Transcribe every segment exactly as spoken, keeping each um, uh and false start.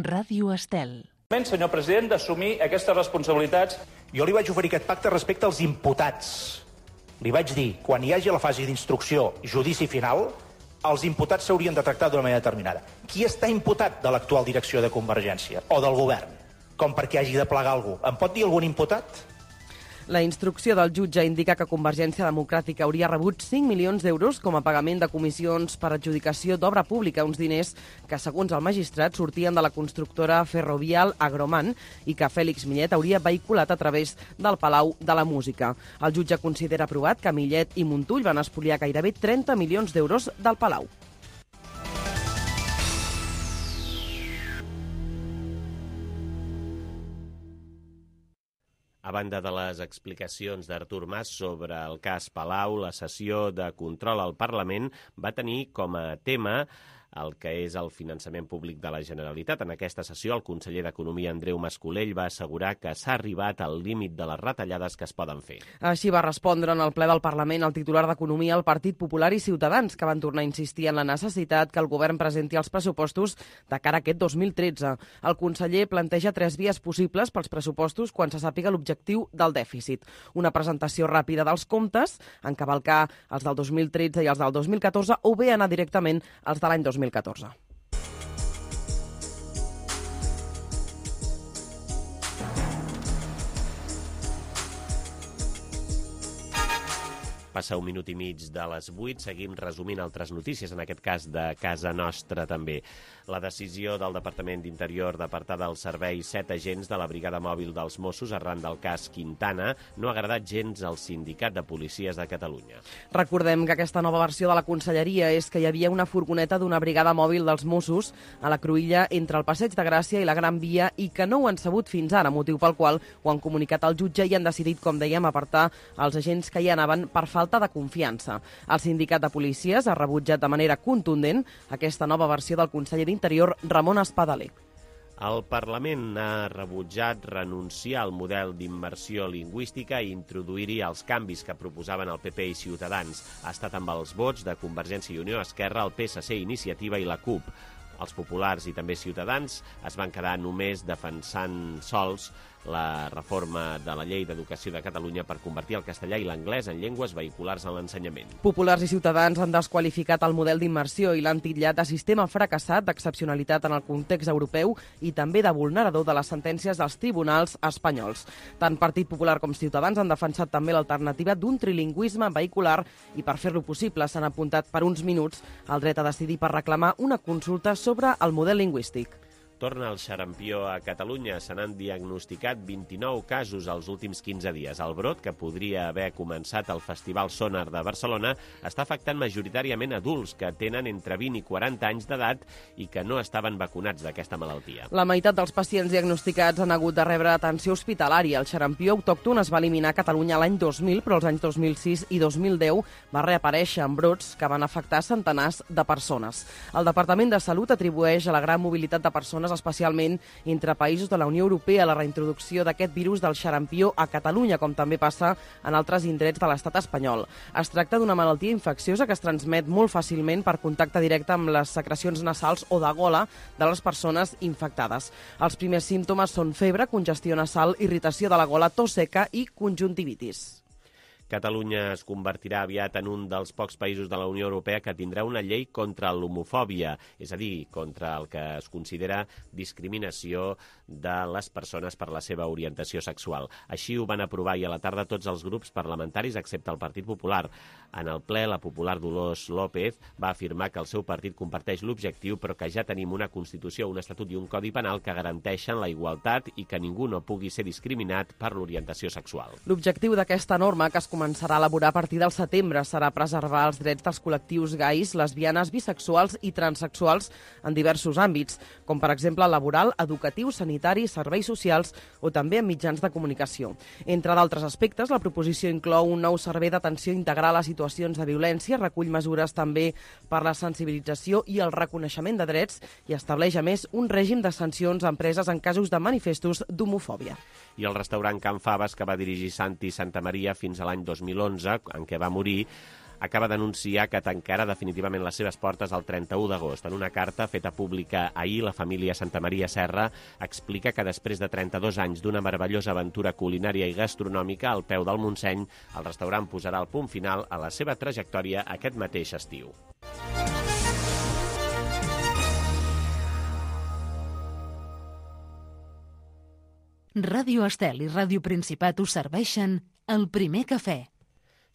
Ràdio Estel. Senyor president, d'assumir aquestes responsabilitats. Jo li vaig oferir aquest pacte respecte als imputats. Li vaig dir, quan hi hagi la fase d'instrucció, judici final, els imputats s'haurien de tractar d'una manera determinada. Qui està imputat de l'actual direcció de Convergència o del govern? Com perquè hagi de plegar algú. Em pot dir algun imputat? La instrucció del jutge indica que Convergència Democràtica hauria rebut cinc milions d'euros com a pagament de comissions per adjudicació d'obra pública, uns diners que, segons el magistrat, sortien de la constructora ferrovial Agroman i que Fèlix Millet hauria vehiculat a través del Palau de la Música. El jutge considera aprovat que Millet i Montull van espoliar gairebé trenta milions d'euros del Palau. A banda de les explicacions d'Artur Mas sobre el cas Palau, la sessió de control al Parlament va tenir com a tema el que és el finançament públic de la Generalitat. En aquesta sessió, el conseller d'Economia, Andreu Mas-Colell, va assegurar que s'ha arribat al límit de les retallades que es poden fer. Així va respondre en el ple del Parlament el titular d'Economia, el Partit Popular i Ciutadans, que van tornar a insistir en la necessitat que el govern presenti els pressupostos de cara a aquest dos mil tretze. El conseller planteja tres vies possibles pels pressupostos quan se sàpiga l'objectiu del dèficit. Una presentació ràpida dels comptes, encavalcar els del dos mil tretze i els del dos mil catorze, o bé anar directament als de l'any dos mil catorze. Passa un minut i mig de les vuit, seguim resumint altres notícies, en aquest cas de casa nostra també. La decisió del Departament d'Interior d'apartar del servei set agents de la Brigada Mòbil dels Mossos arran del cas Quintana no ha agradat gens al Sindicat de Policies de Catalunya. Recordem que aquesta nova versió de la Conselleria és que hi havia una furgoneta d'una Brigada Mòbil dels Mossos a la cruïlla entre el Passeig de Gràcia i la Gran Via i que no ho han sabut fins ara, motiu pel qual ho han comunicat al jutge i han decidit, com dèiem, apartar els agents que hi anaven per falta de confiança. El sindicat de policies ha rebutjat de manera contundent aquesta nova versió del conseller d'Interior, Ramon Espadaler. El Parlament ha rebutjat renunciar al model d'immersió lingüística i introduir-hi els canvis que proposaven el P P i Ciutadans. Ha estat amb els vots de Convergència i Unió, Esquerra, el P S C, Iniciativa i la CUP. Els populars i també Ciutadans es van quedar només defensant sols la reforma de la Llei d'Educació de Catalunya per convertir el castellà i l'anglès en llengües vehiculars en l'ensenyament. Populars i Ciutadans han desqualificat el model d'immersió i l'han titllat de sistema fracassat, d'excepcionalitat en el context europeu i també de vulnerador de les sentències dels tribunals espanyols. Tant Partit Popular com Ciutadans han defensat també l'alternativa d'un trilingüisme vehicular i per fer-lo possible s'han apuntat per uns minuts al dret a decidir per reclamar una consulta sobre el model lingüístic. Torna el xarampió a Catalunya. Se n'han diagnosticat vint-i-nou casos els últims quinze dies. El brot, que podria haver començat al Festival Sonar de Barcelona, està afectant majoritàriament adults que tenen entre vint i quaranta anys d'edat i que no estaven vacunats d'aquesta malaltia. La meitat dels pacients diagnosticats han hagut de rebre atenció hospitalària. El xarampió autòcton es va eliminar a Catalunya l'any dos mil, però els anys dos mil sis i dos mil deu va reaparèixer en brots que van afectar centenars de persones. El Departament de Salut atribueix a la gran mobilitat de persones, especialment entre països de la Unió Europea, la reintroducció d'aquest virus del xarampió a Catalunya, com també passa en altres indrets de l'estat espanyol. Es tracta d'una malaltia infecciosa que es transmet molt fàcilment per contacte directe amb les secrecions nasals o de gola de les persones infectades. Els primers símptomes són febre, congestió nasal, irritació de la gola, tos seca i conjuntivitis. Catalunya es convertirà aviat en un dels pocs països de la Unió Europea que tindrà una llei contra l'homofòbia, és a dir, contra el que es considera discriminació de les persones per la seva orientació sexual. Així ho van aprovar i a la tarda tots els grups parlamentaris, excepte el Partit Popular. En el ple, la popular Dolors López va afirmar que el seu partit comparteix l'objectiu, però que ja tenim una Constitució, un Estatut i un Codi Penal que garanteixen la igualtat i que ningú no pugui ser discriminat per l'orientació sexual. L'objectiu d'aquesta norma, que es començarà a elaborar a partir del setembre, serà preservar els drets dels col·lectius gais, lesbianes, bisexuals i transexuals en diversos àmbits, com per exemple laboral, educatiu, sanitari, serveis socials o també en mitjans de comunicació. Entre d'altres aspectes, la proposició inclou un nou servei d'atenció integral a situacions de violència, recull mesures també per la sensibilització i el reconeixement de drets i estableix, a més, un règim de sancions a empreses en casos de manifestos d'homofòbia. I el restaurant Can Faves, que va dirigir Santi Santamaria fins a l'any dos mil onze, en què va morir, acaba d'anunciar que tancarà definitivament les seves portes el trenta-u d'agost. En una carta feta pública ahir, la família Santamaria Serra explica que després de trenta-dos anys d'una meravellosa aventura culinària i gastronòmica al peu del Montseny, el restaurant posarà el punt final a la seva trajectòria aquest mateix estiu. Ràdio Estel i Ràdio Principat us serveixen el primer cafè.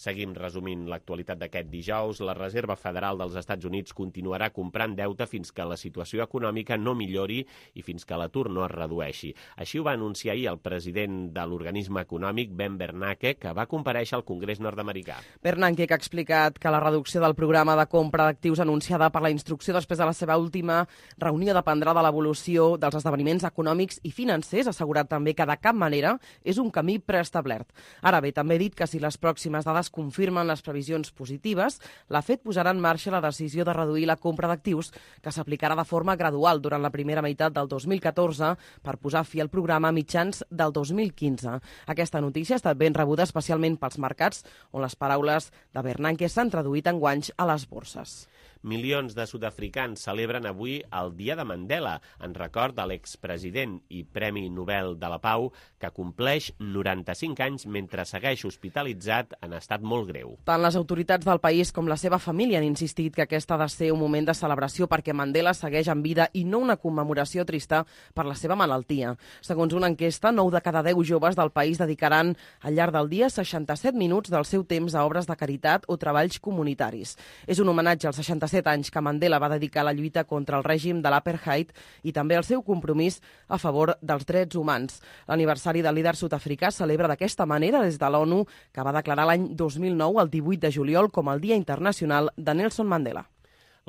Seguim resumint l'actualitat d'aquest dijous. La Reserva Federal dels Estats Units continuarà comprant deute fins que la situació econòmica no millori i fins que l'atur no es redueixi. Així ho va anunciar ahir el president de l'organisme econòmic, Ben Bernanke, que va comparèixer al Congrés nord-americà. Bernanke ha explicat que la reducció del programa de compra d'actius anunciada per la instrucció després de la seva última reunió dependrà de l'evolució dels esdeveniments econòmics i financers, ha assegurat també que de cap manera és un camí preestablert. Ara bé, també ha dit que si les pròximes dades confirmen les previsions positives, la Fed posarà en marxa la decisió de reduir la compra d'actius, que s'aplicarà de forma gradual durant la primera meitat del dos mil catorze per posar fi al programa a mitjans del dos mil quinze. Aquesta notícia ha estat ben rebuda especialment pels mercats, on les paraules de Bernanke s'han traduït en guanys a les borses. Milions de sud-africans celebren avui el Dia de Mandela, en record de l'expresident i Premi Nobel de la Pau, que compleix noranta-cinc anys mentre segueix hospitalitzat en estat molt greu. Tant les autoritats del país com la seva família han insistit que aquest ha de ser un moment de celebració perquè Mandela segueix en vida i no una commemoració trista per la seva malaltia. Segons una enquesta, nou de cada deu joves del país dedicaran al llarg del dia seixanta-set minuts del seu temps a obres de caritat o treballs comunitaris. És un homenatge als seixanta-set anys que Mandela va dedicar a la lluita contra el règim de l'apartheid i també al seu compromís a favor dels drets humans. L'aniversari del líder sud-africà celebra d'aquesta manera des de l'ONU, que va declarar l'any dos mil nou, el divuit de juliol, com el Dia Internacional de Nelson Mandela.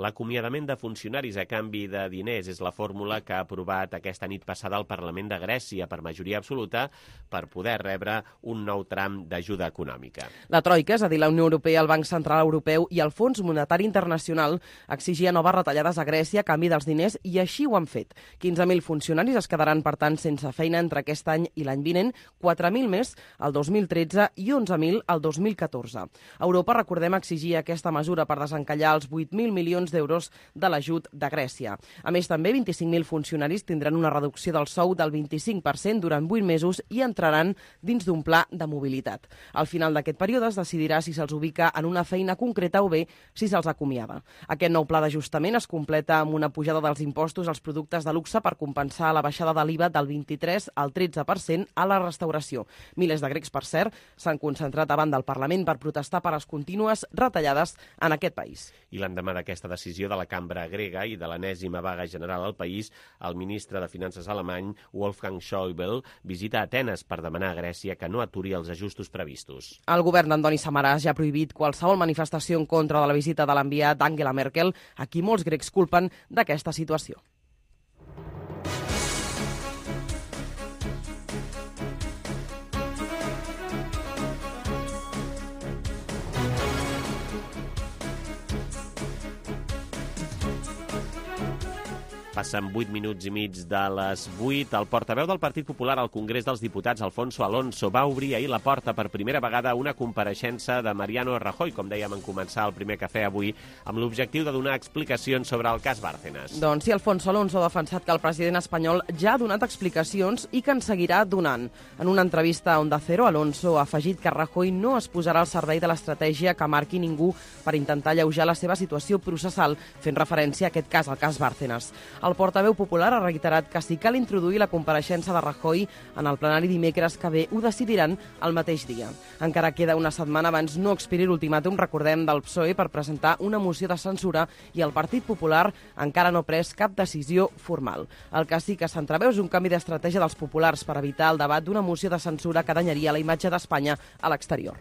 L'acomiadament de funcionaris a canvi de diners és la fórmula que ha aprovat aquesta nit passada el Parlament de Grècia per majoria absoluta per poder rebre un nou tram d'ajuda econòmica. La Troika, és a dir, la Unió Europea, el Banc Central Europeu i el Fons Monetari Internacional exigia noves retallades a Grècia a canvi dels diners i així ho han fet. quinze mil funcionaris es quedaran, per tant, sense feina entre aquest any i l'any vinent, quatre mil més el dos mil tretze i onze mil el dos mil catorze. Europa, recordem, exigia aquesta mesura per desencallar els vuit mil milions d'euros de l'ajut de Grècia. A més, també vint-i-cinc mil funcionaris tindran una reducció del sou del vint-i-cinc per cent durant vuit mesos i entraran dins d'un pla de mobilitat. Al final d'aquest període es decidirà si se'ls ubica en una feina concreta o bé si se'ls acomiada. Aquest nou pla d'ajustament es completa amb una pujada dels impostos als productes de luxe per compensar la baixada de l'I V A del vint-i-tres al tretze per cent a la restauració. Milers de grecs, per cert, s'han concentrat davant del Parlament per protestar per les contínues retallades en aquest país. I l'endemà d'aquesta decisió de la cambra grega i de l'enèsima vaga general al país, el ministre de Finances alemany, Wolfgang Schäuble, visita Atenes per demanar a Grècia que no aturi els ajustos previstos. El govern d'Antoni Samaras ja ha prohibit qualsevol manifestació en contra de la visita de l'enviat Angela Merkel, a qui molts grecs culpen d'aquesta situació. Passen vuit minuts i mig de les vuit. El portaveu del Partit Popular al Congrés dels Diputats, Alfonso Alonso, va obrir ahir la porta per primera vegada a una compareixença de Mariano Rajoy, com dèiem en començar el primer cafè avui, amb l'objectiu de donar explicacions sobre el cas Bárcenas. Doncs sí, Alfonso Alonso ha defensat que el president espanyol ja ha donat explicacions i que en seguirà donant. En una entrevista a Onda Cero, Alonso ha afegit que Rajoy no es posarà al servei de l'estratègia que marqui ningú per intentar alleujar la seva situació processal, fent referència a aquest cas, al cas Bárcenas. El portaveu popular ha reiterat que si cal introduir la compareixença de Rajoy en el plenari dimecres que ve, ho decidiran el mateix dia. Encara queda una setmana abans no expiri l'ultimàtum, recordem, del P S O E per presentar una moció de censura i el Partit Popular encara no ha pres cap decisió formal. El que sí que s'entreveu és un canvi d'estratègia dels populars per evitar el debat d'una moció de censura que danyaria la imatge d'Espanya a l'exterior.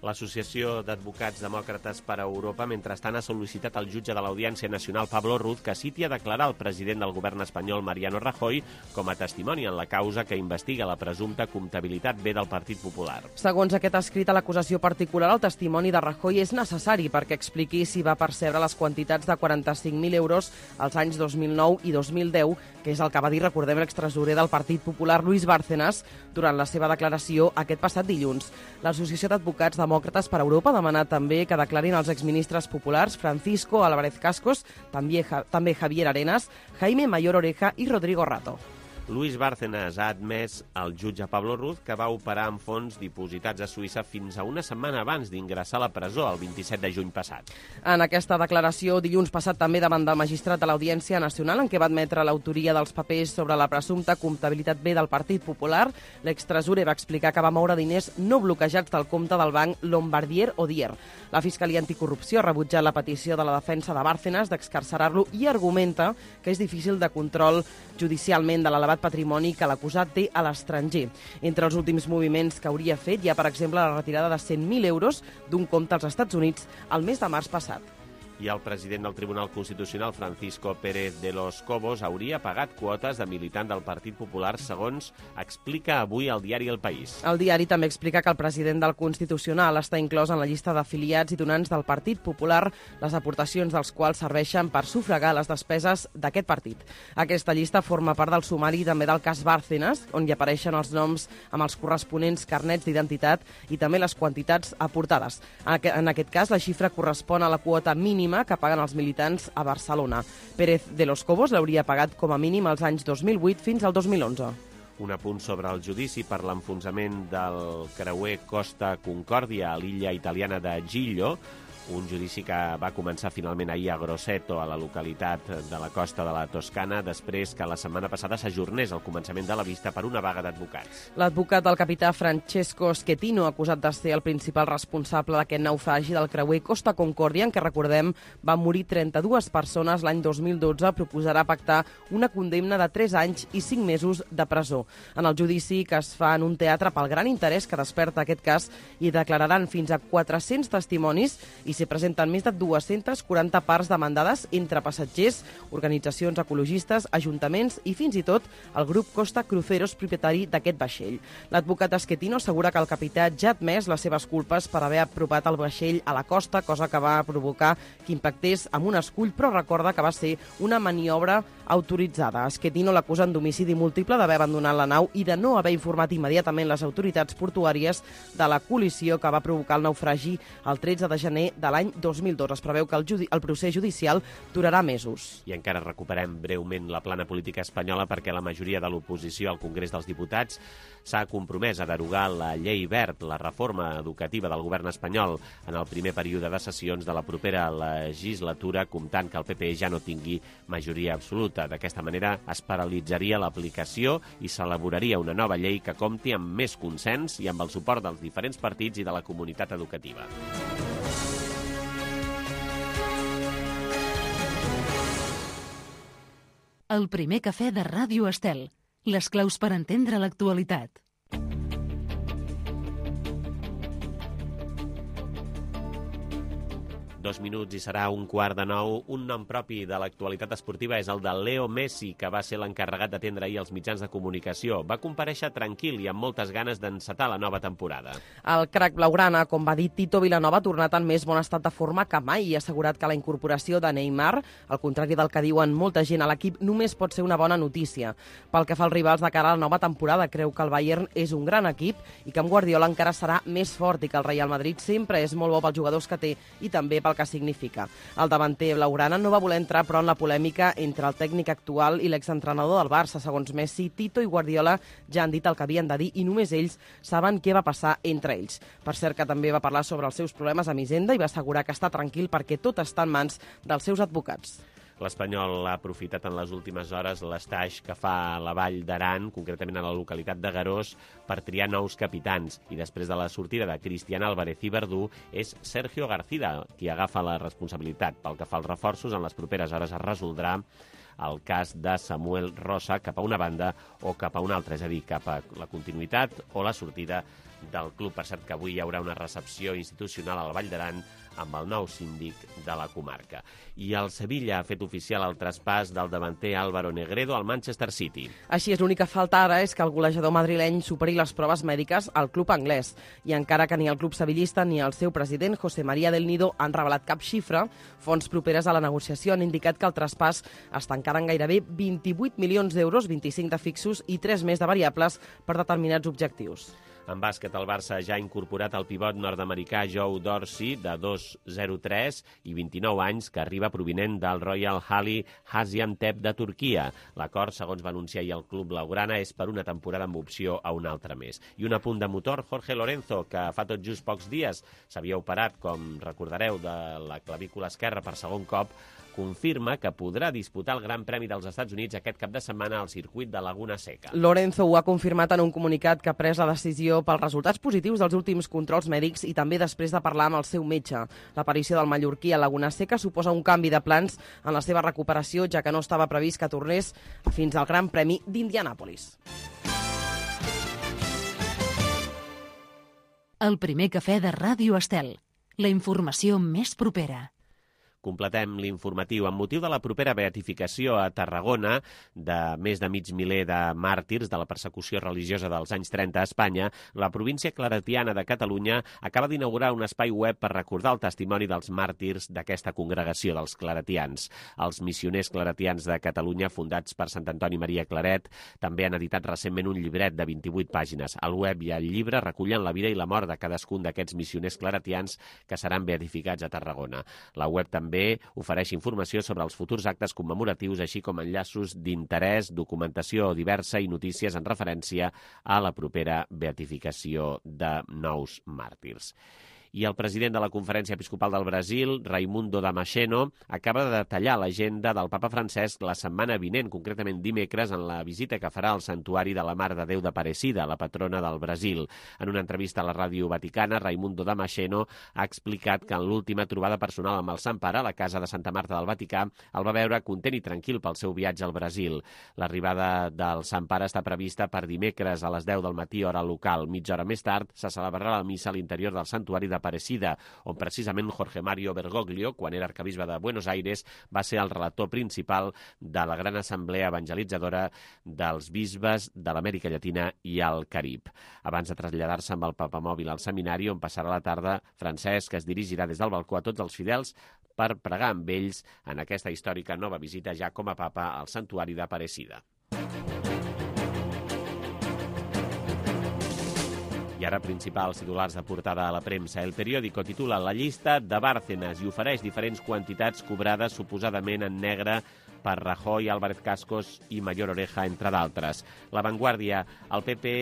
L'Associació d'Advocats Demòcrates per a Europa, mentrestant, ha sol·licitat al jutge de l'Audiència Nacional, Pablo Ruz, que citi a declarar el president del govern espanyol, Mariano Rajoy, com a testimoni en la causa que investiga la presumpta comptabilitat B del Partit Popular. Segons aquest escrit a l'acusació particular, el testimoni de Rajoy és necessari perquè expliqui si va percebre les quantitats de quaranta-cinc mil euros als anys dos mil nou i dos mil deu, que és el que va dir, recordem, l'extresorer del Partit Popular, Luis Bárcenas, durant la seva declaració aquest passat dilluns. L'Associació d'Advocats Demòcrates Demòcrates per Europa ha demanat també que declarin els exministres populars Francisco Álvarez Cascos, també, també Javier Arenas, Jaime Mayor Oreja i Rodrigo Rato. Luis Bárcenas ha admès al jutge Pablo Ruz que va operar amb fons dipositats a Suïssa fins a una setmana abans d'ingressar a la presó, el vint-i-set de juny passat. En aquesta declaració, dilluns passat també davant del magistrat de l'Audiència Nacional, en què va admetre l'autoria dels papers sobre la presumpta comptabilitat B del Partit Popular, l'extresorer va explicar que va moure diners no bloquejats del compte del banc Lombardier Odier. La Fiscalia Anticorrupció ha rebutjat la petició de la defensa de Bárcenas d'excarcerar-lo i argumenta que és difícil de control judicialment de l'elevat patrimoni que l'acusat té a l'estranger. Entre els últims moviments que hauria fet hi ha, per exemple, la retirada de cent mil euros d'un compte als Estats Units el mes de març passat. I el president del Tribunal Constitucional, Francisco Pérez de los Cobos, hauria pagat quotes de militant del Partit Popular, segons explica avui el diari El País. El diari també explica que el president del Constitucional està inclòs en la llista d'afiliats i donants del Partit Popular, les aportacions dels quals serveixen per sufragar les despeses d'aquest partit. Aquesta llista forma part del sumari també del cas Bárcenas, on hi apareixen els noms amb els corresponents carnets d'identitat i també les quantitats aportades. En aquest cas, la xifra correspon a la quota mínima que paguen els militants a Barcelona. Pérez de los Cobos l'hauria pagat com a mínim als anys dos mil vuit fins al dos mil onze. Un apunt sobre el judici per l'enfonsament del creuer Costa Concòrdia a l'illa italiana de Giglio, un judici que va començar finalment ahir a Grosseto, a la localitat de la costa de la Toscana, després que la setmana passada s'ajornés el començament de la vista per una vaga d'advocats. L'advocat del capità Francesco Schettino, acusat de ser el principal responsable d'aquest naufragi del creuer Costa Concòrdia, en què, recordem, van morir trenta-dues persones l'any dos mil dotze, proposarà pactar una condemna de tres anys i cinc mesos de presó. En el judici, que es fa en un teatre pel gran interès que desperta aquest cas, hi declararan fins a quatre-cents testimonis i s'hi presenten més de dues-centes quaranta parts demandades entre passatgers, organitzacions ecologistes, ajuntaments i fins i tot el grup Costa Cruceros, propietari d'aquest vaixell. L'advocat Schettino assegura que el capità ja ha admès les seves culpes per haver apropat el vaixell a la costa, cosa que va provocar que impactés amb un escull, però recorda que va ser una maniobra autoritzada. Schettino l'acusen d'homicidi múltiple, d'haver abandonat la nau i de no haver informat immediatament les autoritats portuàries de la col·lisió que va provocar el naufragi el tretze de gener de l'any dos mil dos. Es preveu que el, judi el procés judicial durarà mesos. I encara recuperem breument la plana política espanyola perquè la majoria de l'oposició al Congrés dels Diputats s'ha compromès a derogar la llei verd, la reforma educativa del govern espanyol, en el primer període de sessions de la propera legislatura, comptant que el P P ja no tingui majoria absoluta. D'aquesta manera es paralitzaria l'aplicació i s'elaboraria una nova llei que compti amb més consens i amb el suport dels diferents partits i de la comunitat educativa. El primer cafè de Ràdio Estel. Les claus per entendre l'actualitat. Dos minuts i serà un quart de nou. Un nom propi de l'actualitat esportiva és el de Leo Messi, que va ser l'encarregat d'atendre ahir els mitjans de comunicació. Va comparèixer tranquil i amb moltes ganes d'encetar la nova temporada. El crac blaugrana, com va dir Tito Vilanova, ha tornat en més bon estat de forma que mai i ha assegurat que la incorporació de Neymar, al contrari del que diuen molta gent a l'equip, només pot ser una bona notícia. Pel que fa als rivals de cara a la nova temporada, creu que el Bayern és un gran equip i que amb Guardiola encara serà més fort i que el Real Madrid sempre és molt bo pels jugadors que té i també pel que significa. El davanter blaugrana no va voler entrar, però, en la polèmica entre el tècnic actual i l'exentrenador del Barça. Segons Messi, Tito i Guardiola ja han dit el que havien de dir i només ells saben què va passar entre ells. Per cert, que també va parlar sobre els seus problemes amb Hisenda i va assegurar que està tranquil perquè tot està en mans dels seus advocats. L'Espanyol ha aprofitat en les últimes hores l'estaix que fa a la Vall d'Aran, concretament a la localitat de Garós, per triar nous capitans. I després de la sortida de Cristian Álvarez i Verdú, és Sergio García qui agafa la responsabilitat. Pel que fa als reforços, en les properes hores es resoldrà el cas de Samuel Rosa cap a una banda o cap a una altra, és a dir, cap a la continuïtat o la sortida del club. Per cert, que avui hi haurà una recepció institucional al Vall d'Aran amb el nou síndic de la comarca. I el Sevilla ha fet oficial el traspàs del davanter Álvaro Negredo al Manchester City. Així és, l'única falta ara és que el golejador madrileny superi les proves mèdiques al club anglès. I encara que ni el club sevillista ni el seu president, José María del Nido, han revelat cap xifra, fonts properes a la negociació han indicat que el traspàs està encara en gairebé vint-i-vuit milions d'euros, vint-i-cinc de fixos i tres més de variables per determinats objectius. En bàsquet, el Barça ja ha incorporat el pivot nord-americà Joe Dorsey, de dos zero tres i vint-i-nou anys, que arriba provinent del Royal Hali Gaziantep de Turquia. L'acord, segons va anunciar ahir el club blaugrana, és per una temporada amb opció a un altre més. I un apunt de motor, Jorge Lorenzo, que fa tot just pocs dies s'havia operat, com recordareu, de la clavícula esquerra per segon cop, confirma que podrà disputar el Gran Premi dels Estats Units aquest cap de setmana al circuit de Laguna Seca. Lorenzo ho ha confirmat en un comunicat que ha pres la decisió pels resultats positius dels últims controls mèdics i també després de parlar amb el seu metge. L'aparició del mallorquí a Laguna Seca suposa un canvi de plans en la seva recuperació, ja que no estava previst que tornés fins al Gran Premi d'Indianàpolis. El primer cafè de Ràdio Estel. La informació més propera. Completem l'informatiu. Amb motiu de la propera beatificació a Tarragona de més de mig miler de màrtirs de la persecució religiosa dels anys trenta a Espanya, la província claretiana de Catalunya acaba d'inaugurar un espai web per recordar el testimoni dels màrtirs d'aquesta congregació dels claretians. Els missioners claretians de Catalunya, fundats per Sant Antoni Maria Claret, també han editat recentment un llibret de vint-i-vuit pàgines. El web i el llibre recullen la vida i la mort de cadascun d'aquests missioners claretians que seran beatificats a Tarragona. La web també ofereix informació sobre els futurs actes commemoratius, així com enllaços d'interès, documentació diversa i notícies en referència a la propera beatificació de nous màrtirs. I el president de la Conferència Episcopal del Brasil, Raimundo Damasceno, acaba de detallar l'agenda del papa Francesc la setmana vinent, concretament dimecres, en la visita que farà al Santuari de la Mare de Déu d'Aparecida, la patrona del Brasil. En una entrevista a la ràdio vaticana, Raimundo Damasceno ha explicat que en l'última trobada personal amb el Sant Pare, a la casa de Santa Marta del Vaticà, el va veure content i tranquil pel seu viatge al Brasil. L'arribada del Sant Pare està prevista per dimecres a les deu del matí, hora local. Mitja hora més tard se celebrarà la missa a l'interior del Santuari de Aparecida, on precisament Jorge Mario Bergoglio, quan era arquebisbe de Buenos Aires, va ser el relator principal de la gran assemblea evangelitzadora dels bisbes de l'Amèrica Llatina i el Carib. Abans de traslladar-se amb el papamòbil al seminari, on passarà la tarda, Francesc es dirigirà des del balcó a tots els fidels per pregar amb ells en aquesta històrica nova visita ja com a papa al Santuari d'Aparecida. I ara principals titulars de portada a la premsa. El periòdico titula La llista de Bárcenas i ofereix diferents quantitats cobrades suposadament en negre per Rajoy, Álvarez Cascos i Mayor Oreja, entre d'altres. La Vanguardia, el P P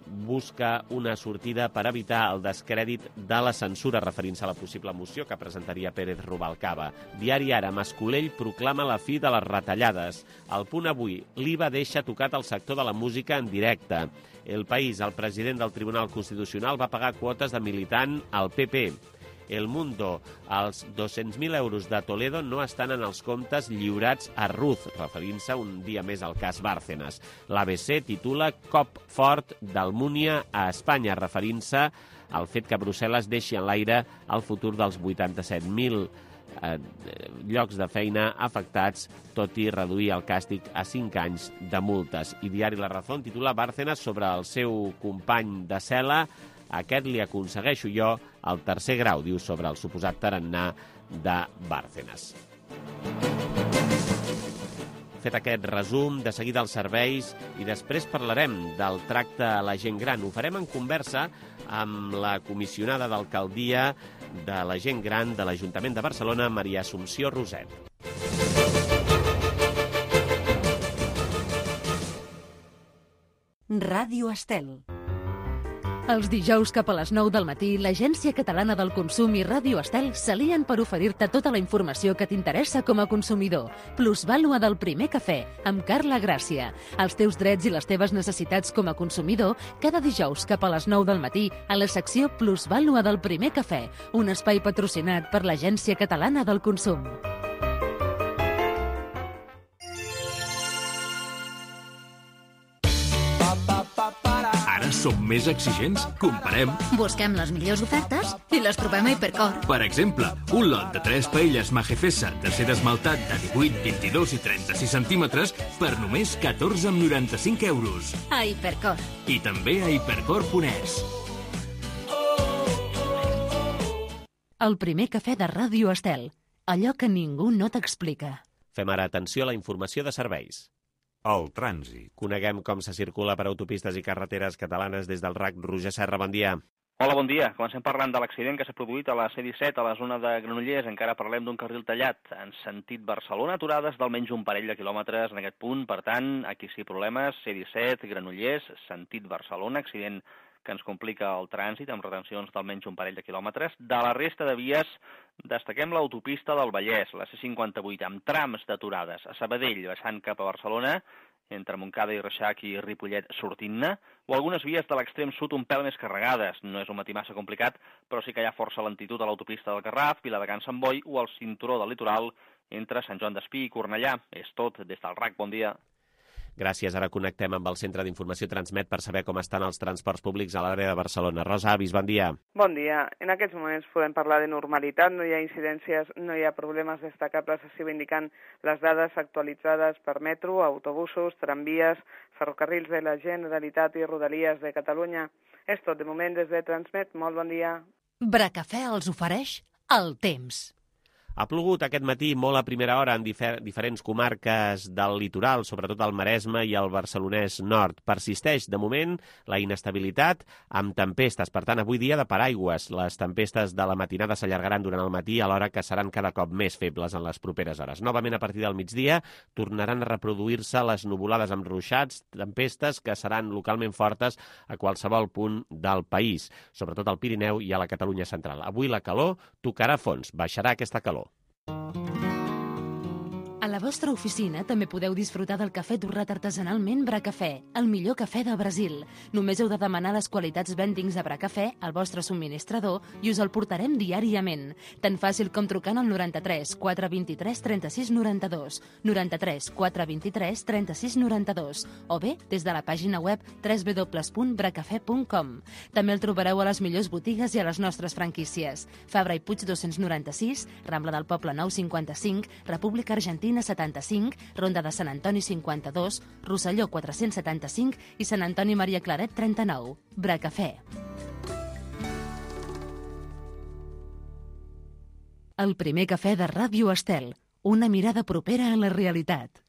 busca una sortida per evitar el descrèdit de la censura, referint-se a la possible moció que presentaria Pérez Rubalcaba. Diari Ara, Mascolell proclama la fi de les retallades. El Punt Avui, l'I V A deixa tocat el sector de la música en directe. El País, el president del Tribunal Constitucional va pagar quotes de militant al P P. El Mundo, els dos-cents mil euros de Toledo no estan en els comptes lliurats a Ruz, referint-se un dia més al cas Bárcenas. L'A B C titula Cop fort d'Almúnia a Espanya, referint-se al fet que Brussel·les deixi en l'aire el futur dels vuitanta-set mil eh, llocs de feina afectats, tot i reduir el càstig a cinc anys de multes. I Diari La Razón titula Bárcenas sobre el seu company de cel·la. Aquest li aconsegueixo jo el tercer grau, diu, sobre el suposat tarannà de Bárcenas. Fet aquest resum, de seguida els serveis i després parlarem del tracte a la gent gran. Ho farem en conversa amb la comissionada d'alcaldia de la gent gran de l'Ajuntament de Barcelona, Maria Assumpció Roset. Ràdio Estel. Els dijous cap a les nou del matí, l'Agència Catalana del Consum i Ràdio Estel s'alien per oferir-te tota la informació que t'interessa com a consumidor. Plusvàlua del primer cafè, amb Carla Gràcia. Els teus drets i les teves necessitats com a consumidor, cada dijous cap a les nou del matí, a la secció Plusvàlua del primer cafè, un espai patrocinat per l'Agència Catalana del Consum. Ara som més exigents? Comparem. Busquem les millors ofertes i les trobem a Hipercor. Per exemple, un lot de tres paelles Majefessa d'acer esmaltat de divuit, vint-i-dos i trenta-sis centímetres per només catorze coma noranta-cinc euros. A Hipercor. I també a hipercor punt es. El primer cafè de Ràdio Estel. Allò que ningú no t'explica. Fem ara atenció a la informació de serveis. El trànsit. Coneguem com se circula per autopistes i carreteres catalanes des del R A C. Roger Serra, bon dia. Hola, bon dia. Comencem parlant de l'accident que s'ha produït a la C disset, a la zona de Granollers. Encara parlem d'un carril tallat en sentit Barcelona, aturades d'almenys un parell de quilòmetres en aquest punt. Per tant, aquí sí problemes. C disset, Granollers, sentit Barcelona, accident que ens complica el trànsit amb retencions d'almenys un parell de quilòmetres. De la resta de vies, destaquem l'autopista del Vallès, la C cinquanta-vuit, amb trams d'aturades. A Sabadell, baixant cap a Barcelona, entre Montcada i Reixac i Ripollet sortint-ne, o algunes vies de l'extrem sud un pèl més carregades. No és un matí massa complicat, però sí que hi ha força lentitud a l'autopista del Garraf, Viladecans Sant Boi o al cinturó del litoral entre Sant Joan d'Espí i Cornellà. És tot des del R A C. Bon dia. Gràcies. Ara connectem amb el Centre d'Informació Transmet per saber com estan els transports públics a l'àrea de Barcelona. Rosa Avis, bon dia. Bon dia. En aquests moments podem parlar de normalitat, no hi ha incidències, no hi ha problemes destacables, així ho indiquen les dades actualitzades per metro, autobusos, tramvies, ferrocarrils de la Generalitat i Rodalies de Catalunya. És tot de moment des de Transmet. Molt bon dia. Bracafè els ofereix el temps. Ha plogut aquest matí molt a primera hora en difer diferents comarques del litoral, sobretot al Maresme i al Barcelonès Nord. Persisteix, de moment, la inestabilitat amb tempestes. Per tant, avui dia de paraigües. Les tempestes de la matinada s'allargaran durant el matí, alhora que seran cada cop més febles en les properes hores. Novament, a partir del migdia, tornaran a reproduir-se les nuvolades amb ruixats, tempestes que seran localment fortes a qualsevol punt del país, sobretot al Pirineu i a la Catalunya central. Avui la calor tocarà fons, baixarà aquesta calor. A la vostra oficina també podeu disfrutar del cafè torrat artesanalment Bracafè, el millor cafè de Brasil. Només heu de demanar les qualitats vendings de Bracafè al vostre subministrador i us el portarem diàriament. Tan fàcil com trucant al noranta-tres quatre vint-i-tres trenta-sis noranta-dos, noranta-tres quatre vint-i-tres trenta-sis noranta-dos o bé des de la pàgina web w w w punt bracafè punt com. També el trobareu a les millors botigues i a les nostres franquícies. Fabra i Puig dos-cents noranta-sis, Rambla del Poble nou cinquanta-cinc, República Argentina setanta-cinc, Ronda de Sant Antoni cinquanta-dos, Rosselló quatre-cents setanta-cinc i Sant Antoni Maria Claret trenta-nou. Bracafè. El primer cafè de Ràdio Estel. Una mirada propera a la realitat.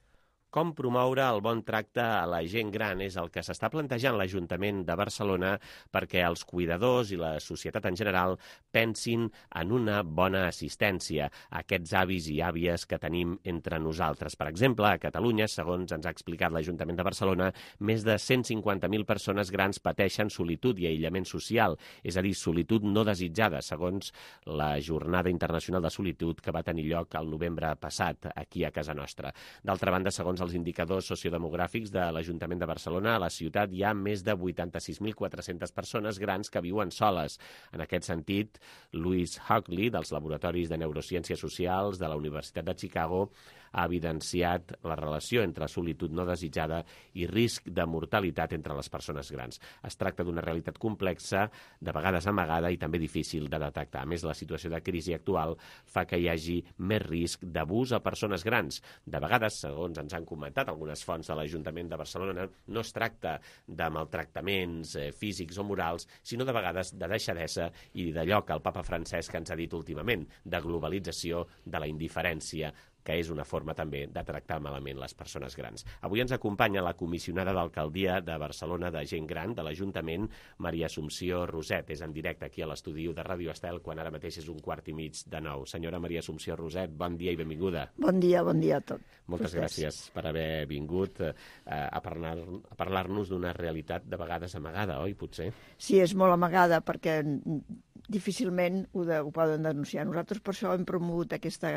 Com promoure el bon tracte a la gent gran és el que s'està plantejant l'Ajuntament de Barcelona perquè els cuidadors i la societat en general pensin en una bona assistència a aquests avis i àvies que tenim entre nosaltres. Per exemple, a Catalunya, segons ens ha explicat l'Ajuntament de Barcelona, més de cent cinquanta mil persones grans pateixen solitud i aïllament social, és a dir, solitud no desitjada, segons la Jornada Internacional de Solitud que va tenir lloc el novembre passat aquí a casa nostra. D'altra banda, segons els indicadors sociodemogràfics de l'Ajuntament de Barcelona, a la ciutat hi ha més de vuitanta-sis mil quatre-centes persones grans que viuen soles. En aquest sentit, Louise Hockley, dels Laboratoris de Neurociències Socials de la Universitat de Chicago, ha evidenciat la relació entre solitud no desitjada i risc de mortalitat entre les persones grans. Es tracta d'una realitat complexa, de vegades amagada i també difícil de detectar. A més, la situació de crisi actual fa que hi hagi més risc d'abús a persones grans. De vegades, segons ens han comentat algunes fonts de l'Ajuntament de Barcelona, no es tracta de maltractaments eh, físics o morals, sinó de vegades de deixadesa i d'allò que el papa Francesc ens ha dit últimament, de globalització, de la indiferència, que és una forma també de tractar malament les persones grans. Avui ens acompanya la comissionada d'Alcaldia de Barcelona de Gent Gran de l'Ajuntament, Maria Assumpció Roset. És en directe aquí a l'estudi de Ràdio Estel, quan ara mateix és un quart i mig de nou. Senyora Maria Assumpció Roset, bon dia i benvinguda. Bon dia, bon dia a tot. Moltes gràcies per haver vingut eh, a parlar-nos a parlar-nos d'una realitat de vegades amagada, oi, potser? Sí, és molt amagada perquè difícilment ho, de, ho poden denunciar. Nosaltres per això hem promogut aquesta,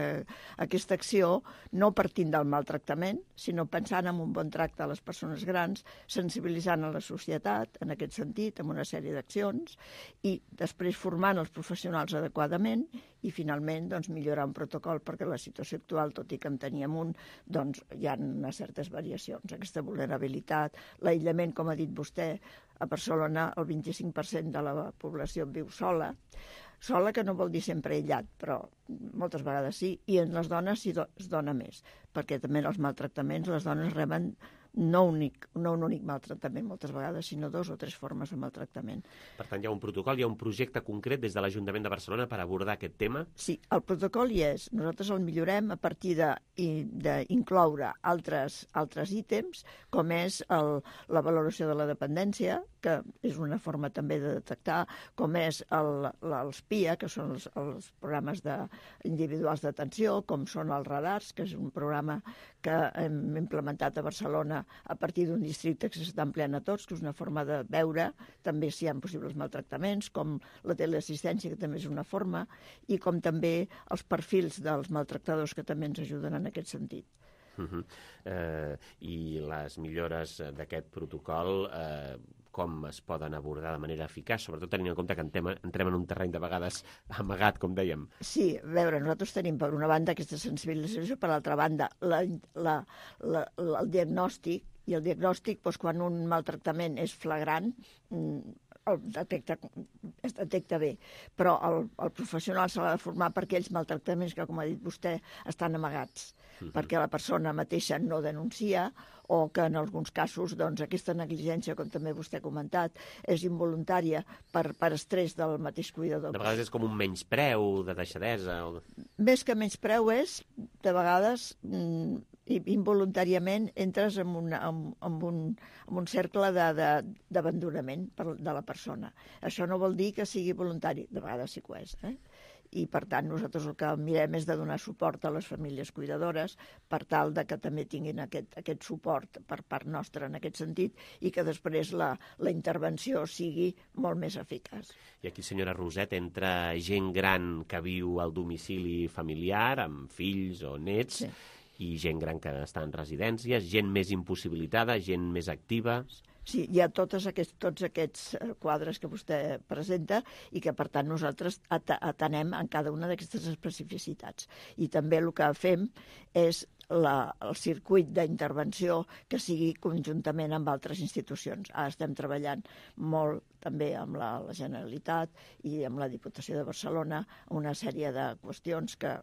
aquesta acció, no partint del maltractament, sinó pensant en un bon tracte a les persones grans, sensibilitzant a la societat en aquest sentit, amb una sèrie d'accions, i després formant els professionals adequadament i finalment doncs, millorar un protocol, perquè la situació actual, tot i que en teníem un, doncs hi ha unes certes variacions. Aquesta vulnerabilitat, l'aïllament, com ha dit vostè, a Barcelona el vint-i-cinc per cent de la població viu sola, sola que no vol dir sempre aïllat, però moltes vegades sí, i en les dones sí do, es dona més, perquè també en els maltractaments les dones reben no, únic, no un únic maltractament moltes vegades, sinó dos o tres formes de maltractament. Per tant, hi ha un protocol, hi ha un projecte concret des de l'Ajuntament de Barcelona per abordar aquest tema? Sí, el protocol hi és. Nosaltres el millorem a partir d'incloure altres, altres ítems, com és el, la valoració de la dependència, que és una forma també de detectar, com és el, els P I A, que són els, els programes de, individuals d'atenció, com són els radars, que és un programa que hem implementat a Barcelona a partir d'un districte que s'està empleant a tots, que és una forma de veure també si hi ha possibles maltractaments, com la teleassistència, que també és una forma, i com també els perfils dels maltractadors, que també ens ajuden en aquest sentit. Uh -huh. eh, I les millores d'aquest protocol, eh, com es poden abordar de manera eficaç, sobretot tenint en compte que entrem, entrem en un terreny de vegades amagat, com dèiem. Sí, a veure, nosaltres tenim per una banda aquesta sensibilització, per l'altra banda la, la, la, la, el diagnòstic, i el diagnòstic, doncs, quan un maltractament és flagrant, el detecta, es detecta bé, però el, el professional s'ha de formar per aquells maltractaments que, com ha dit vostè, estan amagats, uh-huh. perquè la persona mateixa no denuncia, o que en alguns casos doncs, aquesta negligència, com també vostè ha comentat, és involuntària per, per estrès del mateix cuidador. De vegades és com un menyspreu de deixadesa. O... Més que menyspreu és, de vegades, mm, involuntàriament entres en, una, en, en, un, en un cercle d'abandonament de la persona. Això no vol dir que sigui voluntari, de vegades sí que ho és, eh? I, per tant, nosaltres el que mirem és de donar suport a les famílies cuidadores per tal de que també tinguin aquest, aquest suport per part nostra en aquest sentit i que després la, la intervenció sigui molt més eficaç. I aquí, senyora Roset, entra gent gran que viu al domicili familiar, amb fills o nets, sí. i gent gran que està en residències, gent més impossibilitada, gent més activa... Sí, hi ha tots aquests, tots aquests quadres que vostè presenta i que, per tant, nosaltres atenem en cada una d'aquestes especificitats. I també el que fem és la, el circuit d'intervenció que sigui conjuntament amb altres institucions. Ara estem treballant molt també amb la, la Generalitat i amb la Diputació de Barcelona una sèrie de qüestions que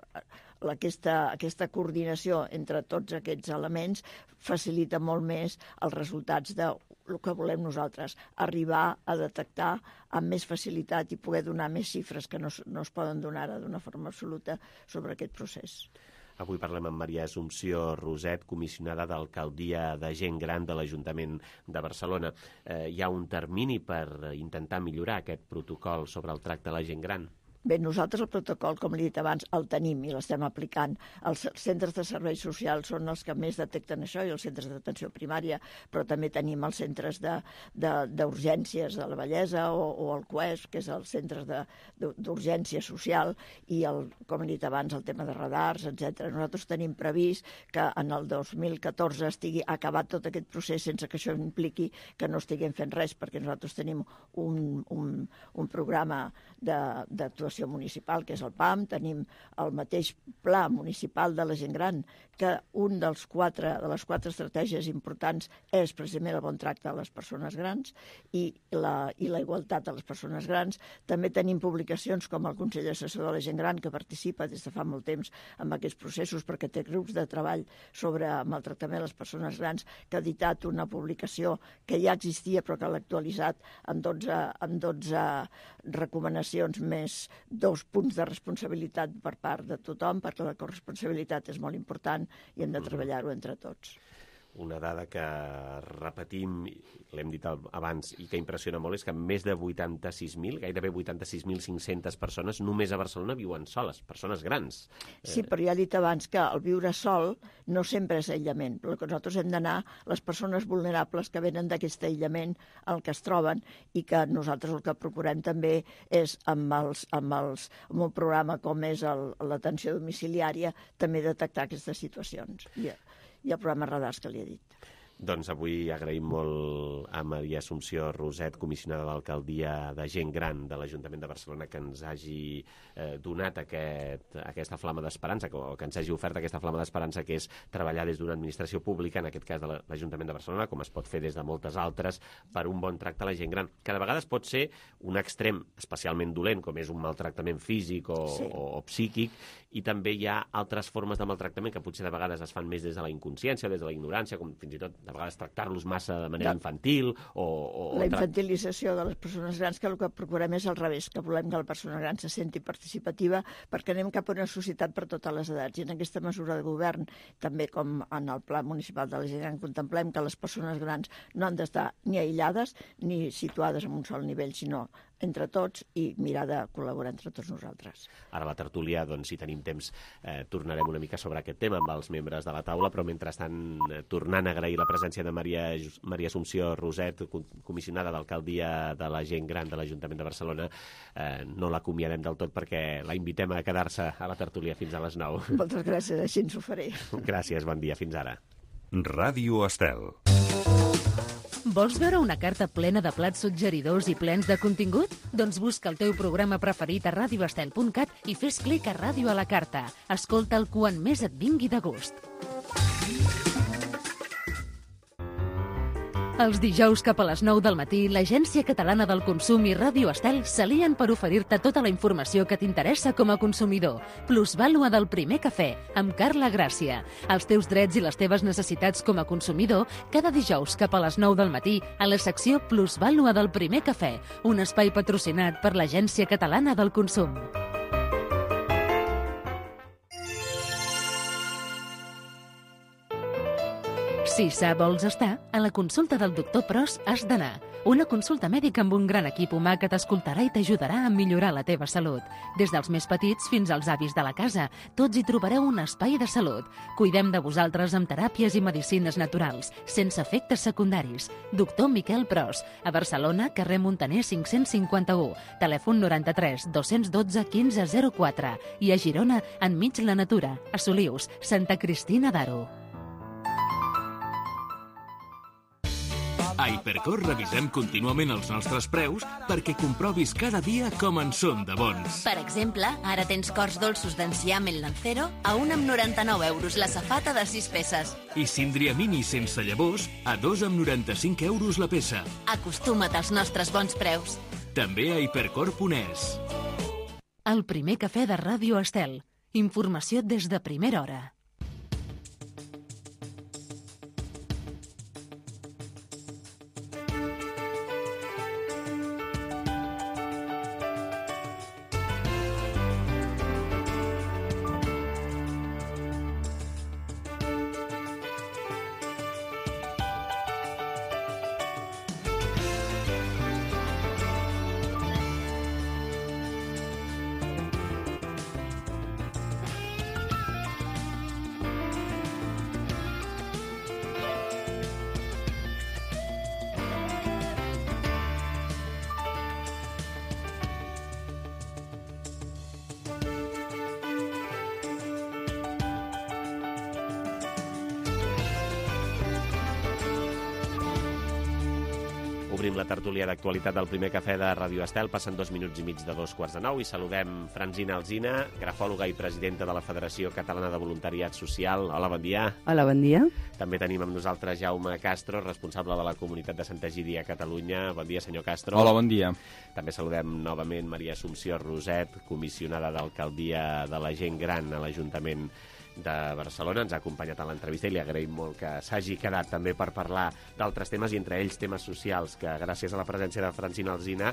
aquesta, aquesta coordinació entre tots aquests elements facilita molt més els resultats de el que volem nosaltres, arribar a detectar amb més facilitat i poder donar més xifres que no, no es poden donar ara d'una forma absoluta sobre aquest procés. Avui parlem amb Maria Assumpció Roset, comissionada d'Alcaldia de Gent Gran de l'Ajuntament de Barcelona. Eh, hi ha un termini per intentar millorar aquest protocol sobre el tracte a la gent gran? Bé, nosaltres el protocol, com li he dit abans, el tenim i l'estem aplicant. Els centres de serveis socials són els que més detecten això i els centres d'atenció primària, però també tenim els centres d'urgències de, de, de la bellesa o, o el C U E S, que és els centres d'urgència social, i, el, com he dit abans, el tema de radars, etcètera. Nosaltres tenim previst que en el dos mil catorze estigui acabat tot aquest procés sense que això impliqui que no estiguem fent res, perquè nosaltres tenim un, un, un programa d'actuació municipal, que és el P A M, tenim el mateix pla municipal de la gent gran, que un dels quatre, de les quatre estratègies importants és precisament el bon tracte a les persones grans i la, i la igualtat a les persones grans. També tenim publicacions com el Consell Assessor de la Gent Gran, que participa des de fa molt temps en aquests processos perquè té grups de treball sobre maltractament a les persones grans, que ha editat una publicació que ja existia però que l'ha actualitzat amb dotze, amb dotze recomanacions més dos punts de responsabilitat per part de tothom, perquè la corresponsabilitat és molt important i hem de treballar-ho entre tots. Una dada que repetim, l'hem dit abans, i que impressiona molt, és que més de vuitanta-sis mil, gairebé vuitanta-sis mil cinc-centes persones només a Barcelona viuen soles, persones grans. Sí, però ja he dit abans que el viure sol no sempre és aïllament. El que nosaltres hem d'anar, les persones vulnerables que venen d'aquest aïllament al que es troben, i que nosaltres el que procurem també és, amb, els, amb, els, amb un programa com és l'atenció domiciliària, també detectar aquestes situacions. I, i el programa Radars que li he dit. Doncs avui agraïm molt a Maria Assumpció Roset, comissionada d'Alcaldia de Gent Gran de l'Ajuntament de Barcelona, que ens hagi eh, donat aquest, aquesta flama d'esperança, o que ens hagi ofert aquesta flama d'esperança, que és treballar des d'una administració pública, en aquest cas de l'Ajuntament de Barcelona, com es pot fer des de moltes altres, per un bon tracte a la gent gran, que de vegades pot ser un extrem especialment dolent, com és un maltractament físic o, sí. o, o psíquic, i també hi ha altres formes de maltractament que potser de vegades es fan més des de la inconsciència, des de la ignorància, com fins i tot de vegades tractar-los massa de manera infantil o... o la infantilització de les persones grans, que el que procurem és al revés, que volem que la persona gran se senti participativa perquè anem cap a una societat per totes les edats. I en aquesta mesura de govern, també com en el Pla Municipal de la Gent Gran, contemplem que les persones grans no han d'estar ni aïllades ni situades en un sol nivell, sinó entre tots i mirar de col·laborar entre tots nosaltres. Ara a la tertúlia, doncs, si tenim temps, eh, tornarem una mica sobre aquest tema amb els membres de la taula, però mentrestant, eh, tornant a agrair la presència de Maria, Maria Assumpció Roset, comissionada d'Alcaldia de la Gent Gran de l'Ajuntament de Barcelona, eh, no l'acomiadem del tot perquè la invitem a quedar-se a la tertúlia fins a les nou. Moltes gràcies, així ens ho faré. Gràcies, bon dia, fins ara. Ràdio Estel. Vols veure una carta plena de plats suggeridors i plens de contingut? Doncs busca el teu programa preferit a radio estel punt cat i fes clic a Ràdio a la carta. Escolta'l quan més et vingui de gust. Els dijous cap a les nou del matí, l'Agència Catalana del Consum i Ràdio Estel s'alien per oferir-te tota la informació que t'interessa com a consumidor. Plusvàlua del primer cafè, amb Carla Gràcia. Els teus drets i les teves necessitats com a consumidor, cada dijous cap a les nou del matí, a la secció Plusvàlua del primer cafè, un espai patrocinat per l'Agència Catalana del Consum. Si sa vols estar, a la consulta del doctor Pros has d'anar. Una consulta mèdica amb un gran equip humà que t'escoltarà i t'ajudarà a millorar la teva salut. Des dels més petits fins als avis de la casa, tots hi trobareu un espai de salut. Cuidem de vosaltres amb teràpies i medicines naturals, sense efectes secundaris. Doctor Miquel Pros, a Barcelona, carrer Montaner cinc-cents cinquanta-u, telèfon noranta-tres dos-cents dotze quinze zero quatre i a Girona, enmig la natura, a Solius, Santa Cristina d'Aro. A Hipercor revisem contínuament els nostres preus perquè comprovis cada dia com en són de bons. Per exemple, ara tens cors dolços d'enciam en Lancero a un amb noranta-nou euros la safata de sis peces. I síndria mini sense llavors a dos amb noranta-cinc euros la peça. Acostuma't als nostres bons preus. També a hipercor punt es. El primer cafè de Ràdio Estel. Informació des de primera hora. Obrim la tertúlia d'actualitat del primer cafè de Ràdio Estel. Passen dos minuts i mig de dos quarts de nou i saludem Francina Alsina, grafòloga i presidenta de la Federació Catalana de Voluntariat Social. Hola, bon dia. Hola, bon dia. També tenim amb nosaltres Jaume Castro, responsable de la comunitat de Santa Egídia a Catalunya. Bon dia, senyor Castro. Hola, bon dia. També saludem novament Maria Assumpció Roset, comissionada d'Alcaldia de la Gent Gran a l'Ajuntament de Barcelona. Ens ha acompanyat a l'entrevista i li agraïm molt que s'hagi quedat també per parlar d'altres temes i entre ells temes socials, que gràcies a la presència de Francina Alsina,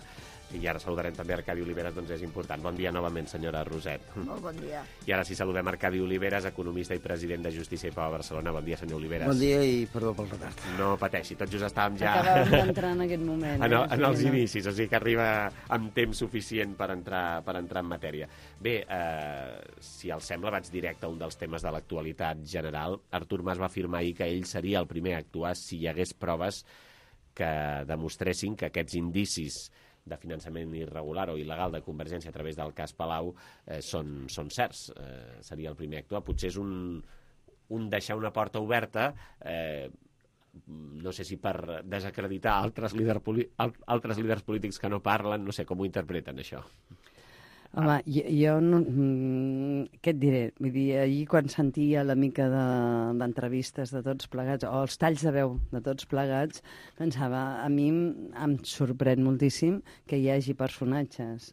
i ara saludarem també Arcadi Oliveres, doncs és important. Bon dia novament, senyora Roset. Molt bon dia. I ara sí saludem Arcadi Oliveres, economista i president de Justícia i Pau a Barcelona. Bon dia, senyor Oliveres. Bon dia i perdó pel retard. No pateixi, tot just estàvem ja... Acabem d'entrar en aquest moment. En, eh? en els inicis, o sigui que arriba amb temps suficient per entrar, per entrar en matèria. Bé, eh, si els sembla, vaig directe a un dels temes de l'actualitat general. Artur Mas va afirmar ahir que ell seria el primer a actuar si hi hagués proves que demostressin que aquests indicis de finançament irregular o il·legal de Convergència a través del cas Palau eh, són, són certs. Eh, seria el primer a actuar. Potser és un, un deixar una porta oberta, eh, no sé si per desacreditar altres, líder, altres líders polítics que no parlen, no sé com ho interpreten, això. Home, jo, jo no... Què et diré? Vull dir, ahir quan sentia la mica d'entrevistes de, de tots plegats, o els talls de veu de tots plegats, pensava, a mi em sorprèn moltíssim que hi hagi personatges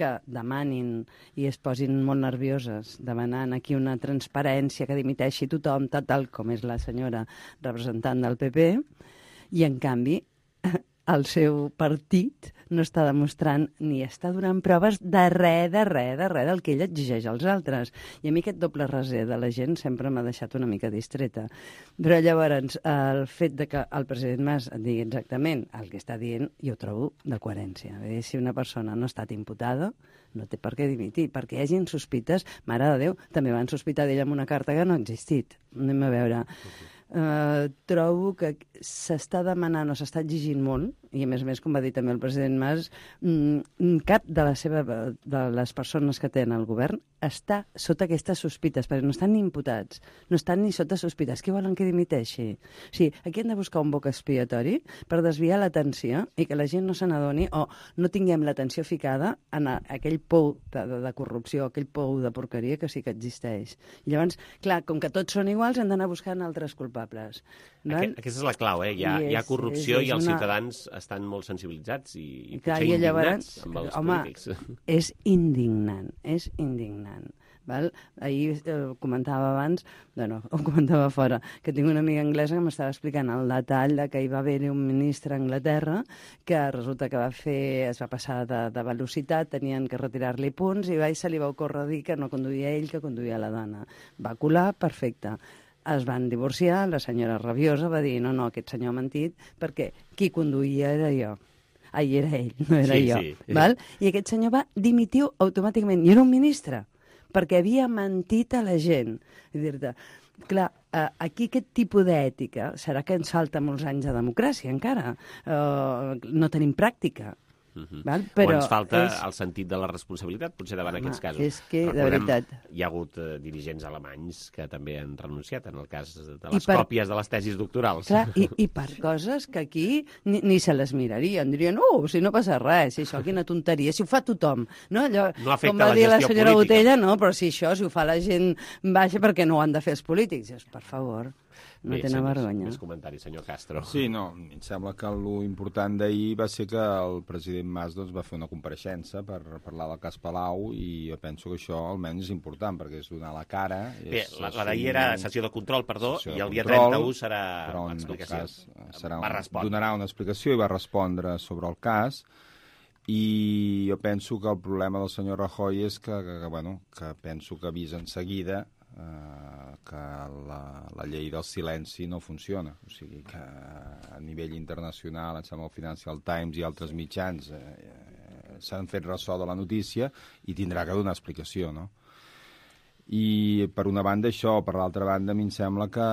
que demanin i es posin molt nervioses demanant aquí una transparència que dimiteixi tothom, tal com és la senyora representant del P P, i en canvi el seu partit no està demostrant ni està donant proves de res, de res, de res del que ell exigeix als altres. I a mi aquest doble raser de la gent sempre m'ha deixat una mica distreta. Però llavors, el fet de que el president Mas digui exactament el que està dient, jo ho trobo de coherència. Dir, si una persona no ha estat imputada, no té per què dimitir. Perquè hi hagin sospites, mare de Déu, també van sospitar d'ella amb una carta que no ha existit. Anem a veure. Uh, trobo que s'està demanant o s'està exigint molt, i a més a més, com va dir també el president Mas, mm, cap de, la seva, de les persones que tenen el govern està sota aquestes sospites, perquè no estan ni imputats, no estan ni sota sospites. Què volen que dimiteixi? O sigui, aquí hem de buscar un boc expiatori per desviar l'atenció i que la gent no se n'adoni o no tinguem l'atenció ficada en aquell pou de, de, de corrupció, aquell pou de porqueria que sí que existeix. I llavors, clar, com que tots són iguals, hem d'anar buscant altres culpables. Aquest, aquesta és la clau, eh? Hi ha, és, hi ha corrupció és, és i els una... ciutadans estan molt sensibilitzats i, i potser clar, i indignats llavors, amb els home, polítics. És indignant, és indignant. Val? Ahir eh, comentava abans, bueno, ho comentava fora, que tinc una amiga anglesa que m'estava explicant el detall de que hi va haver un ministre a Anglaterra que resulta que va fer, es va passar de, de velocitat, tenien que retirar-li punts i va, i se li va ocórrer dir que no conduïa ell, que conduïa la dona. Va colar, perfecte. Es van divorciar, la senyora rabiosa va dir no, no, aquest senyor ha mentit perquè qui conduïa era jo. Ai, era ell, no era sí, jo. Sí. Val? I aquest senyor va dimitir automàticament, i era un ministre, perquè havia mentit a la gent. I dir-te, clar, aquí aquest tipus d'ètica serà que ens falta molts anys de democràcia encara. Uh, no tenim pràctica. Uh-huh. Val? Però o ens falta és... el sentit de la responsabilitat, potser davant Home, aquests casos. És que, de Recordem, veritat... hi ha hagut uh, dirigents alemanys que també han renunciat en el cas de les per... còpies de les tesis doctorals. Clar, i, i per coses que aquí ni, ni se les mirarien. Dirien, oh, si no passa res, si això, quina tonteria, si ho fa tothom. No, Allò, no afecta com va la dir la gestió senyora política. Botella, no, però si això, si ho fa la gent baixa, perquè no ho han de fer els polítics. Dius, per favor, no Bé, tenen senyors, vergonya. Més comentaris, senyor Castro. Sí, no, em sembla que l'important d'ahir va ser que el president Mas doncs, va fer una compareixença per parlar del cas Palau i jo penso que això almenys és important perquè és donar la cara. Bé, és, la, la d'ahir era sessió de control, perdó, de i el dia control, trenta-u serà l'explicació. Serà va un, donarà una explicació i va respondre sobre el cas i jo penso que el problema del senyor Rajoy és que, que, que, bueno, que penso que ha vist en seguida Uh, que la, la llei del silenci no funciona. O sigui que a nivell internacional, em sembla el Financial Times i altres mitjans eh, eh, s'han fet ressò de la notícia i tindrà que donar explicació, no? I per una banda això, per l'altra banda a mi em sembla que,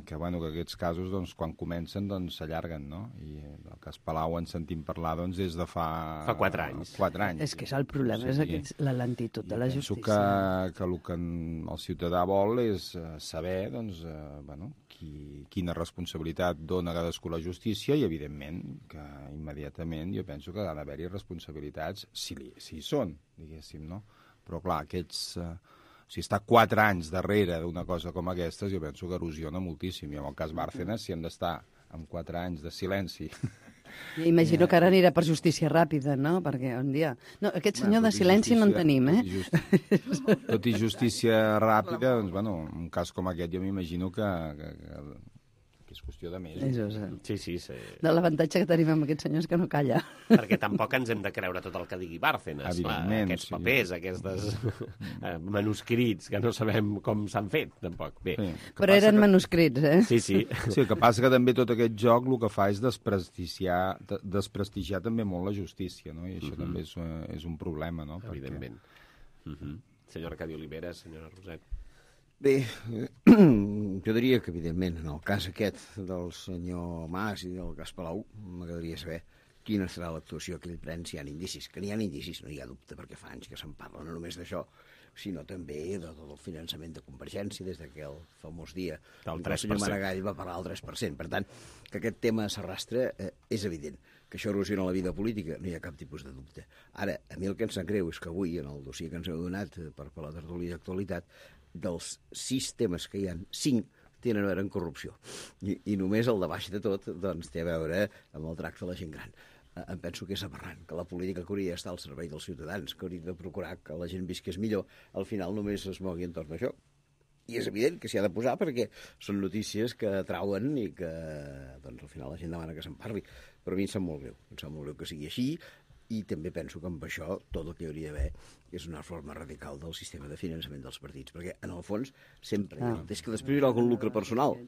que, bueno, que aquests casos doncs, quan comencen doncs, s'allarguen, no? I el cas Palau en sentim parlar doncs, des de fa... Fa quatre anys. És Quatre anys. que és el problema, sí, és aquest, la lentitud de la justícia. Penso que, que el que el ciutadà vol és saber doncs, eh, bueno, qui, quina responsabilitat dona cadascú la justícia i, evidentment, que immediatament jo penso que ha d'haver-hi responsabilitats si, li, si hi són, diguéssim, no? Però, clar, aquests... Eh, si està quatre anys darrere d'una cosa com aquestes, jo penso que erosiona moltíssim. I en el cas Bárcenas, si hem d'estar amb quatre anys de silenci... I imagino que ara anirà per justícia ràpida, no? Perquè un dia... No, aquest senyor de silenci no en tenim, eh? Tot i, tot i justícia ràpida, doncs, bueno, un cas com aquest jo m'imagino que, que, que, que és qüestió de mesos. Mesos, eh? Sí, sí, sí. De l'avantatge que tenim amb aquest senyor és que no calla. Perquè tampoc ens hem de creure tot el que digui Bárcenas. Clar, aquests sí. papers, aquests manuscrits, que no sabem com s'han fet, tampoc. Bé, sí, però eren que... manuscrits, eh? Sí, sí. Sí, el que passa que també tot aquest joc el que fa és desprestigiar, desprestigiar també molt la justícia, no? I això uh-huh. també és, és un problema, no? Evidentment. Perquè... Uh-huh. Senyora Arcadi Oliveres, senyora Roset. Bé, jo diria que, evidentment, en el cas aquest del senyor Mas i del cas Palau, m'agradaria saber quina serà l'actuació que ell pren si hi ha indicis. Que n'hi ha indicis, no hi ha dubte, perquè fa anys que se'n parla, no només d'això, sinó també de tot el finançament de Convergència, des d'aquell famós dia del el senyor Maragall va parlar del tres per cent. Per tant, que aquest tema s'arrastra eh, és evident. Que això erosiona la vida política, no hi ha cap tipus de dubte. Ara, a mi el que em sap greu és que avui, en el dossier que ens heu donat per, per la tertúlia d'actualitat, dels sis temes que hi ha, cinc tenen a veure amb corrupció. I, i només el de baix de tot doncs, té a veure amb el tracte de la gent gran. em penso que és aberrant, que la política que hauria d'estar al servei dels ciutadans, que hauria de procurar que la gent visqués millor, al final només es mogui entorn d'això. I és evident que s'hi ha de posar perquè són notícies que atrauen i que doncs, al final la gent demana que se'n parli. Però a mi em sap molt greu, em sap molt greu que sigui així, i també penso que amb això tot el que hi hauria d'haver és una forma radical del sistema de finançament dels partits, perquè en el fons sempre ah. és que després hi haurà algun lucre personal,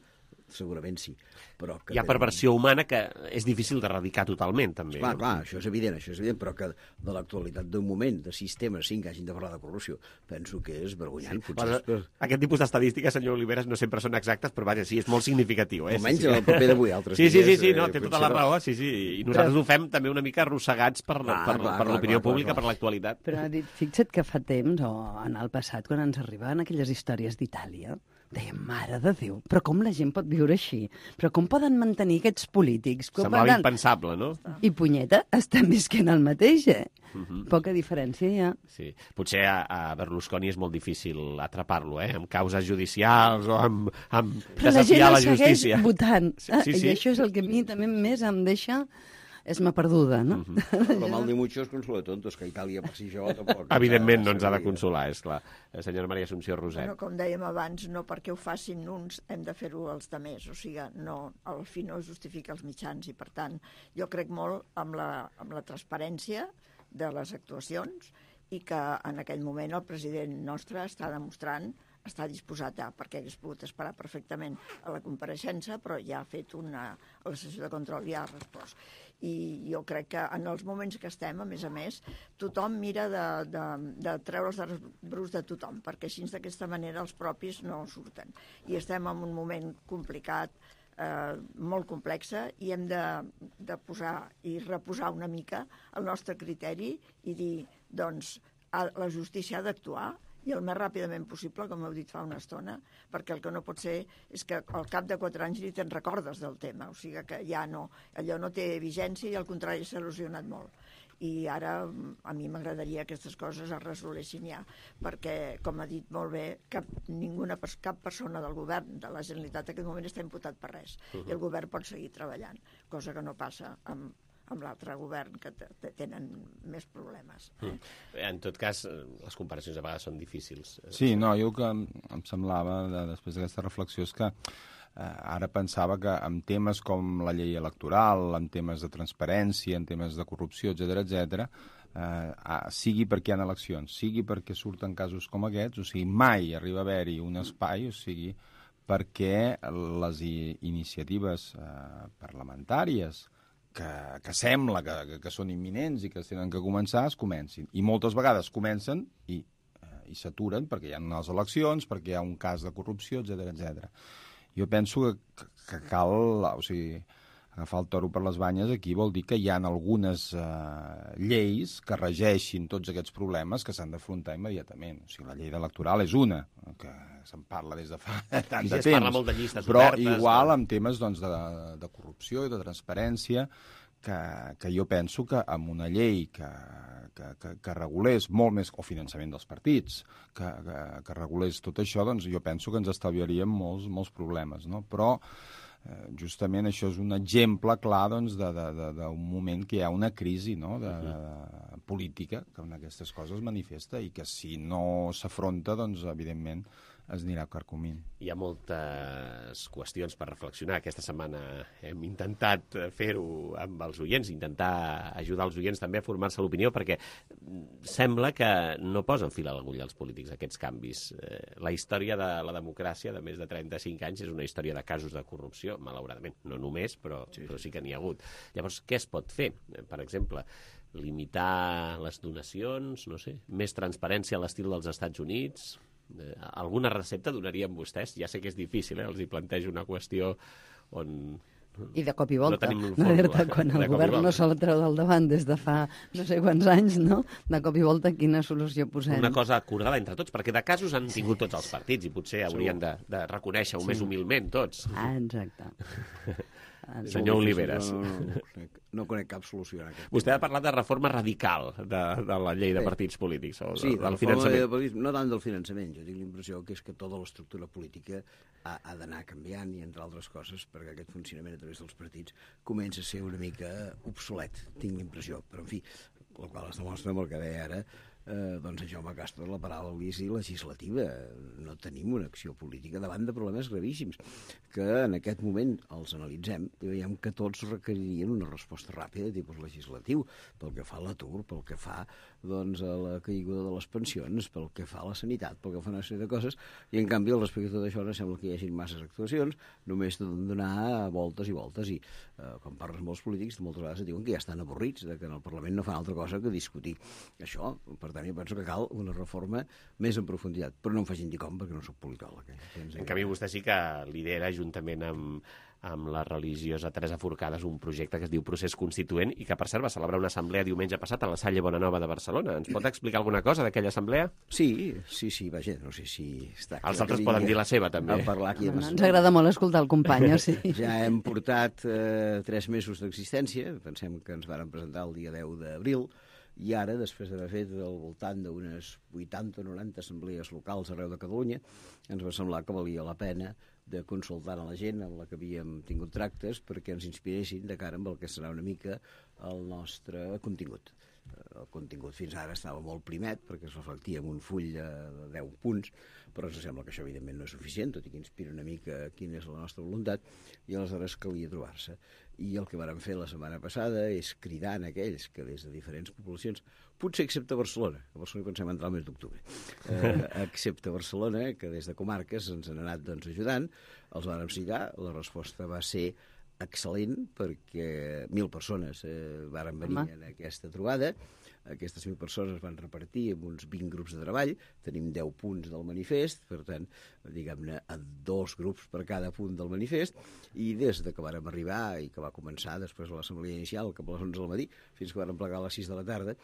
segurament sí. Però que hi ha perversió humana que és difícil d'erradicar totalment, també. Clar, no? clar, això és evident, això és evident, però que de l'actualitat d'un moment, de sistemes, sí, que hagin de parlar de corrupció, penso que és vergonyant. Sí, bueno, és... Aquest tipus d'estadístiques, senyor Oliveras, no sempre són exactes, però vaja, sí, és molt significatiu. Eh? Almenys sí, sí. en el paper d'avui, altres sí, sí, sí, dies... sí, no, té tota la raó, sí, sí. I nosaltres però... ho fem també una mica arrossegats per, clar, per, clar, per l'opinió pública, clar. Per l'actualitat. Però ha dit, fixa't que fa temps, o en el passat, quan ens arribaven aquelles històries d'Itàlia, dèiem, mare de Déu, però com la gent pot viure així? Però com poden mantenir aquests polítics? Com Semblava poden... impensable, no? I punyeta, estan visquent el mateix, eh? Uh -huh. Poca diferència hi ha. Sí. Potser a, a Berlusconi és molt difícil atrapar-lo, eh? Amb causes judicials o amb, amb desafiar la, la justícia. Però la gent el segueix votant. Sí, sí, sí. I això és el que a mi també més em deixa... és ma perduda, no? Uh -huh. Lo mal de muchos consuela tontos, que Itàlia per si jo tampoc... Evidentment no ens ha de consolar, és clar. Senyora Maria Assumpció Roset. Bueno, com dèiem abans, no perquè ho facin uns hem de fer-ho els demés, o sigui, no, al fi no justifica els mitjans i, per tant, jo crec molt amb la, amb la transparència de les actuacions i que en aquell moment el president nostre està demostrant està disposat a, perquè hagués pogut esperar perfectament a la compareixença, però ja ha fet una... a la sessió de control ja ha respost. I jo crec que en els moments que estem, a més a més, tothom mira de, de, de treure els bruts de tothom, perquè així d'aquesta manera els propis no surten. I estem en un moment complicat, eh, molt complexa, i hem de, de posar i reposar una mica el nostre criteri i dir, doncs, la justícia ha d'actuar, i el més ràpidament possible, com heu dit fa una estona, perquè el que no pot ser és que al cap de quatre anys ni te'n recordes del tema, o sigui que ja no, allò no té vigència i al contrari s'ha erosionat molt. I ara a mi m'agradaria que aquestes coses es resolessin ja, perquè, com ha dit molt bé, cap, ninguna, cap persona del govern de la Generalitat en aquest moment està imputat per res, uh -huh. i el govern pot seguir treballant, cosa que no passa amb amb l'altre govern, que tenen més problemes. Eh? Mm. En tot cas, les comparacions a vegades són difícils. Sí, no, jo que em, em semblava, de, després d'aquesta reflexió, és que eh, ara pensava que en temes com la llei electoral, en temes de transparència, en temes de corrupció, etcètera, etcètera, eh, sigui perquè hi ha eleccions, sigui perquè surten casos com aquests, o sigui, mai arriba a haver-hi un espai, o sigui, perquè les iniciatives eh, parlamentàries que, que sembla que, que, que són imminents i que tenen que començar, es comencin. I moltes vegades comencen i, eh, i s'aturen perquè hi ha unes eleccions, perquè hi ha un cas de corrupció, etcètera, etcètera. Jo penso que, que cal, o sigui, agafar el toro per les banyes aquí vol dir que hi ha algunes eh, lleis que regeixin tots aquests problemes que s'han d'afrontar immediatament. O sigui, la llei electoral és una, que se'n parla des de fa tant de temps. Es parla molt de llistes però obertes, igual no? amb temes doncs, de, de corrupció i de transparència, que, que jo penso que amb una llei que, que, que, que regulés molt més, o finançament dels partits, que, que, que regulés tot això, doncs jo penso que ens estalviaríem molts, molts problemes, no? Però eh, justament això és un exemple clar doncs, d'un moment que hi ha una crisi, no? de, de política, que en aquestes coses manifesta i que si no s'afronta, doncs evidentment es anirà carcomint. Hi ha moltes qüestions per reflexionar. Aquesta setmana hem intentat fer-ho amb els oients, intentar ajudar els oients també a formar-se l'opinió, perquè sembla que no posen fil a l'agulla els polítics aquests canvis. La història de la democràcia de més de trenta-cinc anys és una història de casos de corrupció, malauradament. No només, però sí, però sí que n'hi ha hagut. Llavors, què es pot fer? Per exemple, limitar les donacions, no sé, més transparència a l'estil dels Estats Units. Eh, alguna recepta donarien vostès? Ja sé que és difícil, eh? Els hi plantejo una qüestió on... I de cop i volta, no, no dir-te, quan el govern no se la treu del davant des de fa no sé quants anys, no? De cop i volta quina solució posem? Una cosa acordada entre tots, perquè de casos han tingut tots els partits i potser haurien de, de reconèixer-ho sí. més humilment tots. Ah, exacte. Senyor Oliveres. No, no, no, conec, no conec cap solució en aquest. Vostè ha parlat de reforma radical de, de la llei de partits polítics, o de, sí, del finançament. De partits, no tant del finançament. Jo tinc l'impressió que és que tota l'estructura política ha, ha d'anar canviant i, entre altres coses, perquè aquest funcionament a través dels partits comença a ser una mica obsolet, tinc l'impressió. Però, en fi, el qual es demostra amb el que deia ara, eh, doncs en Jaume Castro, la paràlisi legislativa. No tenim una acció política davant de problemes gravíssims que en aquest moment els analitzem i veiem que tots requeririen una resposta ràpida de tipus legislatiu, pel que fa a l'atur, pel que fa doncs, a la caiguda de les pensions, pel que fa a la sanitat, pel que fa a una sèrie de coses, i en canvi al respecte de tot això no sembla que hi hagi masses actuacions, només de donar voltes i voltes, i eh, quan parles amb els polítics moltes vegades et diuen que ja estan avorrits, de que en el Parlament no fan altra cosa que discutir això. Per tant, jo penso que cal una reforma més en profunditat, però no em facin dir com, perquè no soc politòleg. Eh? En canvi, vostè sí que lidera, juntament amb, amb la religiosa Teresa Forcades, un projecte que es diu Procés Constituent i que, per cert, va celebrar una assemblea diumenge passat a la Salle Bonanova de Barcelona. Ens pot explicar alguna cosa d'aquella assemblea? Sí, sí, sí, vaja, no sé si... Està Els altres poden dir la seva, també. A parlar aquí a no, ens agrada molt escoltar el company, sí. Ja hem portat eh, tres mesos d'existència, pensem que ens varen presentar el dia deu d'abril, i ara, després d'haver fet al voltant d'unes vuitanta o noranta assemblees locals arreu de Catalunya, ens va semblar que valia la pena de consultar a la gent amb la que havíem tingut tractes perquè ens inspiressin de cara amb el que serà una mica el nostre contingut. El contingut fins ara estava molt primet perquè es reflectia en un full de deu punts, però ens sembla que això evidentment no és suficient, tot i que inspira una mica quina és la nostra voluntat, i aleshores calia trobar-se. I el que vàrem fer la setmana passada és cridar en aquells que des de diferents poblacions, potser excepte Barcelona, a Barcelona pensem entrar al mes d'octubre, eh, excepte Barcelona, que des de comarques ens han anat doncs, ajudant, els vàrem citar, la resposta va ser excel·lent perquè mil persones eh, varen venir Home. en aquesta trobada. Aquestes mil persones es van repartir en uns vint grups de treball, tenim deu punts del manifest, per tant, diguem-ne, a dos grups per cada punt del manifest, i des de que vàrem arribar i que va començar després de l'assemblea inicial, cap a les onze del matí, fins que vàrem plegar a les sis de la tarda,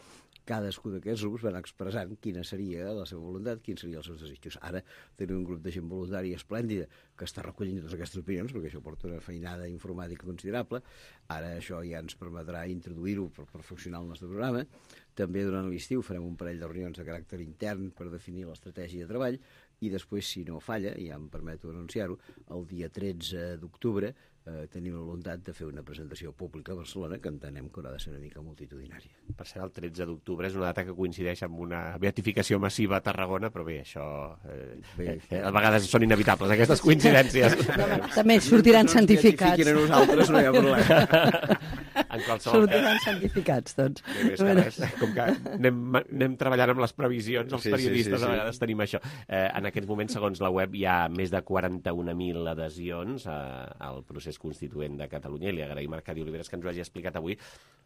cadascú d'aquests grups van expressant quina seria la seva voluntat, quins serien els seus desitjos. Ara tenim un grup de gent voluntària esplèndida que està recollint totes aquestes opinions, perquè això porta una feinada informàtica considerable. Ara això ja ens permetrà introduir-ho per perfeccionar el nostre programa. També durant l'estiu farem un parell de reunions de caràcter intern per definir l'estratègia de treball i després, si no falla, i ja em permeto anunciar-ho, el dia tretze d'octubre eh, tenim la voluntat de fer una presentació pública a Barcelona que entenem que haurà de ser una mica multitudinària. Per ser el tretze d'octubre és una data que coincideix amb una beatificació massiva a Tarragona, però bé, això eh, bé, eh, a vegades són inevitables, aquestes coincidències. També sortiran no santificats. No ens beatifiquin a nosaltres, no hi ha problema. En qualsevol sortiran santificats tots. Bé, bé, bueno. Com que anem, anem treballant amb les previsions, els sí, periodistes sí, sí, sí. a vegades tenim això. Eh, en aquests moments, segons la web, hi ha més de quaranta-un mil adhesions a, al procés constituent de Catalunya, i li agraïm a Arcadi Oliveres que ens ho hagi explicat avui.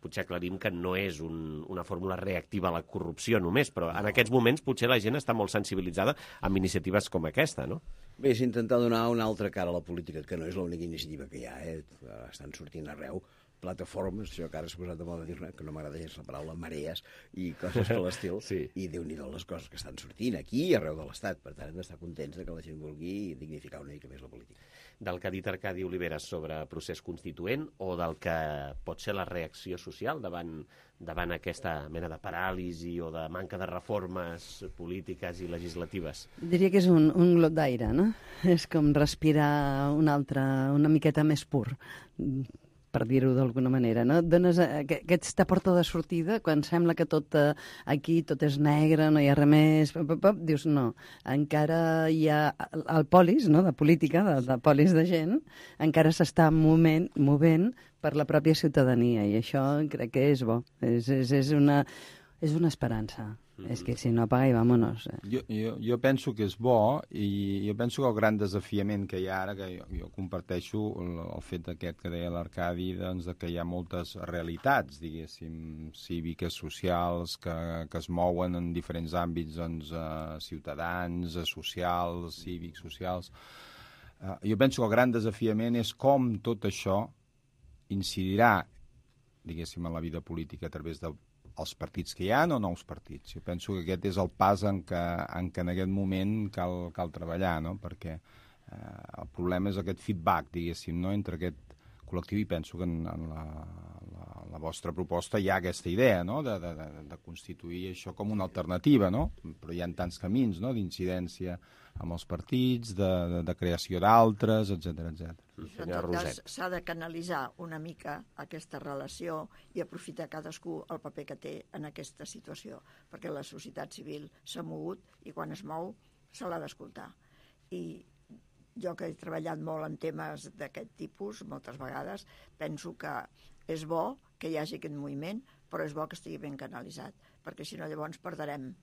Potser aclarim que no és un, una fórmula reactiva a la corrupció només, però en aquests moments potser la gent està molt sensibilitzada amb iniciatives com aquesta, no? Bé, és intentar donar una altra cara a la política, que no és l'única iniciativa que hi ha, eh? Estan sortint arreu plataformes, això que ara s'ha posat de moda dir-ne, que no m'agrada gens la paraula marees i coses per l'estil, sí. I Déu-n'hi-do les coses que estan sortint aquí i arreu de l'Estat. Per tant, hem d'estar contents de que la gent vulgui dignificar una mica més la política. Del que ha dit Arcadi Oliveres sobre procés constituent o del que pot ser la reacció social davant, davant aquesta mena de paràlisi o de manca de reformes polítiques i legislatives? Diria que és un, un glot d'aire, no? És com respirar una altra, una miqueta més pur, per dir-ho d'alguna manera, no? Et dones aquesta porta de sortida quan sembla que tot aquí tot és negre, no hi ha res més, pop, pop, pop, dius no, encara hi ha el polis, no?, de política, de, de polis de gent, encara s'està movent, movent per la pròpia ciutadania, i això crec que és bo, és, és, és, una, és una esperança. Mm-hmm. És que si no apaga i vámonos. Eh? Jo, jo, jo penso que és bo, i jo penso que el gran desafiament que hi ha ara, que jo, jo comparteixo el, el fet aquest que deia l'Arcadi, doncs, que hi ha moltes realitats, diguéssim, cíviques, socials, que, que es mouen en diferents àmbits, doncs, eh, ciutadans, socials, cívics, socials. Eh, jo penso que el gran desafiament és com tot això incidirà, diguéssim, en la vida política a través de els partits que hi ha o nous partits. Jo penso que aquest és el pas en què en, què en aquest moment cal, cal treballar, no? Perquè eh, el problema és aquest feedback, diguéssim, no? Entre aquest col·lectiu, i penso que en, en la, la, la vostra proposta hi ha aquesta idea, no?, de, de, de constituir això com una alternativa, no? Però hi ha tants camins, no?, d'incidència amb els partits, de, de, de creació d'altres, etcètera, etcètera. En tot cas, s'ha de canalitzar una mica aquesta relació i aprofitar cadascú el paper que té en aquesta situació, perquè la societat civil s'ha mogut i quan es mou se l'ha d'escoltar. I jo, que he treballat molt en temes d'aquest tipus, moltes vegades, penso que és bo que hi hagi aquest moviment, però és bo que estigui ben canalitzat, perquè si no llavors perdrem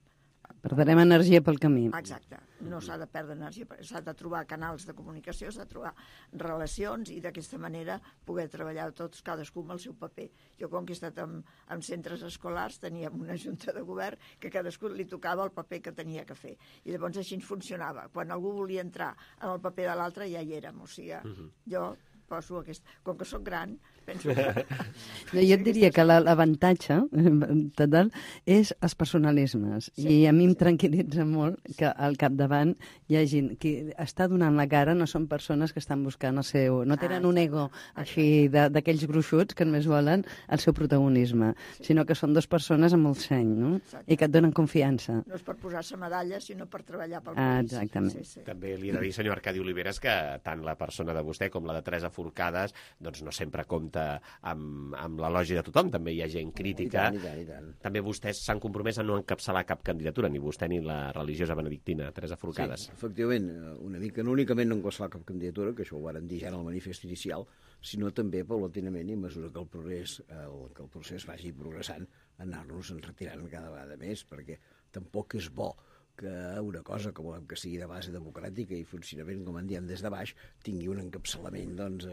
Perdrem energia pel camí. Exacte. No s'ha de perdre energia, s'ha de trobar canals de comunicació, s'ha de trobar relacions i d'aquesta manera poder treballar tots, cadascú amb el seu paper. Jo, com que he estat en, en centres escolars, teníem una junta de govern que cadascú li tocava el paper que tenia que fer. I llavors així funcionava. Quan algú volia entrar en el paper de l'altre, ja hi érem. O sigui, uh-huh. jo poso aquest... Com que sóc gran, penso que... No, jo et diria que l'avantatge total és els personalismes. Sí, I a mi em tranquil·litza molt que al capdavant hi ha gent que està donant la cara, no són persones que estan buscant el seu... No tenen un ego així d'aquells gruixuts que només volen el seu protagonisme, sinó que són dues persones amb molt seny, no? I que et donen confiança. No és per posar-se medalles, sinó per treballar pel ah, país. Exactament. Sí, sí. També li he de dir, senyor Arcadi Oliveres, que tant la persona de vostè com la de Teresa Forcades doncs no sempre compta amb, amb l'elogi de tothom, també hi ha gent crítica. I tant, i tant, i tant. També vostès s'han compromès a no encapçalar cap candidatura, ni vostè ni la religiosa benedictina, Teresa Forcades. Sí, efectivament, una mica, no únicament no encapçalar cap candidatura, que això ho varen dir ja en el manifest inicial, sinó també paulatinament i a mesura que el progrés, el, que el procés vagi progressant, anar-nos en retirant cada vegada més, perquè tampoc és bo que una cosa que volem que sigui de base democràtica i funcionament, com en diem, des de baix, tingui un encapçalament doncs,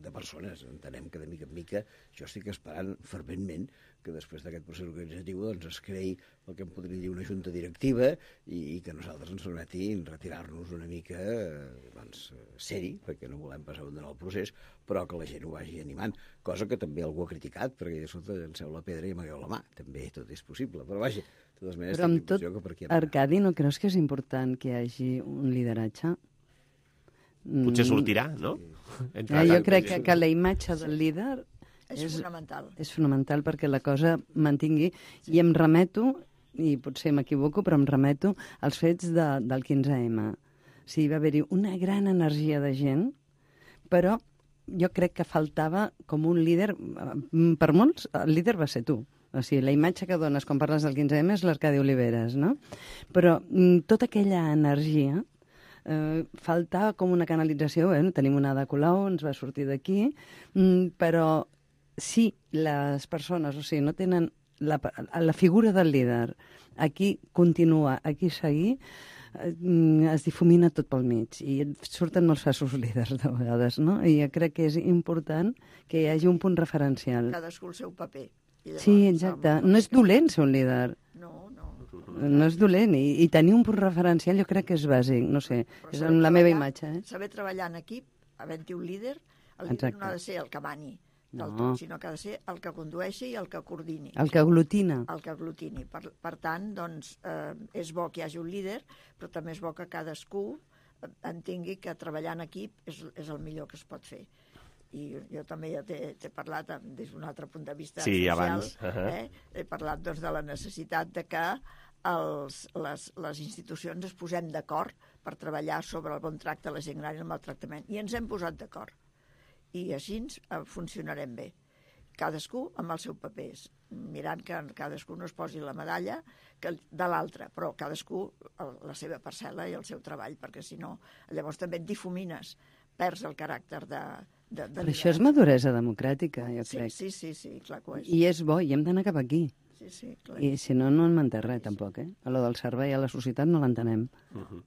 de persones. Entenem que de mica en mica jo estic esperant ferventment que després d'aquest procés organitzatiu doncs, es creï el que em podria dir una junta directiva i, i que nosaltres ens permeti retirar-nos una mica doncs, seri, perquè no volem passar un el procés, però que la gent ho vagi animant. Cosa que també algú ha criticat, perquè de sota llanceu la pedra i amagueu la mà. També tot és possible, però vaja, de totes maneres, però amb tot, Arcadi, no creus que és important que hi hagi un lideratge? Potser sortirà, no? Ja, jo crec que, que la imatge del líder és, és fonamental. És fonamental perquè la cosa mantingui. Sí. I em remeto, i potser m'equivoco, però em remeto als fets de, del quinze ema. O sigui, va haver-hi una gran energia de gent, però jo crec que faltava com un líder. Per molts, el líder va ser tu. O sigui, la imatge que dones quan parles del quinze ema és l'Arcadi Oliveres, no? Però tota aquella energia eh, faltava com una canalització. Bueno, tenim una Ada Colau, ens va sortir d'aquí, però si les persones, o sigui, no tenen la, la figura del líder, aquí continua, aquí seguir, es difumina tot pel mig i surten molts falsos líders de vegades, no? I jo crec que és important que hi hagi un punt referencial. Cadascú el seu paper. Llavors, sí, exacte. No és dolent ser un líder. No, no. No és dolent. I, i tenir un punt referencial jo crec que és bàsic. No sé, però és la meva imatge. Eh? Saber treballar en equip, havent-hi un líder, el líder Exacte. No ha de ser el que mani del no. tot, sinó que ha de ser el que condueixi i el que coordini. El que aglutina. El que aglutina. Per, per tant, doncs, eh, és bo que hi hagi un líder, però també és bo que cadascú entengui que treballar en equip és, és el millor que es pot fer. I jo també ja t'he parlat des d'un altre punt de vista sí, social. Abans. Uh-huh. eh? He parlat doncs, de la necessitat de que els, les, les institucions es posem d'acord per treballar sobre el bon tracte a la gent gran i el maltractament. I ens hem posat d'acord. I així eh, funcionarem bé. Cadascú amb els seus papers, mirant que cadascú no es posi la medalla que de l'altre, però cadascú la seva parcel·la i el seu treball, perquè si no, llavors també et difumines, perds el caràcter de... de, de Però això és maduresa democràtica, jo sí, crec. Sí, sí, sí, clar que ho és. I és bo, i hem d'anar cap aquí. Sí, sí, clar. I si no, no en manté res, tampoc, eh? A lo del servei a la societat no l'entenem. Uh-huh.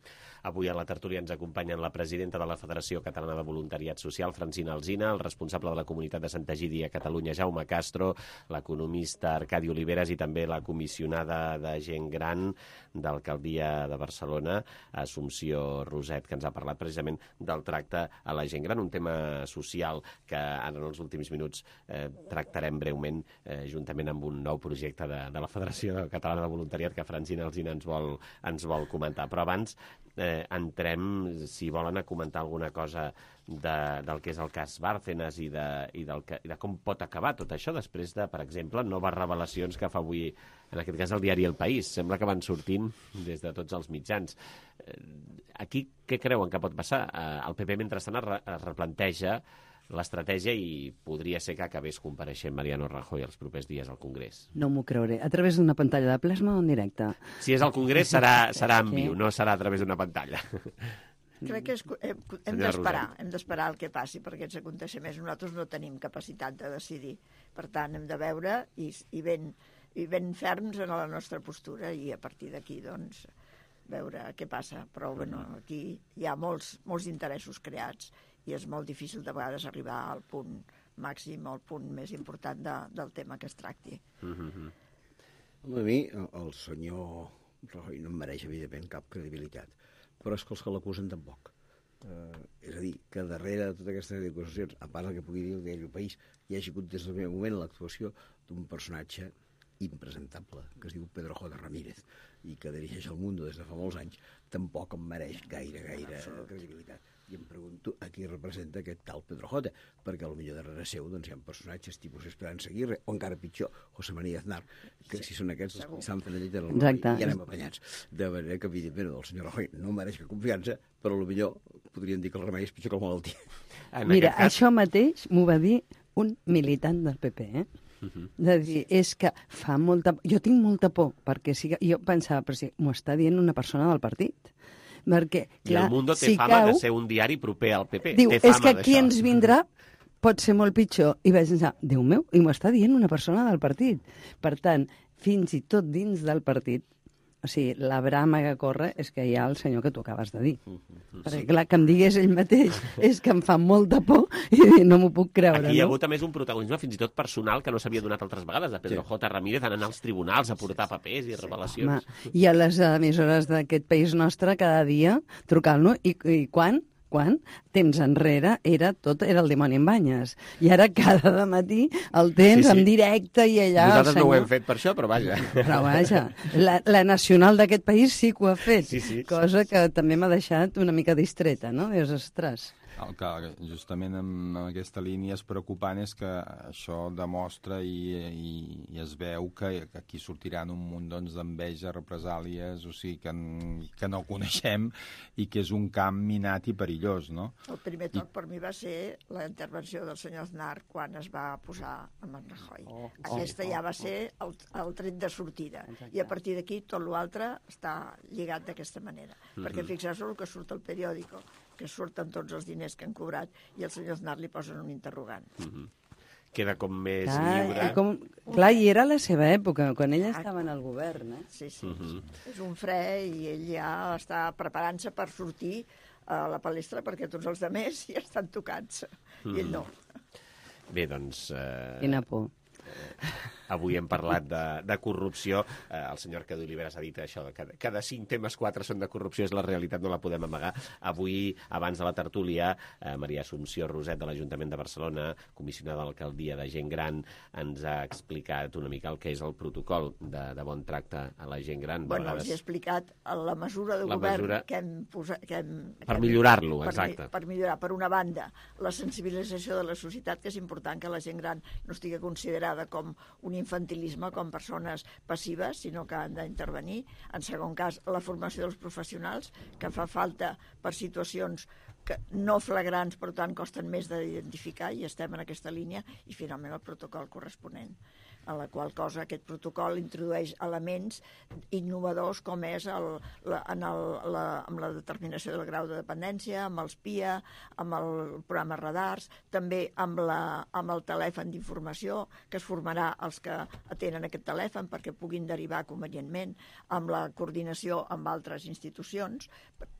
Avui a la tertúlia ens acompanyen la presidenta de la Federació Catalana de Voluntariat Social, Francina Alsina, el responsable de la comunitat de Sant Egidi a Catalunya, Jaume Castro, l'economista Arcadi Oliveres i també la comissionada de gent gran d'Alcaldia de Barcelona, Assumpció Roset, que ens ha parlat precisament del tracte a la gent gran, un tema social que ara en els últims minuts eh, tractarem breument eh, juntament amb un nou projecte de, de la Federació Catalana de Voluntariat que Francina Alsina ens vol, ens vol comentar. Però abans Eh, eh, entrem, si volen, a comentar alguna cosa de, del que és el cas Bárcenas i, de, i, del que, i de com pot acabar tot això després de, per exemple, noves revelacions que fa avui, en aquest cas, el diari El País. Sembla que van sortint des de tots els mitjans. Eh, aquí, què creuen que pot passar? Eh, el P P, mentrestant, es, re, es replanteja l'estratègia i podria ser que acabés compareixent Mariano Rajoy els propers dies al Congrés. No m'ho creuré. A través d'una pantalla de plasma o en directe? Si és al Congrés serà, serà en viu, no serà a través d'una pantalla. Crec que és, hem, hem d'esperar, hem d'esperar el que passi per aquests aconteixements. Nosaltres no tenim capacitat de decidir. Per tant, hem de veure i, i, ben, i ben ferms en la nostra postura i a partir d'aquí, doncs, veure què passa. Però, bueno, aquí hi ha molts, molts interessos creats i és molt difícil de vegades arribar al punt màxim, al punt més important de, del tema que es tracti. Mm-hmm. A mi, el senyor Rajoy no em mereix, evidentment, cap credibilitat, però és que els que l'acusen tampoc. Eh, és a dir, que darrere de totes aquestes acusacions, a part del que pugui dir el diari El País, hi hagi hagut des del primer moment l'actuació d'un personatge impresentable, que es diu Pedro J. Ramírez, i que dirigeix el Mundo des de fa molts anys, tampoc em mereix gaire, gaire credibilitat. I em pregunto a qui representa aquest tal Pedro J, perquè potser darrere seu doncs, hi ha personatges tipus Esperanza Aguirre, o encara pitjor, José María Aznar, que si són aquests els que s'han fet la llet en el món i anem apanyats. De manera que, evidentment, el senyor Rajoy no mereix cap confiança, però potser podríem dir que el remei és pitjor que la malaltia. Mira, cas... això mateix m'ho va dir un militant del P P, eh? Uh-huh. De dir, és que fa molta... Jo tinc molta por, perquè si... jo pensava, però si m'ho està dient una persona del partit. Perquè, clar, I el Mundo té si fama cau, de ser un diari proper al P P. Diu, té fama és que aquí d'això. ens vindrà pot ser molt pitjor. I vaig pensar, Déu meu, i m'ho està dient una persona del partit. Per tant, fins i tot dins del partit, o sigui, la brama que corre és que hi ha el senyor que tu acabes de dir. Uh-huh. Perquè, clar, que em digués ell mateix és que em fa molta por i no m'ho puc creure. Aquí hi ha no? hagut a més un protagonisme fins i tot personal que no s'havia donat altres vegades, de Pedro sí. J. Ramírez en anar als tribunals a portar papers i revelacions. Home, i a les emissores d'aquest país nostre cada dia trucant-lo i, i quan? Quan? Temps enrere era tot era el dimoni en banyes. I ara cada matí el tens sí, sí. en directe i allà... Nosaltres senyor... no ho hem fet per això, però vaja. Però vaja, la, la nacional d'aquest país sí que ho ha fet, sí, sí, cosa sí, sí. que també m'ha deixat una mica distreta, no? Dius, ostres... El que justament en aquesta línia és preocupant és que això demostra i, i, i es veu que, que aquí sortiran un munt doncs, d'enveja, represàlies, o sigui, que, que no coneixem i que és un camp minat i perillós, no? El primer toc I... per mi va ser la intervenció del senyor Aznar quan es va posar amb en Rajoy. Oh, Aquesta oh, ja va oh, ser el, el tret de sortida. Exacte. I a partir d'aquí tot l'altre està lligat d'aquesta manera. Mm-hmm. Perquè fixeu-vos el que surt al periòdico, que surten tots els diners que han cobrat i el senyor Aznar li posen un interrogant. Mm-hmm. Queda com més clar, lliure. Com, clar, i era la seva època, quan ella estava en el govern. Eh? Sí, sí. Mm-hmm. És un fre i ell ja està preparant-se per sortir a la palestra perquè tots els altres ja estan tocats. Mm-hmm. I ell no. Bé, doncs... Eh... Quina por. Avui hem parlat de, de corrupció. Eh, el senyor Arcadi Oliveras ha dit això, que cada cinc temes, quatre són de corrupció, és la realitat, no la podem amagar. Avui, abans de la tertúlia, eh, Maria Assumpció Roset, de l'Ajuntament de Barcelona, comissionada d'alcaldia de gent gran, ens ha explicat una mica el que és el protocol de, de bon tracte a la gent gran. Bueno, vegades... els he explicat la mesura de la govern mesura... que hem posat... Que hem, per que millorar-lo, per, exacte. Per millorar, per una banda, la sensibilització de la societat, que és important que la gent gran no estigui considerada com un infantilisme, com persones passives, sinó que han d'intervenir. En segon cas, la formació dels professionals, que fa falta per situacions que no flagrants, per tant, costen més d'identificar, i estem en aquesta línia, i finalment el protocol corresponent, en la qual cosa aquest protocol introdueix elements innovadors com és el, la, en el, la, amb la determinació del grau de dependència, amb els P I A, amb el programa Radars, també amb, la, amb el telèfon d'informació, que es formarà els que atenen aquest telèfon perquè puguin derivar convenientment, amb la coordinació amb altres institucions,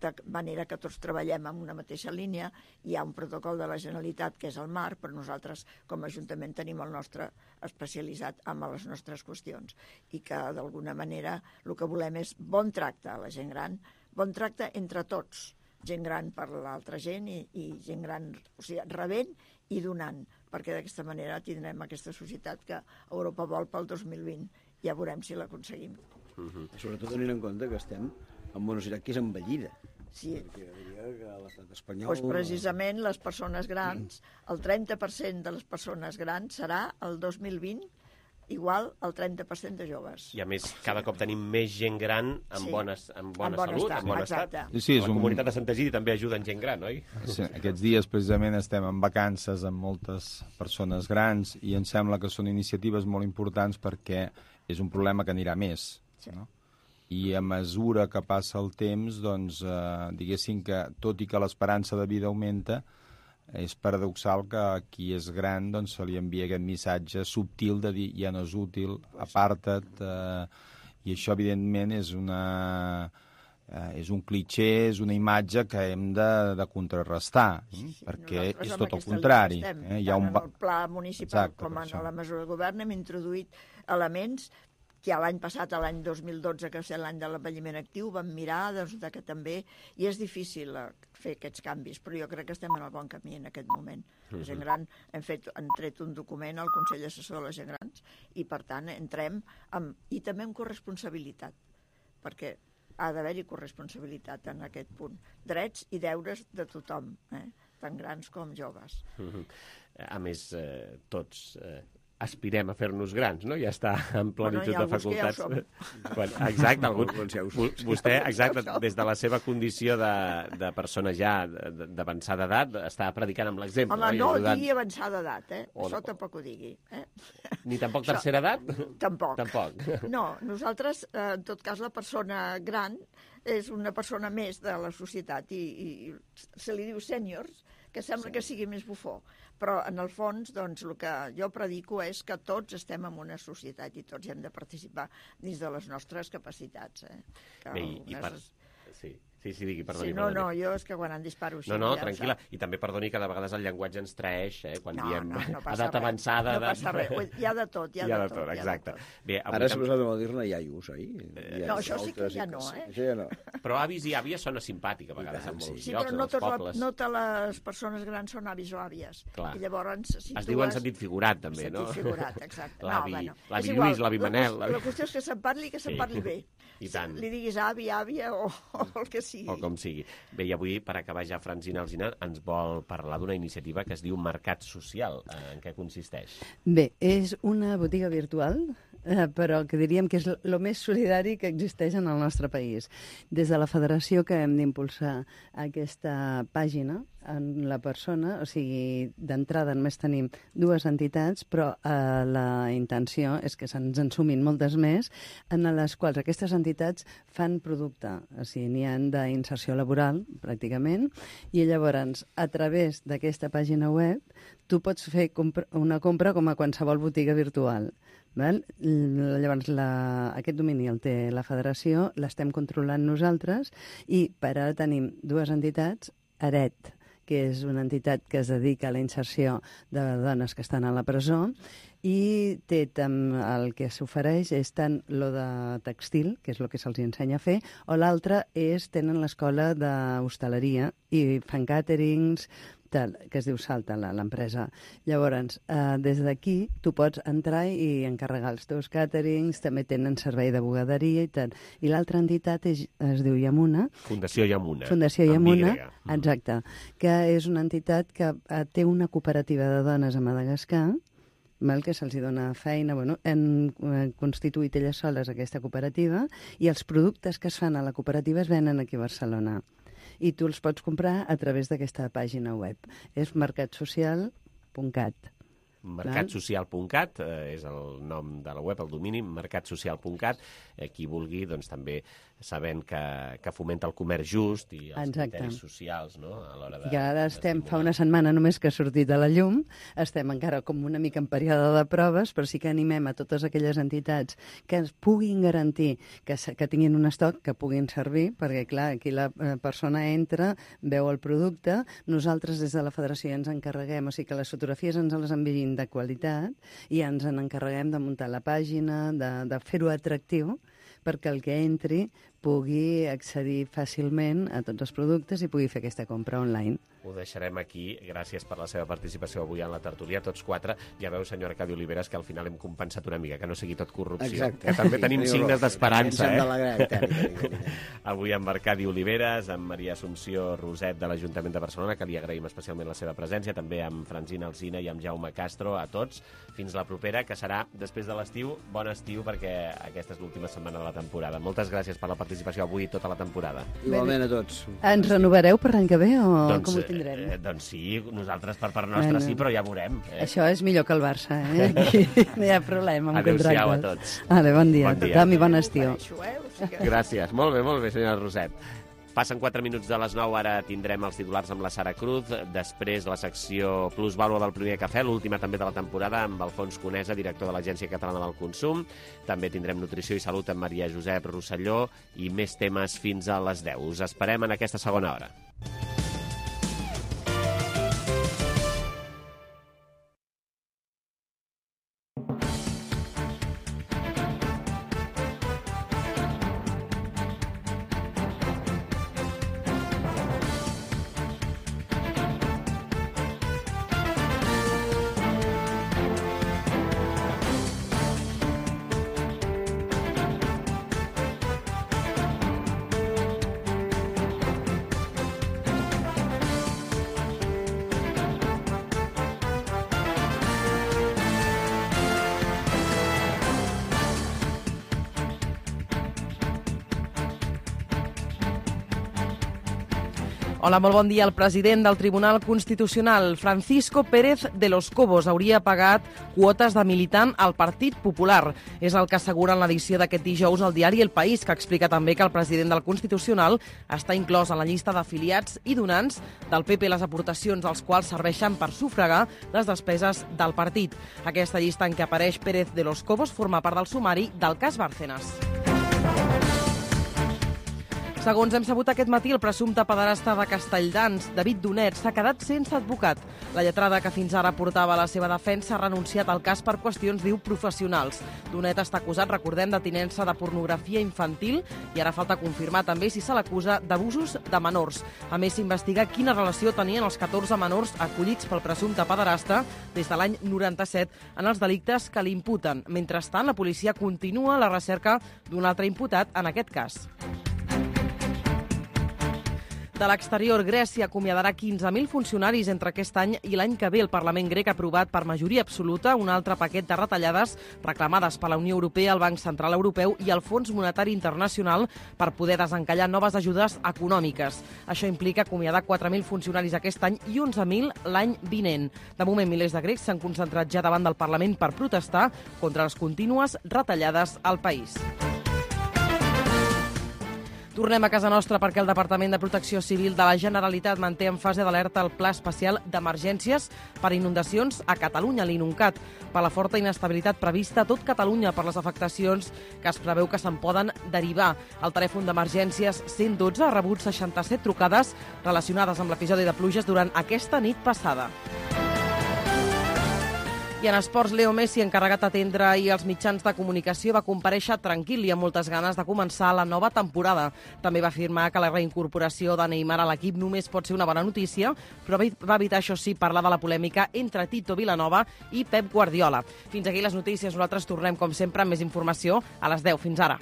de manera que tots treballem en una mateixa línia. Hi ha un protocol de la Generalitat que és el MAR, però nosaltres com a Ajuntament tenim el nostre especialitzat amb les nostres qüestions i que d'alguna manera el que volem és bon tracte a la gent gran, bon tracte entre tots, gent gran per l'altra gent i, i gent gran, o sigui, rebent i donant, perquè d'aquesta manera tindrem aquesta societat que Europa vol pel dos mil vint. Ja veurem si l'aconseguim. Uh-huh. Sobretot tenint en compte que estem en una societat que és envellida. Sí. Perquè diria que l'estat espanyol... Pues precisament les persones grans, el trenta per cent de les persones grans serà el dos mil vint igual al trenta per cent de joves. I a més, cada cop tenim més gent gran amb, Sí. bones, amb bona En bon salut, estat, en bon exacte. estat. Sí, sí, és la un- comunitat de Sant Egidi també ajuda en gent gran, oi? Sí, aquests dies precisament estem en vacances amb moltes persones grans i em sembla que són iniciatives molt importants perquè és un problema que anirà més. Sí. No? I a mesura que passa el temps, doncs, eh, diguéssim que, tot i que l'esperança de vida augmenta, és paradoxal que a qui és gran doncs, se li envia aquest missatge subtil de dir ja no és útil, aparta't, eh, i això evidentment és una... Eh, és un clitxé, és una imatge que hem de, de contrarrestar, sí, sí, perquè nosaltres és amb tot el aquesta contrari. línia estem. Eh? Hi ha un... Tant en el pla municipal Exacte, com per en això. la mesura de govern hem introduït elements que l'any passat, l'any dos mil dotze, que va ser l'any de l'envelliment actiu, vam mirar doncs, de que també... I és difícil eh, fer aquests canvis, però jo crec que estem en el bon camí en aquest moment. La gent gran, hem, fet, hem tret un document al Consell Assessor de la Gent Grans i, per tant, entrem amb... I també amb corresponsabilitat, perquè ha d'haver-hi corresponsabilitat en aquest punt. Drets i deures de tothom, eh? Tant grans com joves. A més, eh, tots... Eh, aspirem a fer-nos grans, no? Ja està en Bueno, plenitud hi ha de alguns que ja ho facultats. Quan, exacte, algun, vostè, exacte, des de la seva condició de, de persona ja de- d'avançada edat, està predicant amb l'exemple. Home, I no ajudant. digui avançada edat, eh? O Això no. tampoc ho digui. Eh? Ni tampoc Això- tercera edat? Tampoc. Tampoc. No, nosaltres, eh, en tot cas, la persona gran és una persona més de la societat i, i se li diu sèniors, que sembla que sigui més bufó. Però, en el fons, doncs, el que jo predico és que tots estem en una societat i tots hem de participar dins de les nostres capacitats. Eh? Que Bé, i, i per... algunes- Sí, sí, sí, digui, perdoni. Sí, no, perdoni. no, jo és que quan en disparo així... No, no, ja ho tranquil·la. sap. I també perdoni que de vegades el llenguatge ens traeix, eh, quan No, diem no, no passa edat res. avançada. No passa res. Hi ha de tot, hi ha de tot, hi ha de exacte. Bé, avui Ara s'ha també- posat a dir-ne iaios, oi? No, això sí que ja no, eh? Això ja no. Però avis i àvies sona simpàtic, a vegades, en molts Sí, llocs, però en no, els tot la, pobles. no totes les persones grans són avis o àvies. Clar. I llavors, si Es tu diu en has- sentit figurat, també, no? Sentit figurat, exacte. L'avi no, bueno, l'avi és igual. Lluís, l'avi La Manel. qüestió- La qüestió és que se'n parli, que se'n Sí. parli bé. I tant. Li diguis avi, àvia o, o el que sigui. O com sigui. Bé, i avui, per acabar ja, Francina Alsina ens vol parlar d'una iniciativa que es diu Mercat Social. Eh, En què consisteix? Bé, és una botiga virtual, eh, però que diríem que és el més solidari que existeix en el nostre país. Des de la federació que hem d'impulsar aquesta pàgina, en la persona, o sigui, d'entrada només tenim dues entitats, però eh, la intenció és que se'ns en sumin moltes més, en les quals aquestes entitats fan producte, o sigui, n'hi ha d'inserció laboral, pràcticament, i llavors, a través d'aquesta pàgina web, tu pots fer compra, una compra com a qualsevol botiga virtual. Val? Llavors, la, aquest domini el té la federació, l'estem controlant nosaltres, i per ara tenim dues entitats, Aret, que és una entitat que es dedica a la inserció de dones que estan a la presó, i té tam, el que s'ofereix és tant lo de textil, que és el que se'ls ensenya a fer, o l'altre és, tenen l'escola d'hostaleria i fan caterings, tal, que es diu Salta, la- l'empresa. Llavors, eh, des d'aquí tu pots entrar i encarregar els teus càterings, també tenen servei de bugaderia i tal. I l'altra entitat és, es diu Yamuna. Fundació Yamuna. Fundació amb Yamuna, Y. exacte, que és una entitat que eh, té una cooperativa de dones a Madagascar, val, que se'ls dona feina, bueno, han eh, constituït elles soles aquesta cooperativa i els productes que es fan a la cooperativa es venen aquí a Barcelona. I tu els pots comprar a través d'aquesta pàgina web. És mercat social punt cat. mercat social punt cat eh, és el nom de la web, el domini, mercat social punt cat. Eh, qui vulgui, doncs també sabent que, que fomenta el comerç just i els Exacte. criteris socials, no?, a l'hora de... I ara estem, fa una setmana només que ha sortit a la llum, estem encara com una mica en període de proves, però sí que animem a totes aquelles entitats que es puguin garantir que, se- que tinguin un estoc, que puguin servir, perquè clar, aquí la eh, persona entra, veu el producte, nosaltres des de la federació ens encarreguem, o sigui que les fotografies ens les enviïn de qualitat i ens en encarreguem de muntar la pàgina, de, de fer-ho atractiu, perquè el que entri pugui accedir fàcilment a tots els productes i pugui fer aquesta compra online. Ho deixarem aquí. Gràcies per la seva participació avui en la tertúlia, tots quatre. Ja veu, senyora Arcadi Oliveres, que al final hem compensat una mica, que no sigui tot corrupció. Exacte. Que també tenim Sí, signes sí, d'esperança, ens hem eh? d'alegrar, i tant, i tant, i tant, i tant. Avui amb Arcadi Oliveres, amb Maria Assumpció Roset de l'Ajuntament de Barcelona, que li agraïm especialment la seva presència, també amb Francina Alsina i amb Jaume Castro, a tots. Fins la propera, que serà després de l'estiu. Bon estiu, perquè aquesta és l'última setmana de la temporada. Moltes gràcies per la participació avui i tota la temporada. Igualment a tots. Ens renovareu per l'any que ve o doncs, com ho tindrem? Eh, doncs sí, nosaltres per part nostra bueno, sí, però ja veurem. Eh? Això és millor que el Barça, eh? Aquí no hi ha problema amb contractes. Adéu-siau a tots. Vale, bon dia, bon dia. tothom i bon estiu. Gràcies, molt bé, molt bé, senyora Roset. Passen quatre minuts de les nou, ara tindrem els titulars amb la Sara Cruz, després la secció Plusvàlua del primer cafè, l'última també de la temporada, amb Alfons Conesa, director de l'Agència Catalana del Consum. També tindrem Nutrició i Salut amb Maria Josep Rosselló i més temes fins a les deu. Us esperem en aquesta segona hora. Hola, molt bon dia. El president del Tribunal Constitucional, Francisco Pérez de los Cobos, hauria pagat quotes de militant al Partit Popular. És el que assegura en l'edició d'aquest dijous al diari El País, que explica també que el president del Constitucional està inclòs en la llista d'afiliats i donants del P P, les aportacions als quals serveixen per sufragar les despeses del partit. Aquesta llista en què apareix Pérez de los Cobos forma part del sumari del cas Bárcenas. Segons hem sabut aquest matí, el presumpte pederasta de Castelldans, David Donet, s'ha quedat sense advocat. La lletrada que fins ara portava la seva defensa ha renunciat al cas per qüestions, diu, professionals. Donet està acusat, recordem, de tinença de pornografia infantil i ara falta confirmar també si se l'acusa d'abusos de menors. A més, s'investiga quina relació tenien els catorze menors acollits pel presumpte pederasta des de l'any noranta-set en els delictes que li imputen. Mentrestant, la policia continua la recerca d'un altre imputat en aquest cas. De l'exterior, Grècia acomiadarà quinze mil funcionaris entre aquest any i l'any que ve. El Parlament grec ha aprovat per majoria absoluta un altre paquet de retallades reclamades per la Unió Europea, el Banc Central Europeu i el Fons Monetari Internacional per poder desencallar noves ajudes econòmiques. Això implica acomiadar quatre mil funcionaris aquest any i onze mil l'any vinent. De moment, milers de grecs s'han concentrat ja davant del Parlament per protestar contra les contínues retallades al país. Tornem a casa nostra perquè el Departament de Protecció Civil de la Generalitat manté en fase d'alerta el Pla Especial d'Emergències per inundacions a Catalunya, l'INUNCAT, per la forta inestabilitat prevista a tot Catalunya per les afectacions que es preveu que se'n poden derivar. El telèfon d'emergències cent dotze ha rebut seixanta-set trucades relacionades amb l'episodi de pluges durant aquesta nit passada. I en esports, Leo Messi, encarregat d'atendre ahir els mitjans de comunicació, va comparèixer tranquil i amb moltes ganes de començar la nova temporada. També va afirmar que la reincorporació de Neymar a l'equip només pot ser una bona notícia, però va evitar, això sí, parlar de la polèmica entre Tito Vilanova i Pep Guardiola. Fins aquí les notícies. Nosaltres tornem, com sempre, amb més informació a les deu. Fins ara.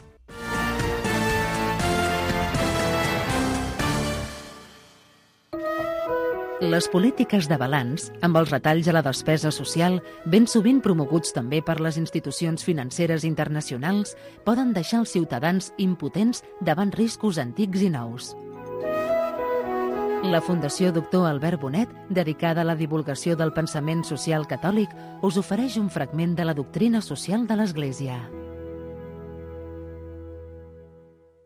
Les polítiques de balanç, amb els retalls a la despesa social, ben sovint promoguts també per les institucions financeres internacionals, poden deixar els ciutadans impotents davant riscos antics i nous. La Fundació Doctor Albert Bonet, dedicada a la divulgació del pensament social catòlic, us ofereix un fragment de la doctrina social de l'Església.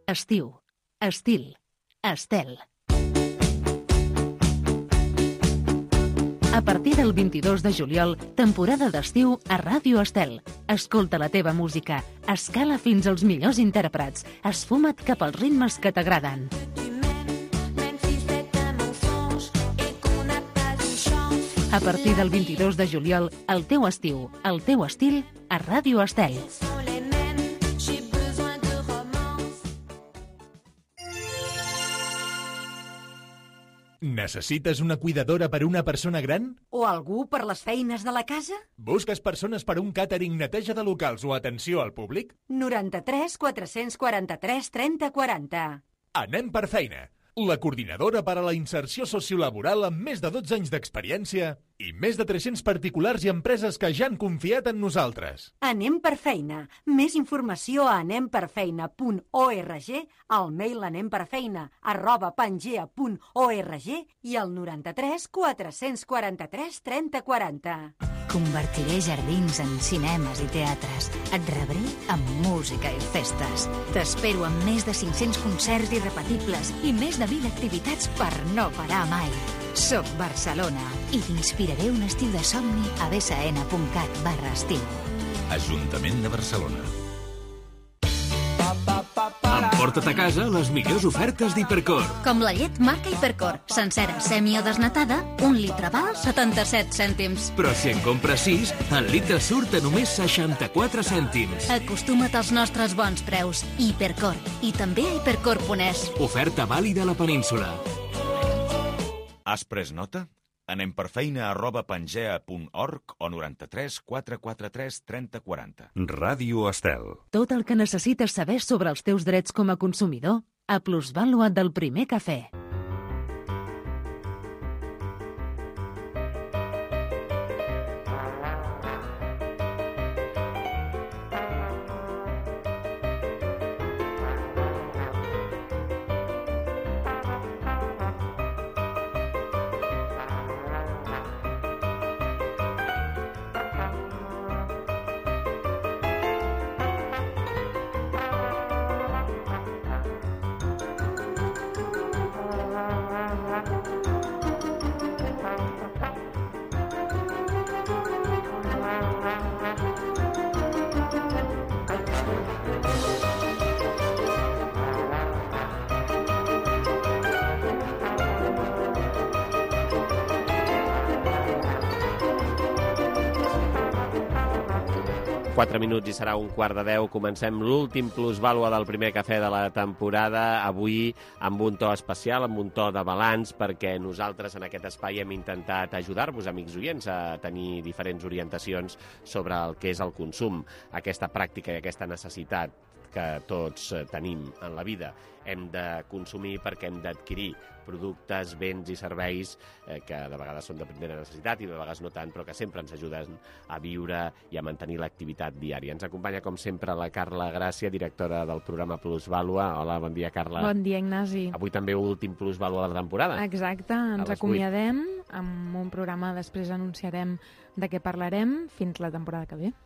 Estiu, estil, estel. A partir del vint-i-dos de juliol, temporada d'estiu a Ràdio Estel. Escolta la teva música, escala fins als millors intèrprets, esfuma't cap als ritmes que t'agraden. A partir del vint-i-dos de juliol, el teu estiu, el teu estil, a Ràdio Estel. Necessites una cuidadora per una persona gran? O algú per les feines de la casa? Busques persones per un càtering, neteja de locals o atenció al públic? noranta-tres quatre-cents quaranta-tres trenta quaranta. Anem per feina. La coordinadora per a la inserció sociolaboral amb més de dotze anys d'experiència i més de tres-cents particulars i empreses que ja han confiat en nosaltres. Anem per feina. Més informació a anem per feina punt org, al mail anemperfeina arroba pangea punt org i al noranta-tres quatre-cents quaranta-tres trenta quaranta. Convertiré jardins en cinemes i teatres. Et rebré amb música i festes. T'espero amb més de cinc-cents concerts irrepetibles i més de mil activitats per no parar mai. Soc Barcelona i t'inspiraré un estiu de somni a bsn punt cat barra estiu. Ajuntament de Barcelona. Emporta't a casa les millors ofertes d'Hipercor. Com la llet marca Hipercor. Sencera, semi o desnatada, un litre val setanta-set cèntims. Però si en compres sis, el litre surt a només seixanta-quatre cèntims. Acostuma't als nostres bons preus. Hipercor. I també a hipercor punt es. Oferta vàlida a la península. Has pres nota? Anem per feina arroba pangea punt org o noranta-tres quatre quaranta-tres trenta quaranta. Ràdio Estel. Tot el que necessites saber sobre els teus drets com a consumidor a Plusvàlua del Primer Cafè. quatre minuts i serà un quart de deu. Comencem l'últim plusvàlua del primer cafè de la temporada, avui amb un to especial, amb un to de balanç, perquè nosaltres en aquest espai hem intentat ajudar-vos, amics oients, a tenir diferents orientacions sobre el que és el consum, aquesta pràctica i aquesta necessitat que tots tenim en la vida. Hem de consumir perquè hem d'adquirir productes, béns i serveis eh, que de vegades són de primera necessitat i de vegades no tant, però que sempre ens ajuden a viure i a mantenir l'activitat diària. Ens acompanya, com sempre, la Carla Gràcia, directora del programa Plusvàlua. Hola, bon dia, Carla. Bon dia, Ignasi. Avui també últim Plusvàlua de la temporada. Exacte, ens acomiadem amb un programa, després anunciarem de què parlarem fins la temporada que ve.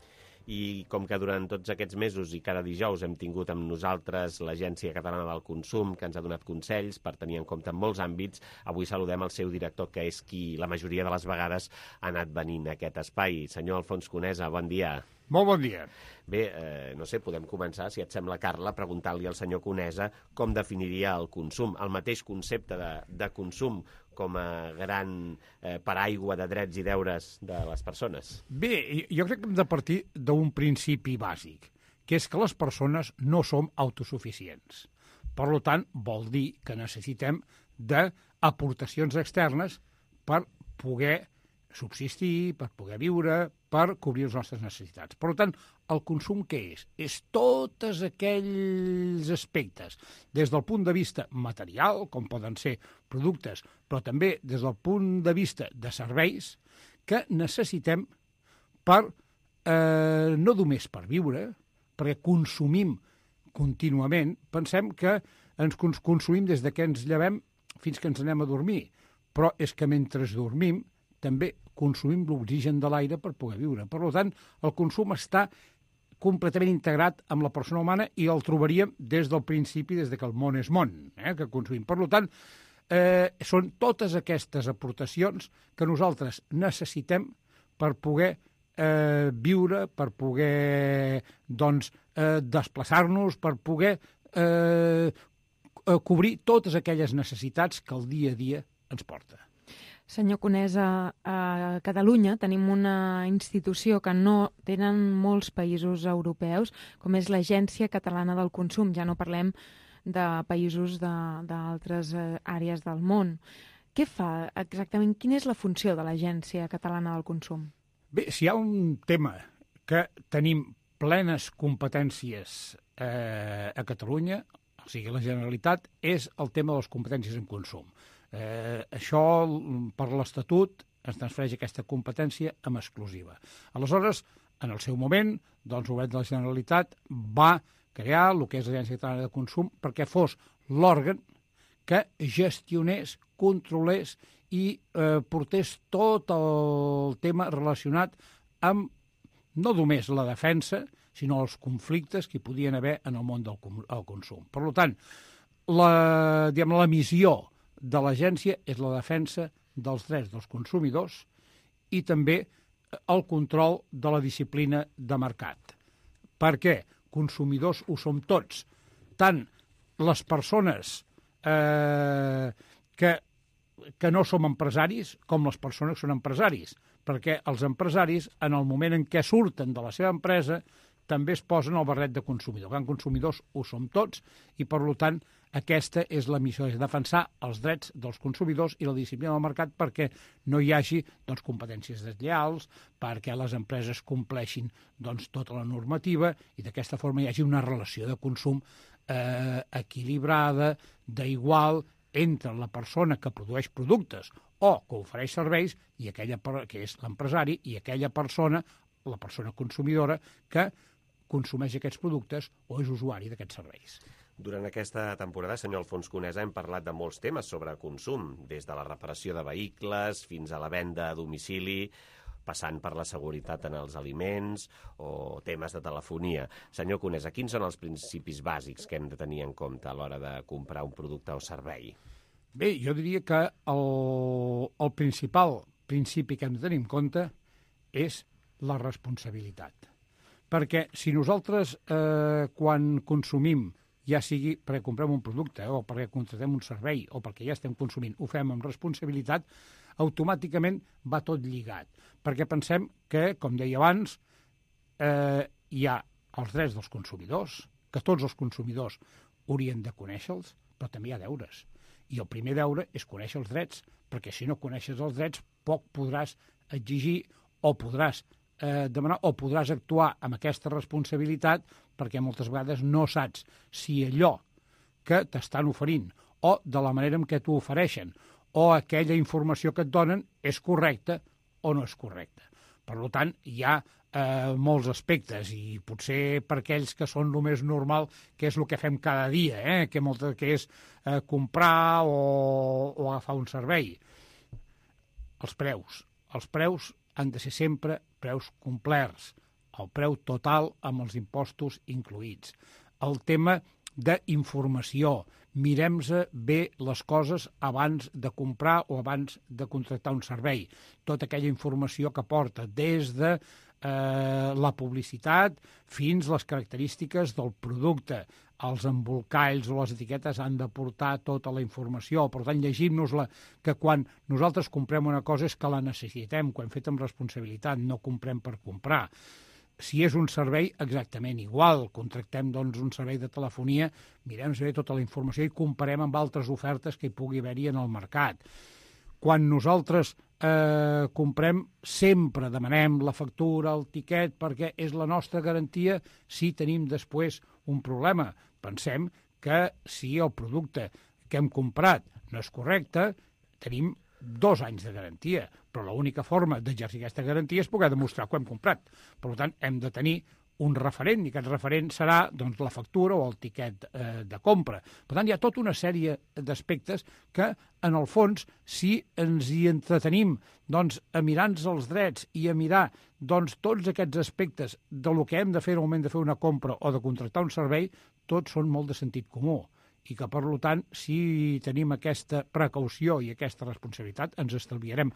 I com que durant tots aquests mesos i cada dijous hem tingut amb nosaltres l'Agència Catalana del Consum, que ens ha donat consells per tenir en compte en molts àmbits, avui saludem el seu director, que és qui la majoria de les vegades ha anat venint a aquest espai. Senyor Alfons Conesa, bon dia. Molt bon dia. Bé, eh, no sé, podem començar, si et sembla, Carla, preguntant-li al senyor Conesa com definiria el consum, el mateix concepte de, de consum com a gran eh, paraigua de drets i deures de les persones. Bé, jo crec que hem de partir d'un principi bàsic, que és que les persones no som autosuficients. Per tant, vol dir que necessitem d'aportacions externes per poder subsistir, per poder viure, per cobrir les nostres necessitats. Per tant, el consum què és? És tots aquells aspectes, des del punt de vista material, com poden ser productes, però també des del punt de vista de serveis, que necessitem per, eh, no només per viure, perquè consumim contínuament, pensem que ens consumim des que ens llevem fins que ens anem a dormir, però és que mentre dormim també consumim l'oxigen de l'aire per poder viure. Per tant, el consum està completament integrat amb la persona humana i el trobaríem des del principi, des que el món és món, eh, que consumim. Per tant, eh, són totes aquestes aportacions que nosaltres necessitem per poder eh, viure, per poder doncs, eh, desplaçar-nos, per poder eh, cobrir totes aquelles necessitats que el dia a dia ens porta. Senyor Conesa, a Catalunya tenim una institució que no tenen molts països europeus, com és l'Agència Catalana del Consum. Ja no parlem de països d'altres àrees del món. què fa exactament? Quina és la funció de l'Agència Catalana del Consum? Bé, si hi ha un tema que tenim plenes competències eh, a Catalunya, o sigui, la Generalitat, és el tema de les competències en consum. Eh, això, per l'Estatut, es transfereix aquesta competència amb exclusiva. Aleshores, en el seu moment, doncs, el govern de la Generalitat va crear el que és l'Agència Catalana de Consum perquè fos l'òrgan que gestionés, controlés i eh, portés tot el tema relacionat amb no només la defensa, sinó els conflictes que hi podien haver en el món del consum. Per tant, la, diguem, la missió de l'agència és la defensa dels drets dels consumidors i també el control de la disciplina de mercat. Per què? Consumidors ho som tots. Tant les persones eh, que, que no som empresaris com les persones que són empresaris, perquè els empresaris, en el moment en què surten de la seva empresa, també es posen el barret de consumidor. Gran consumidors ho som tots i, per tant, aquesta és la missió, és defensar els drets dels consumidors i la disciplina del mercat perquè no hi hagi doncs, competències deslleials, perquè les empreses compleixin doncs, tota la normativa i d'aquesta forma hi hagi una relació de consum eh, equilibrada, d'igual, entre la persona que produeix productes o que ofereix serveis i aquella que és l'empresari i aquella persona, la persona consumidora, que consumeix aquests productes o és usuari d'aquests serveis. Durant aquesta temporada, senyor Alfons Conesa, hem parlat de molts temes sobre consum, des de la reparació de vehicles fins a la venda a domicili, passant per la seguretat en els aliments o temes de telefonia. Senyor Conesa, quins són els principis bàsics que hem de tenir en compte a l'hora de comprar un producte o servei? Bé, jo diria que el, el principal principi que hem de tenir en compte és la responsabilitat. Perquè si nosaltres, eh, quan consumim, ja sigui perquè comprem un producte o perquè contractem un servei o perquè ja estem consumint, ho fem amb responsabilitat, automàticament va tot lligat. Perquè pensem que, com deia abans, eh, hi ha els drets dels consumidors, que tots els consumidors haurien de conèixer-los, però també hi ha deures. I el primer deure és conèixer els drets, perquè si no coneixes els drets, poc podràs exigir o podràs eh, demanar o podràs actuar amb aquesta responsabilitat perquè moltes vegades no saps si allò que t'estan oferint o de la manera en què t'ho ofereixen o aquella informació que et donen és correcta o no és correcta. Per tant, hi ha eh, molts aspectes i potser per aquells que són el més normal, que és el que fem cada dia, eh, que, molt, que és eh, comprar o, o agafar un servei. Els preus. Els preus han de ser sempre preus complerts, el preu total amb els impostos incluïts. El tema d'informació, mirem-se bé les coses abans de comprar o abans de contractar un servei. Tota aquella informació que porta des de eh, la publicitat fins les característiques del producte. Els embolcalls o les etiquetes han de portar tota la informació. Per tant, llegim-nos-la, que quan nosaltres comprem una cosa és que la necessitem, que ho hem fet amb responsabilitat, no comprem per comprar. Si és un servei, exactament igual. Contractem doncs, un servei de telefonia, mirem bé tota la informació i comparem amb altres ofertes que hi pugui haver-hi en el mercat. Quan nosaltres eh, comprem, sempre demanem la factura, el tiquet, perquè és la nostra garantia si tenim després un problema. Pensem que si el producte que hem comprat no és correcte, tenim dos anys de garantia, però l'única forma d'exercir aquesta garantia és poder demostrar que ho hem comprat. Per tant, hem de tenir un referent, i aquest referent serà doncs, la factura o el tiquet eh, de compra. Per tant, hi ha tota una sèrie d'aspectes que, en el fons, si ens hi entretenim doncs, a mirar-nos els drets i a mirar doncs, tots aquests aspectes de lo que hem de fer al moment de fer una compra o de contractar un servei, tots són molt de sentit comú. I que, per tant, si tenim aquesta precaució i aquesta responsabilitat, ens estalviarem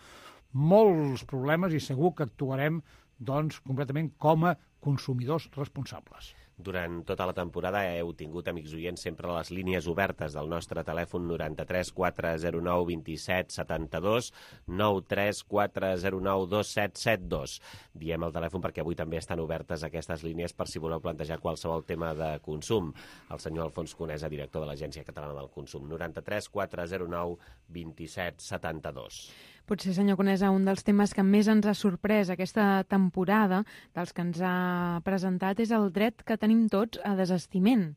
molts problemes i segur que actuarem doncs, completament com a consumidors responsables. Durant tota la temporada heu tingut, amics oients, sempre les línies obertes del nostre telèfon noranta-tres quatre zero nou dos set set dos, nou tres quatre zero nou dos set set dos. Diem el telèfon perquè avui també estan obertes aquestes línies per si voleu plantejar qualsevol tema de consum. El senyor Alfons Conesa, director de l'Agència Catalana del Consum, noranta-tres quatre zero nou dos set set dos. Potser, senyor Conesa, un dels temes que més ens ha sorprès aquesta temporada, dels que ens ha presentat, és el dret que tenim tots a desistiment.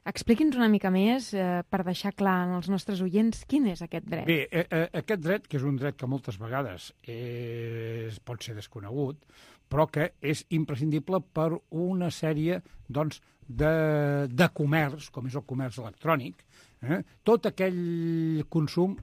Expliqui'ns una mica més, eh, per deixar clar als nostres oients, quin és aquest dret. Bé, eh, aquest dret, que és un dret que moltes vegades és, pot ser desconegut, però que és imprescindible per una sèrie doncs, de, de comerç, com és el comerç electrònic, eh? tot aquell consum,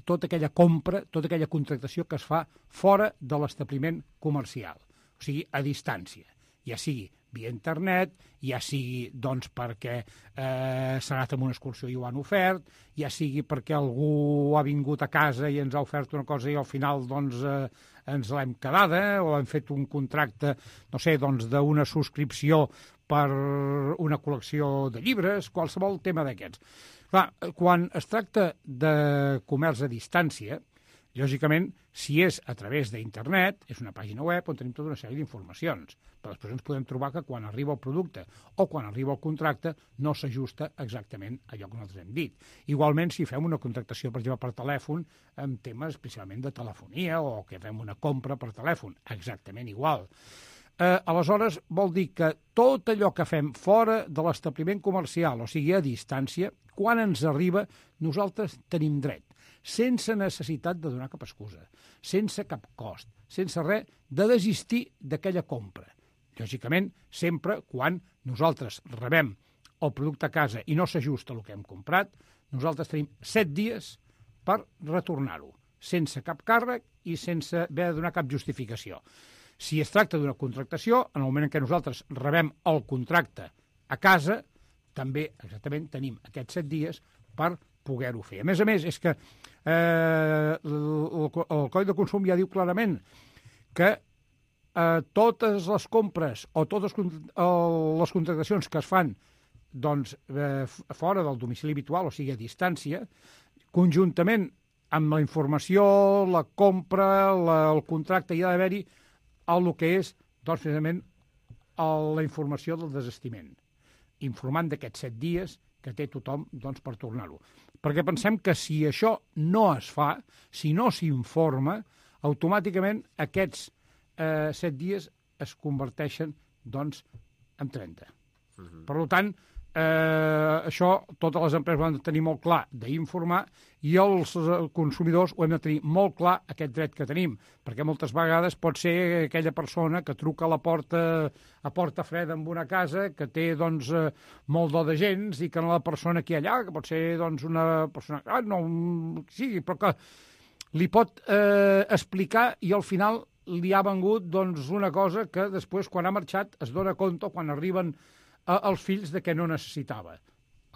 tota aquella compra, tota aquella contractació que es fa fora de l'establiment comercial, o sigui, a distància, ja sigui via internet, ja sigui doncs, perquè eh, s'ha anat amb una excursió i ho han ofert, ja sigui perquè algú ha vingut a casa i ens ha ofert una cosa i al final doncs, eh, ens l'hem quedada, o hem fet un contracte, no sé, doncs, d'una subscripció per una col·lecció de llibres, qualsevol tema d'aquests. Clar, quan es tracta de comerç a distància, lògicament, si és a través d'internet, és una pàgina web on tenim tota una sèrie d'informacions, però després ens podem trobar que quan arriba el producte o quan arriba el contracte no s'ajusta exactament a allò que nosaltres hem dit. Igualment, si fem una contractació, per exemple, per telèfon, amb temes especialment de telefonia o que fem una compra per telèfon, exactament igual. Eh, aleshores, vol dir que tot allò que fem fora de l'establiment comercial, o sigui, a distància, quan ens arriba, nosaltres tenim dret, sense necessitat de donar cap excusa, sense cap cost, sense res, de desistir d'aquella compra. Lògicament, sempre quan nosaltres rebem el producte a casa i no s'ajusta el que hem comprat, nosaltres tenim set dies per retornar-ho, sense cap càrrec i sense haver de donar cap justificació. Si es tracta d'una contractació, en el moment en què nosaltres rebem el contracte a casa, també exactament tenim aquests set dies per poder-ho fer. A més a més, és que eh, el, el Codi de Consum ja diu clarament que eh, totes les compres o totes les contractacions que es fan doncs, eh, fora del domicili habitual, o sigui, a distància, conjuntament amb la informació, la compra, la, el contracte, hi ha d'haver-hi el que és, doncs, precisament, el, la informació del desistiment, informant d'aquests set dies que té tothom doncs, per tornar-ho. Perquè pensem que si això no es fa, si no s'informa, automàticament aquests eh, set dies es converteixen doncs, en trenta. Uh-huh. Per tant, eh, això totes les empreses ho han de tenir molt clar d'informar i els consumidors ho hem de tenir molt clar aquest dret que tenim, perquè moltes vegades pot ser aquella persona que truca a la porta a porta freda en una casa que té doncs, molt do de gens i que no la persona que hi ha allà, que pot ser doncs, una persona ah, no, sí, però que li pot eh, explicar i al final li ha vengut doncs, una cosa que després quan ha marxat es dona compte quan arriben eh, els fills de què no necessitava.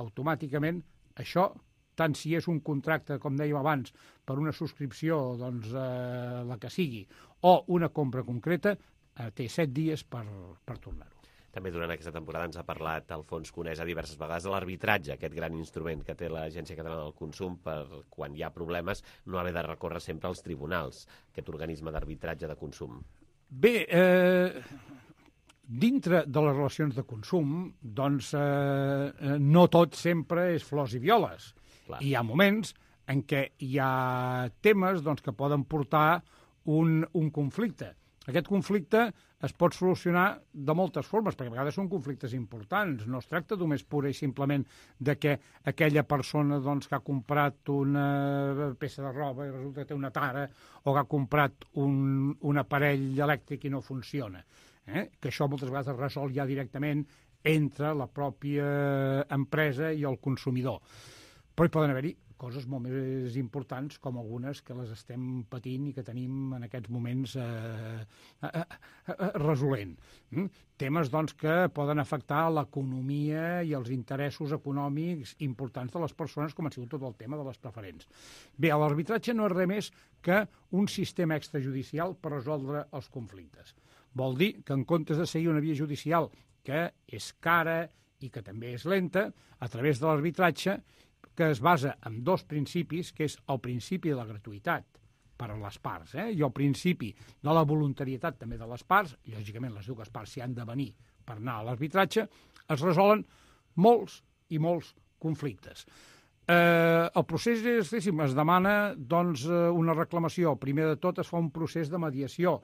Automàticament això, tant si és un contracte, com dèiem abans, per una subscripció, doncs, eh, la que sigui, o una compra concreta, eh, té set dies per, per tornar-ho. També durant aquesta temporada ens ha parlat Alfons Conesa diverses vegades de l'arbitratge, aquest gran instrument que té l'Agència Catalana del Consum per, quan hi ha problemes, no haver de recórrer sempre als tribunals, aquest organisme d'arbitratge de consum. Bé, eh... dintre de les relacions de consum, doncs, eh, no tot sempre és flors i violes. Clar. Hi ha moments en què hi ha temes doncs, que poden portar un, un conflicte. Aquest conflicte es pot solucionar de moltes formes, perquè a vegades són conflictes importants. No es tracta només pura i simplement de que aquella persona doncs, que ha comprat una peça de roba i resulta que té una tara, o que ha comprat un, un aparell elèctric i no funciona. Eh? Que això moltes vegades es resol ja directament entre la pròpia empresa i el consumidor. Però hi poden haver-hi coses molt més importants, com algunes que les estem patint i que tenim en aquests moments eh, eh, eh, resolent. Mm? Temes doncs, que poden afectar l'economia i els interessos econòmics importants de les persones, com ha sigut tot el tema de les preferents. Bé, l'arbitratge no és res més que un sistema extrajudicial per resoldre els conflictes. Vol dir que en comptes de seguir una via judicial que és cara i que també és lenta, a través de l'arbitratge, que es basa en dos principis, que és el principi de la gratuïtat per a les parts, eh? i el principi de la voluntarietat també de les parts, lògicament les dues parts s'hi han de venir per anar a l'arbitratge, es resolen molts i molts conflictes. Eh, el procés és, es demana doncs, una reclamació. Primer de tot es fa un procés de mediació,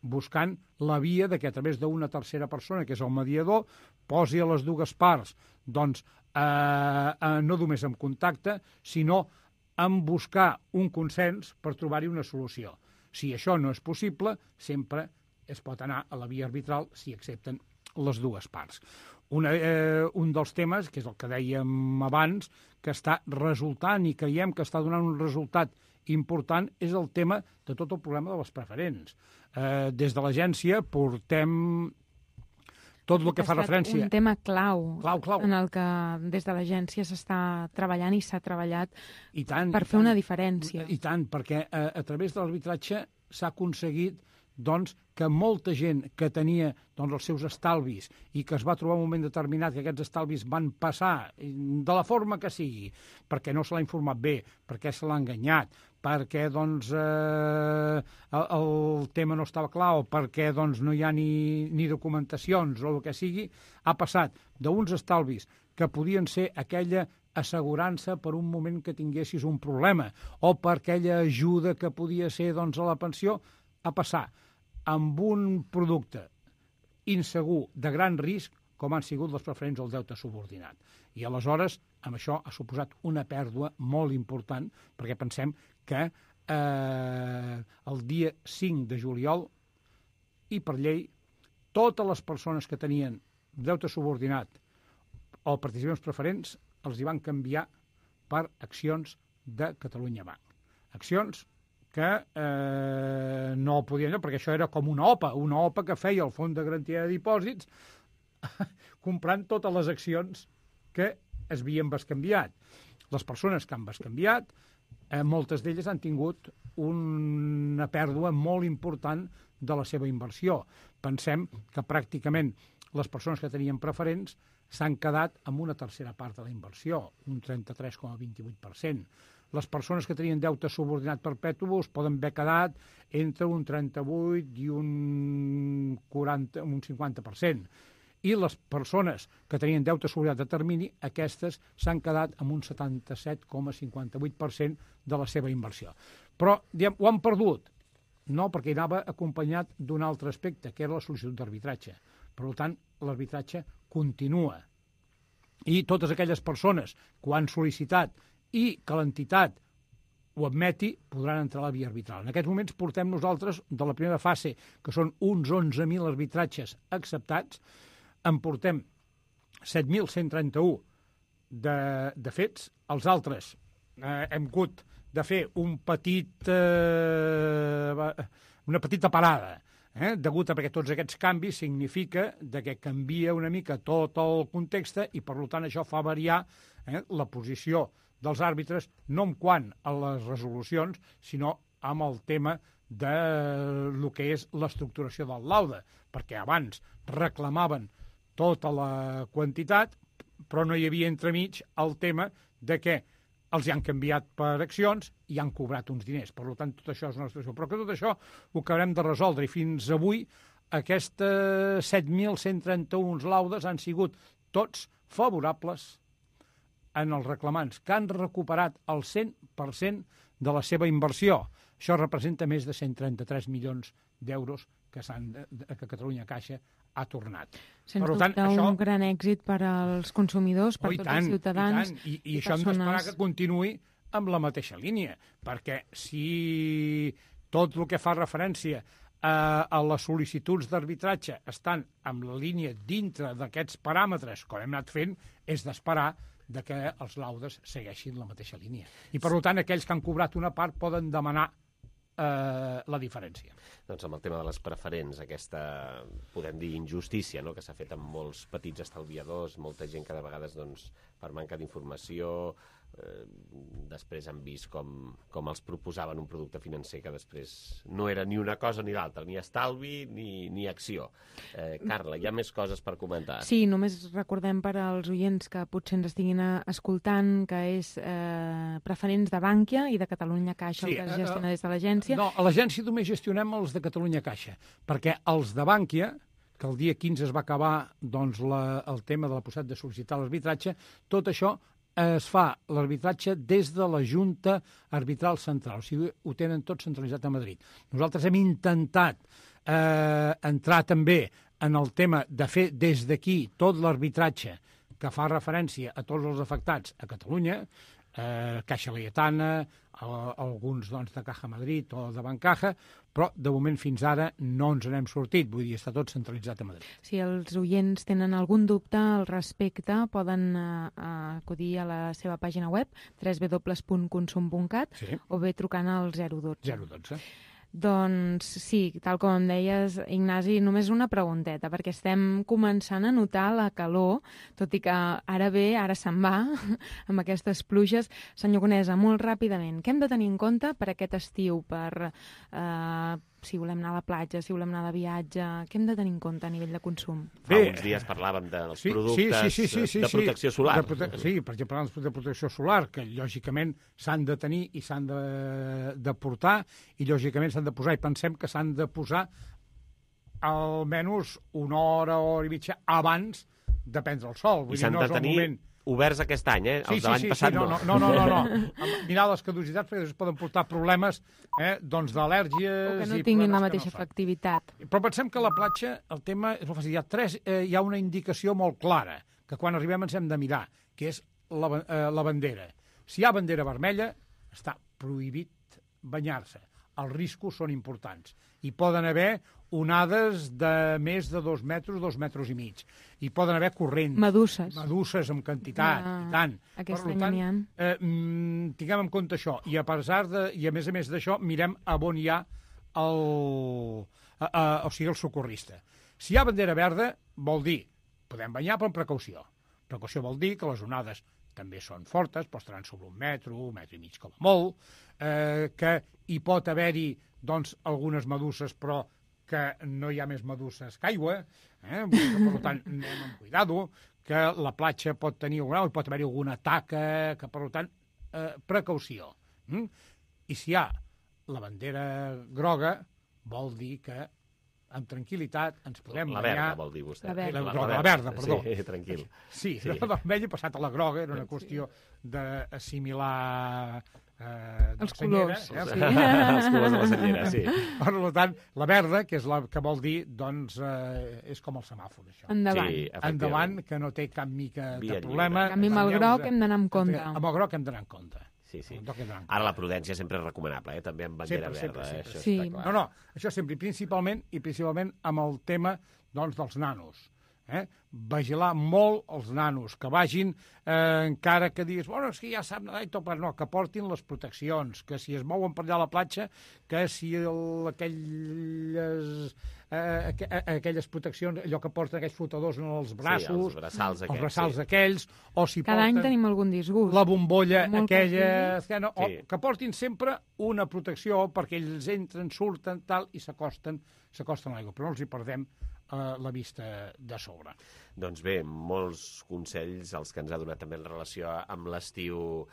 buscant la via de que a través d'una tercera persona, que és el mediador, posi a les dues parts doncs, eh, eh, no només en contacte, sinó en buscar un consens per trobar-hi una solució. Si això no és possible, sempre es pot anar a la via arbitral si accepten les dues parts. Una, eh, un dels temes, que és el que dèiem abans, que està resultant i creiem que està donant un resultat important, és el tema de tot el problema de les preferents. Eh, des de l'agència portem tot el que fa referència... Un tema clau, clau, clau. en el que des de l'agència s'està treballant i s'ha treballat I tant, per i fer tant, una diferència. I tant, perquè a, a través de l'arbitratge s'ha aconseguit doncs, que molta gent que tenia doncs, els seus estalvis i que es va trobar en un moment determinat que aquests estalvis van passar de la forma que sigui, perquè no se l'ha informat bé, perquè se l'ha enganyat, perquè doncs, eh, el, el tema no estava clar o perquè doncs, no hi ha ni, ni documentacions o el que sigui, ha passat d'uns estalvis que podien ser aquella assegurança per un moment que tinguessis un problema o per aquella ajuda que podia ser doncs, a la pensió, a passar amb un producte insegur de gran risc com han sigut les preferents al deute subordinat. I aleshores, amb això ha suposat una pèrdua molt important, perquè pensem que eh, el dia cinc de juliol, i per llei, totes les persones que tenien deute subordinat o participacions preferents els hi van canviar per accions de Catalunya Banc. Accions que eh, no podien, perquè això era com una O P A, una O P A que feia el Fons de Garantia de Dipòsits comprant totes les accions que es havien bescanviat. Les persones que han bescanviat, eh, moltes d'elles han tingut una pèrdua molt important de la seva inversió. Pensem que pràcticament les persones que tenien preferents s'han quedat amb una tercera part de la inversió, un trenta-tres coma vint-i-vuit per cent. Les persones que tenien deute subordinat perpetu es poden haver quedat entre un trenta-vuit i un, quaranta, un cinquanta per cent. I les persones que tenien deute subordinat a termini, aquestes s'han quedat amb un setanta-set coma cinquanta-vuit per cent de la seva inversió. Però, diguem, ho han perdut? No, perquè anava acompanyat d'un altre aspecte, que era la sol·licitud d'arbitratge. Per tant, l'arbitratge continua. I totes aquelles persones que ho han sol·licitat i que l'entitat ho admeti, podran entrar a la via arbitral. En aquests moments portem nosaltres, de la primera fase, que són uns onze mil arbitratges acceptats, en portem set mil cent trenta-u de, de fets. Els altres eh, hem hagut de fer un petit, eh, una petita parada, eh, degut a perquè tots aquests canvis significa de que canvia una mica tot el context i, per tant, això fa variar eh, la posició dels àrbitres, no en quant a les resolucions, sinó amb el tema de lo que és l'estructuració del laude, perquè abans reclamaven tota la quantitat, però no hi havia entremig el tema de que els hi han canviat per accions i han cobrat uns diners. Per tant, tot això és una situació. Però que tot això ho acabarem de resoldre i fins avui aquestes set mil cent trenta-u laudes han sigut tots favorables en els reclamants, que han recuperat el cent per cent de la seva inversió. Això representa més de cent trenta-tres milions d'euros que, que Catalunya Caixa ha tornat. Sens dubte, això... un gran èxit per als consumidors, per oh, tots tant, els ciutadans. I, tant. I, i, i això persones... hem d'esperar que continuï amb la mateixa línia, perquè si tot el que fa referència a, a les sol·licituds d'arbitratge estan en la línia dintre d'aquests paràmetres, com hem anat fent, és d'esperar de que els laudes segueixin la mateixa línia. I, per tant, aquells que han cobrat una part poden demanar eh, la diferència. Doncs amb el tema de les preferents, aquesta, podem dir, injustícia, no?, que s'ha fet amb molts petits estalviadors, molta gent que de vegades, doncs, per manca d'informació eh, després han vist com, com els proposaven un producte financer que després no era ni una cosa ni l'altra, ni estalvi ni, ni acció. Eh, Carla, hi ha més coses per comentar? Sí, només recordem per als oients que potser ens estiguin escoltant que és eh, preferents de Bànquia i de Catalunya Caixa, sí, el que es gestiona des de l'agència. No, a l'agència només gestionem els de Catalunya Caixa, perquè els de Bànquia, que el dia quinze es va acabar doncs, la, el tema de la possibilitat de sol·licitar l'arbitratge, tot això es fa l'arbitratge des de la Junta Arbitral Central, o sigui, ho tenen tot centralitzat a Madrid. Nosaltres hem intentat eh, entrar també en el tema de fer des d'aquí tot l'arbitratge que fa referència a tots els afectats a Catalunya, eh, Caixa Laietana, a, alguns doncs, de Caja Madrid o de Bancaja, però de moment fins ara no ens n'hem sortit, vull dir, està tot centralitzat a Madrid. Si els oients tenen algun dubte al respecte, poden eh, acudir a la seva pàgina web, w w w punt consum punt cat, sí, o bé trucant al zero dotze. zero dotze. Doncs sí, tal com em deies, Ignasi, només una pregunteta, perquè estem començant a notar la calor, tot i que ara ve, ara se'n va, amb aquestes pluges. Senyor Conesa, molt ràpidament, què hem de tenir en compte per aquest estiu, per eh, si volem anar a la platja, si volem anar de viatge, què hem de tenir en compte a nivell de consum? Fa uns dies parlàvem dels sí, productes sí, sí, sí, sí, de protecció solar. De prote sí, per exemple, els de protecció solar, que lògicament s'han de tenir i s'han de, de portar, i lògicament s'han de posar, i pensem que s'han de posar almenys una hora, hora i mitja abans de prendre el sol. I s'han de tenir moment... oberts aquest any, eh? Sí, els de l'any sí, sí, passat sí, no. No, no, no, no. no. Mirar les caducitats perquè es poden portar problemes eh, doncs d'al·lèrgies... O que no tinguin la mateixa no efectivitat. Però pensem que a la platja el tema és molt fàcil. Hi ha, tres, eh, hi ha una indicació molt clara, que quan arribem ens hem de mirar, que és la, eh, la bandera. Si hi ha bandera vermella, està prohibit banyar-se. Els riscos són importants. Hi poden haver onades de més de dos metres, dos metres i mig. Hi poden haver corrents. Meduses. Meduses en quantitat, ah, i tant. Aquest any n'hi ha. Eh, tinguem en compte això. I a pesar de, i a més a més d'això, mirem a on hi ha el, a, a, o sigui, el socorrista. Si hi ha bandera verda, vol dir, podem banyar, però amb precaució. Precaució vol dir que les onades també són fortes, però estaran sobre un metre, un metre i mig com a molt, eh, que hi pot haver-hi doncs, algunes meduses, però que no hi ha més meduses que aigua, eh? Per tant, anem amb cuidado, que la platja pot tenir alguna, pot haver-hi alguna taca, que per tant, eh, precaució. Mm? I si hi ha la bandera groga, vol dir que amb tranquil·litat ens podem la banyar... La verda, vol dir vostè. La verda, la, la, la verda perdó. Sí, tranquil. Sí, sí. La vermella passat a la groga, era una qüestió d'assimilar... Eh, els colors. Eh? Sí. Els colors de la senyera, sí. Per tant, la verda, que és la que vol dir, doncs, eh, és com el semàfor, això. Endavant. Sí, Endavant, que no té cap mica Via de problema. En canvi, amb el groc hem d'anar amb compte. Amb el groc hem d'anar amb compte. Sí, sí. Ara la prudència sempre és recomanable, eh? També amb bandera sempre, verda. Sempre, sempre. Eh? Això sí. està clar. No, no, això sempre, principalment, i principalment amb el tema doncs, dels nanos. Eh? Vigilar molt els nanos, que vagin, eh, encara que diguis, bueno, és que ja sap nedar i tot, però no, que portin les proteccions, que si es mouen per allà a la platja, que si el, aquelles, eh, aqu aquelles proteccions, allò que porten aquells flotadors en els braços, sí, els braçals aquells, els braçals sí. aquells, o si Cada porten any tenim algun disgust. la bombolla Molt aquella, que, no, sí. o, que portin sempre una protecció perquè ells entren, surten, tal, i s'acosten s'acosten a l'aigua, però no els hi perdem la vista de sobre. Doncs bé, molts consells els que ens ha donat també en relació amb l'estiu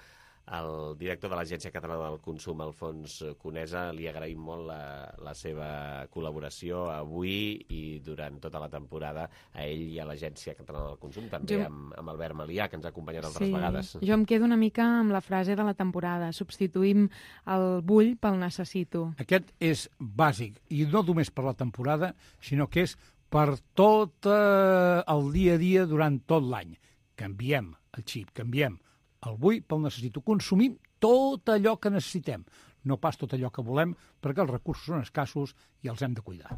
el director de l'Agència Catalana del Consum, Alfons Conesa. Li agraïm molt la, la seva col·laboració avui i durant tota la temporada a ell i a l'Agència Catalana del Consum, també jo... amb, amb Albert Malià, que ens ha acompanyat altres sí. vegades. Jo em quedo una mica amb la frase de la temporada. Substituïm el vull pel necessito. Aquest és bàsic, i no només per la temporada, sinó que és per tot eh, el dia a dia durant tot l'any. Canviem el xip, canviem el vull pel necessito. Consumim tot allò que necessitem, no pas tot allò que volem, perquè els recursos són escassos i els hem de cuidar.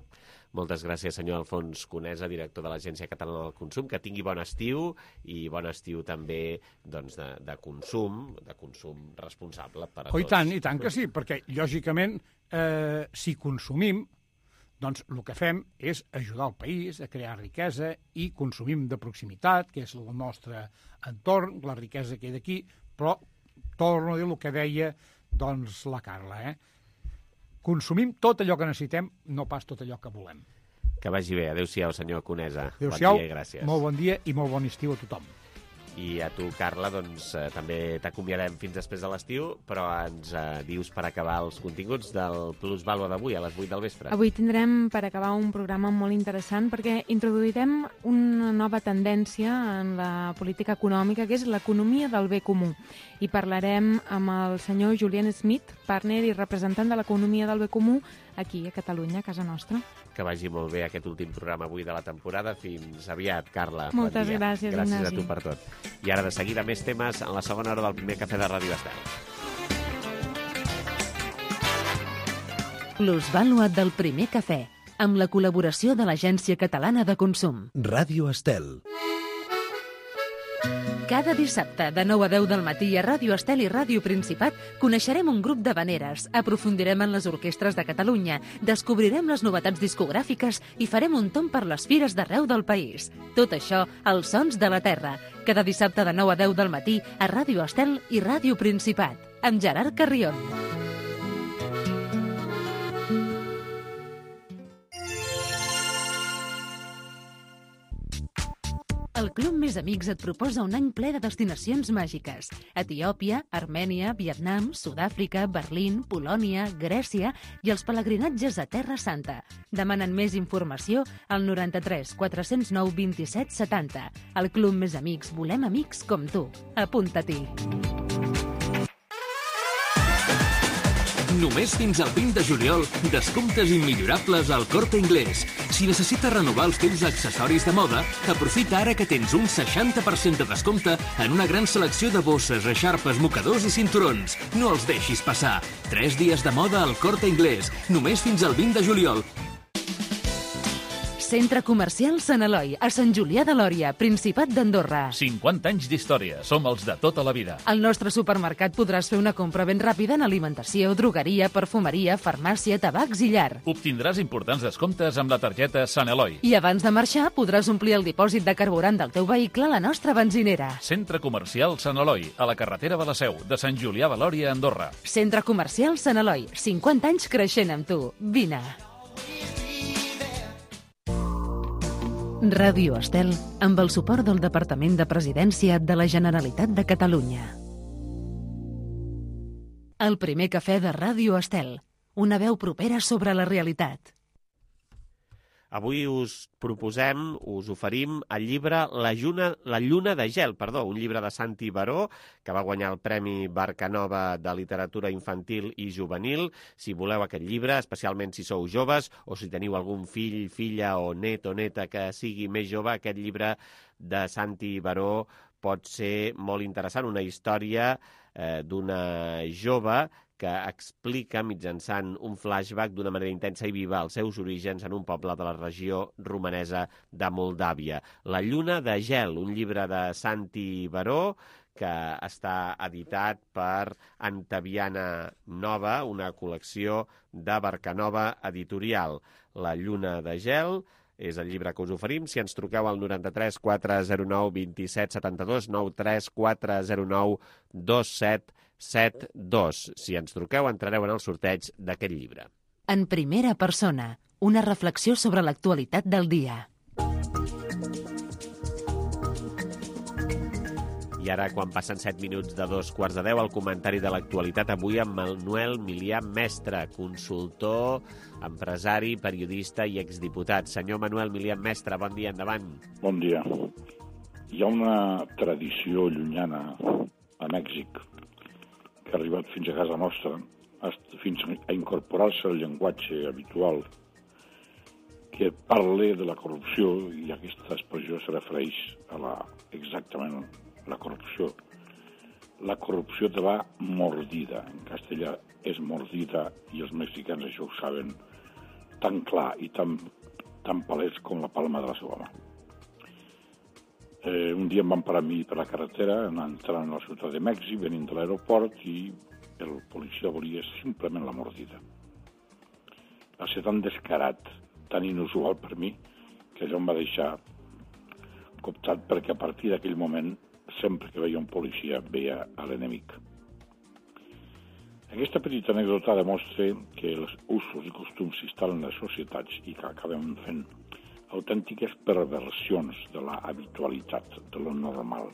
Moltes gràcies, senyor Alfons Conesa, director de l'Agència Catalana del Consum. Que tingui bon estiu i bon estiu també doncs, de, de consum, de consum responsable per a oh, tots. I tant, i tant que sí, perquè, lògicament, eh, si consumim, doncs el que fem és ajudar el país a crear riquesa i consumim de proximitat, que és el nostre entorn, la riquesa que hi ha d'aquí, però torno a dir el que deia doncs, la Carla. Eh? Consumim tot allò que necessitem, no pas tot allò que volem. Que vagi bé. Adéu-siau, senyor Conesa. Adéu-siau, bon dia i gràcies. molt bon dia i molt bon estiu a tothom. I a tu, Carla, doncs eh, també t'acomiadem fins després de l'estiu, però ens eh, dius per acabar els continguts del Plus Vàlua d'avui a les vuit del vespre. Avui tindrem per acabar un programa molt interessant perquè introduirem una nova tendència en la política econòmica, que és l'economia del bé comú. I parlarem amb el senyor Julian Smith, partner i representant de l'economia del bé comú aquí a Catalunya, a casa nostra. Que vagi molt bé aquest últim programa avui de la temporada. Fins aviat, Carla. Moltes bon dia. gràcies, Gràcies Ignasi. a tu per tot. I ara de seguida més temes en la segona hora del primer cafè de Ràdio Estel. Plusvàlua del primer cafè, amb la col·laboració de l'Agència Catalana de Consum. Ràdio Estel. Cada dissabte, de nou a deu del matí, a Ràdio Estel i Ràdio Principat, coneixerem un grup d'havaneres, aprofundirem en les orquestres de Catalunya, descobrirem les novetats discogràfiques i farem un tomb per les fires d'arreu del país. Tot això, als sons de la terra. Cada dissabte de nou a deu del matí, a Ràdio Estel i Ràdio Principat, amb Gerard Carrion. El Club Més Amics et proposa un any ple de destinacions màgiques. Etiòpia, Armènia, Vietnam, Sud-àfrica, Berlín, Polònia, Grècia i els pelegrinatges a Terra Santa. Demanen més informació al noranta-tres quatre-cents nou vint-i-set setanta. Al Club Més Amics volem amics com tu. Apunta-t'hi. Només fins al vint de juliol, descomptes immillorables al Corte Inglés. Si necessites renovar els teus accessoris de moda, aprofita ara que tens un seixanta per cent de descompte en una gran selecció de bosses, eixarpes, mocadors i cinturons. No els deixis passar. Tres dies de moda al Corte Inglés, només fins al vint de juliol. Centre Comercial Sant Eloi, a Sant Julià de Lòria, Principat d'Andorra. cinquanta anys d'història. Som els de tota la vida. Al nostre supermercat podràs fer una compra ben ràpida en alimentació, drogueria, perfumeria, farmàcia, tabacs i llar. Obtindràs importants descomptes amb la targeta Sant Eloi. I abans de marxar podràs omplir el dipòsit de carburant del teu vehicle a la nostra benzinera. Centre Comercial Sant Eloi, a la carretera de la Seu, de Sant Julià de Lòria, Andorra. Centre Comercial Sant Eloi, cinquanta anys creixent amb tu. Vine. Ràdio Estel, amb el suport del Departament de Presidència de la Generalitat de Catalunya. El primer cafè de Ràdio Estel, una veu propera sobre la realitat. Avui us proposem, us oferim el llibre La Lluna, La Lluna de Gel, perdó, un llibre de Santi Baró, que va guanyar el Premi Barcanova de Literatura Infantil i Juvenil. Si voleu aquest llibre, especialment si sou joves o si teniu algun fill, filla o net o neta que sigui més jove, aquest llibre de Santi Baró pot ser molt interessant. Una història eh, d'una jove que explica mitjançant un flashback d'una manera intensa i viva els seus orígens en un poble de la regió romanesa de Moldàvia. La Lluna de Gel, un llibre de Santi Baró que està editat per Antaviana Nova, una col·lecció de Barcanova Editorial. La Lluna de Gel és el llibre que us oferim. Si ens truqueu al noranta-tres quatre zero nou vint set setanta-dos, noranta-tres quatre zero nou dos set set dos. Si ens truqueu, entrareu en el sorteig d'aquest llibre. En primera persona, una reflexió sobre l'actualitat del dia. I ara, quan passen set minuts de dos quarts de deu, el comentari de l'actualitat avui amb Manuel Milià Mestre, consultor, empresari, periodista i exdiputat. Senyor Manuel Milià Mestre, bon dia, endavant. Bon dia. Hi ha una tradició llunyana a Mèxic que ha arribat fins a casa nostra, fins a incorporar-se al llenguatge habitual, que parla de la corrupció, i aquesta expressió se refereix a la, exactament la corrupció. La corrupció te va mordida. En castellà és mordida, i els mexicans això ho saben tan clar i tan, tan palès com la palma de la seva mà. Eh, un dia em van parar a mi per la carretera, entrant a la ciutat de Mèxic, venint de l'aeroport, i el policia volia simplement la mordida. Va ser tan descarat, tan inusual per mi, que això em va deixar coptat, perquè a partir d'aquell moment, sempre que veia un policia, veia a l'enemic. Aquesta petita anècdota demostra que els usos i costums s'instal·len en les societats i que acabem fent autèntiques perversions de la habitualitat, de lo normal.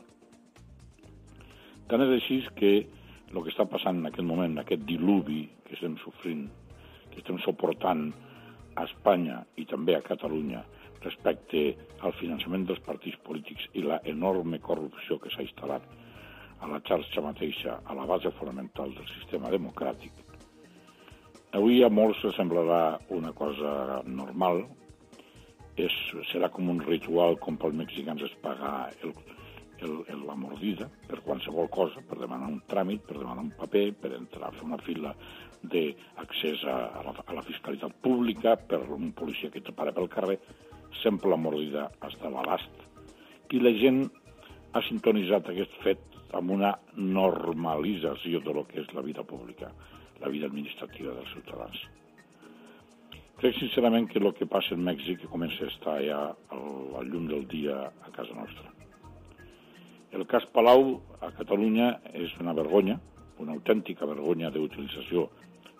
Tant és així que el que està passant en aquest moment, aquest diluvi que estem sofrint, que estem suportant a Espanya i també a Catalunya respecte al finançament dels partits polítics i la enorme corrupció que s'ha instal·lat a la xarxa mateixa, a la base fonamental del sistema democràtic. Avui a molts els semblarà una cosa normal, és, serà com un ritual com pels mexicans es pagar el, el, el, la mordida per qualsevol cosa, per demanar un tràmit, per demanar un paper, per entrar a fer una fila d'accés a, a, la, a la fiscalitat pública, per un policia que te para pel carrer, sempre la mordida està a l'abast. I la gent ha sintonitzat aquest fet amb una normalització de lo que és la vida pública, la vida administrativa dels ciutadans. Crec sincerament que el que passa en Mèxic comença a estar ja al llum del dia a casa nostra. El cas Palau a Catalunya és una vergonya, una autèntica vergonya d'utilització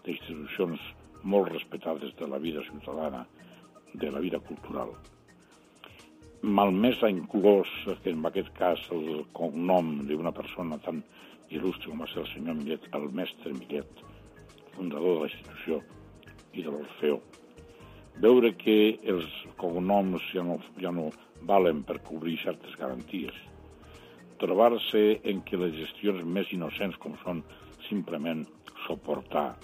d'institucions molt respectades de la vida ciutadana, de la vida cultural. Malmès ha inclòs, en aquest cas, el cognom d'una persona tan il·lustre com va ser el senyor Millet, el mestre Millet, fundador de la institució i de l'Orfeo. Veure que els cognoms ja no, ja no valen per cobrir certes garanties. Trobar-se en què les gestions més innocents, com són simplement suportar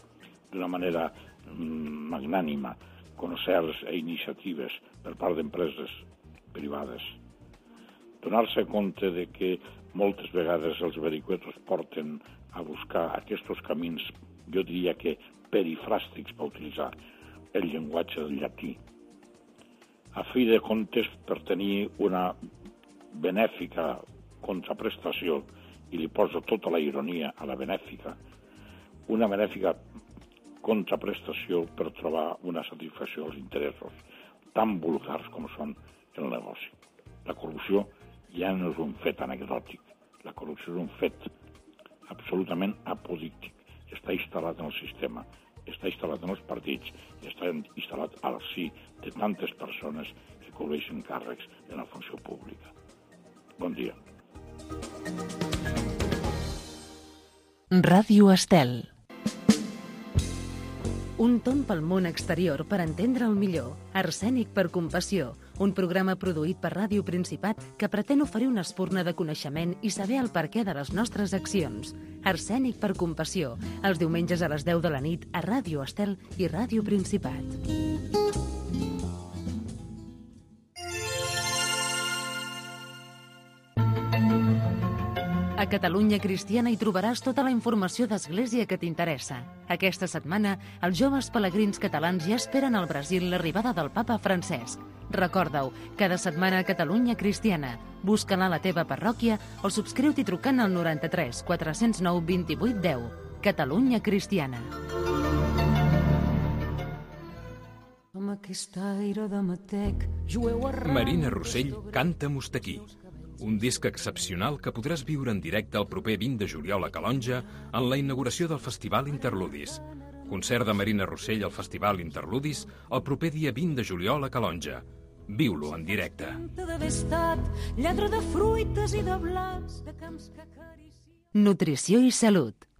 d'una manera magnànima concerts i iniciatives per part d'empreses privades. Donar-se compte de que moltes vegades els vericuetos porten a buscar aquests camins, jo diria que perifràstics, per utilitzar el llenguatge del llatí, a fi de comptes per tenir una benèfica contraprestació, i li poso tota la ironia a la benèfica, una benèfica contraprestació per trobar una satisfacció als interessos tan vulgars com són el negoci. La corrupció ja no és un fet anecdòtic, la corrupció és un fet absolutament apodíctic. Està instal·lat en el sistema, està instal·lat en els partits i està instal·lat al si de tantes persones que cobreixen càrrecs en la funció pública. Bon dia. Ràdio Estel. Un tomb pel món exterior per entendre'l millor. Arsènic per compassió, un programa produït per Ràdio Principat que pretén oferir una espurna de coneixement i saber el perquè de les nostres accions. Arsènic per compassió, els diumenges a les deu de la nit a Ràdio Estel i Ràdio Principat. A Catalunya Cristiana hi trobaràs tota la informació d'Església que t'interessa. Aquesta setmana, els joves pelegrins catalans ja esperen al Brasil l'arribada del papa Francesc. Recorda-ho, cada setmana a Catalunya Cristiana. Busca-la a la teva parròquia o subscriu-t'hi trucant al noranta-tres quatre-cents nou vint-i-vuit deu. Catalunya Cristiana. Marina Rossell canta Mostequí, un disc excepcional que podràs viure en directe el proper vint de juliol a Calonja en la inauguració del Festival Interludis. Concert de Marina Rossell al Festival Interludis el proper dia vint de juliol a Calonja. Viu-lo en directe. Nutrició i salut.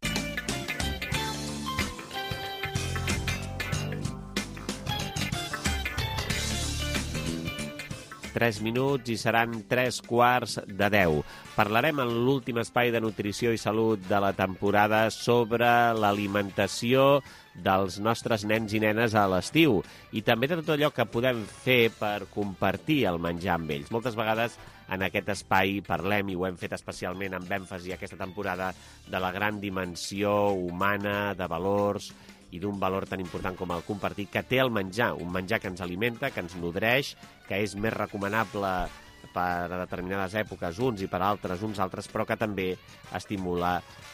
Tres minuts i seran tres quarts de deu. Parlarem en l'últim espai de nutrició i salut de la temporada sobre l'alimentació dels nostres nens i nenes a l'estiu i també de tot allò que podem fer per compartir el menjar amb ells. Moltes vegades en aquest espai parlem, i ho hem fet especialment amb èmfasi aquesta temporada, de la gran dimensió humana, de valors i d'un valor tan important com el compartir que té el menjar, un menjar que ens alimenta, que ens nodreix, que és més recomanable per a determinades èpoques uns i per altres uns altres, però que també estimula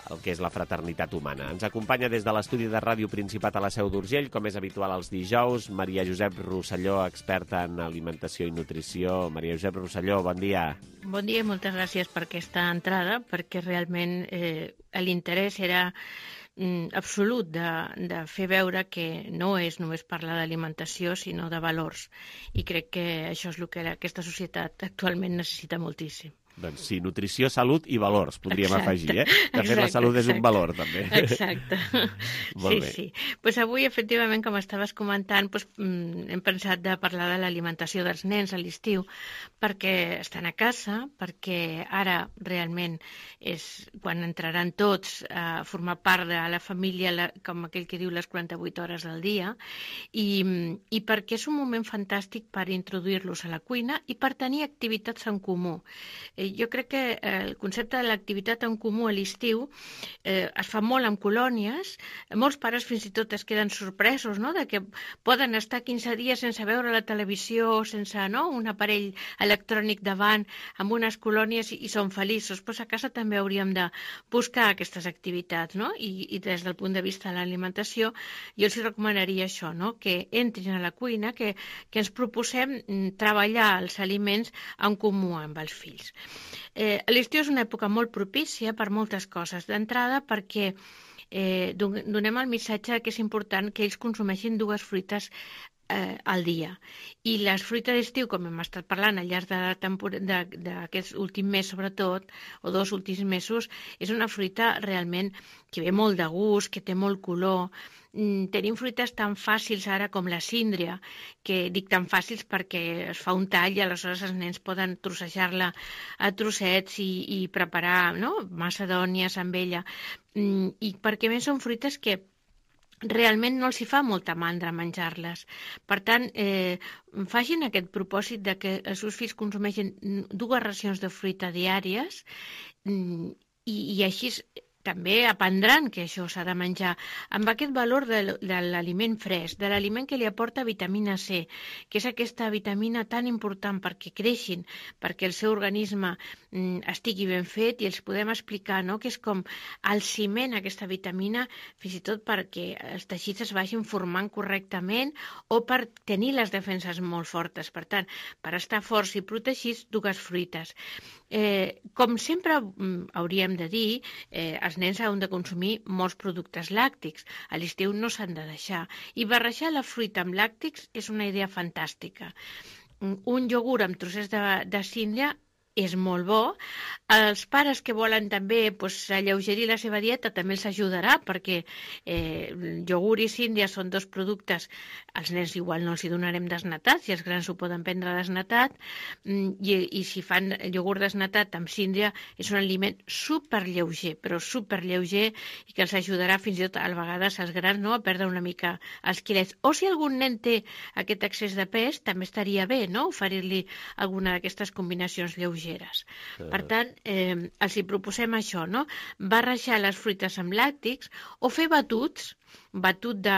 el que és la fraternitat humana. Ens acompanya des de l'estudi de Ràdio Principat a la Seu d'Urgell, com és habitual els dijous, Maria Josep Rosselló, experta en alimentació i nutrició. Maria Josep Rosselló, bon dia. Bon dia i moltes gràcies per aquesta entrada, perquè realment eh, l'interès era mm, absolut de, de fer veure que no és només parlar d'alimentació, sinó de valors. I crec que això és el que aquesta societat actualment necessita moltíssim. Doncs sí, nutrició, salut i valors, podríem Exacte. afegir, eh? De fet, Exacte, la salut és un exacte. valor, també. Exacte. Molt sí, bé. sí. Pues avui, efectivament, com estaves comentant, pues, mm, hem pensat de parlar de l'alimentació dels nens a l'estiu, perquè estan a casa, perquè ara realment és quan entraran tots a formar part de la família, la, com aquell que diu les quaranta-vuit hores del dia, i, i perquè és un moment fantàstic per introduir-los a la cuina i per tenir activitats en comú. Eh, jo crec que el concepte de l'activitat en comú a l'estiu eh, es fa molt en colònies. Molts pares fins i tot es queden sorpresos, no?, de que poden estar quinze dies sense veure la televisió, sense, no?, un aparell electrònic davant, amb unes colònies i, i són feliços. Pues a casa també hauríem de buscar aquestes activitats, no? I, i des del punt de vista de l'alimentació, jo els recomanaria això, no?, que entrin a la cuina, que, que ens proposem treballar els aliments en comú amb els fills. Eh, L'estiu és una època molt propícia per moltes coses. D'entrada, perquè eh, donem el missatge que és important que ells consumeixin dues fruites eh, al dia. I les fruites d'estiu, com hem estat parlant al llarg d'aquest últim mes, sobretot, o dos últims mesos, és una fruita realment que ve molt de gust, que té molt color. Tenim fruites tan fàcils ara com la síndria, que dic tan fàcils perquè es fa un tall i aleshores els nens poden trossejar-la a trossets i, i preparar, no?, macedònies amb ella. I perquè més són fruites que realment no els hi fa molta mandra menjar-les. Per tant, eh, facin aquest propòsit de que els seus fills consumeixin dues racions de fruita diàries i, i així també aprendran que això s'ha de menjar amb aquest valor de, de l'aliment fresc, de l'aliment que li aporta vitamina C, que és aquesta vitamina tan important perquè creixin, perquè el seu organisme mm, estigui ben fet i els podem explicar, no?, que és com el ciment, aquesta vitamina, fins i tot perquè els teixits es vagin formant correctament o per tenir les defenses molt fortes. Per tant, per estar forts i protegits, dues fruites. Eh, com sempre mm, hauríem de dir, eh, els nens han de consumir molts productes làctics. A l'estiu no s'han de deixar. I barrejar la fruita amb làctics és una idea fantàstica. Un iogurt amb trossets de, de síndria és molt bo. Els pares que volen també pues, alleugerir la seva dieta també els ajudarà, perquè eh, iogurt i síndria són dos productes, als nens igual no els hi donarem desnatat, si els grans ho poden prendre desnatat, i, i si fan iogurt desnatat amb síndria és un aliment superlleuger, però superlleuger, i que els ajudarà fins i tot a vegades als grans, no?, a perdre una mica els quilets. O si algun nen té aquest excés de pes, també estaria bé, no?, oferir-li alguna d'aquestes combinacions lleugeres. Per tant, eh, els hi proposem això, no?, barrejar les fruites amb làctics o fer batuts, batut de,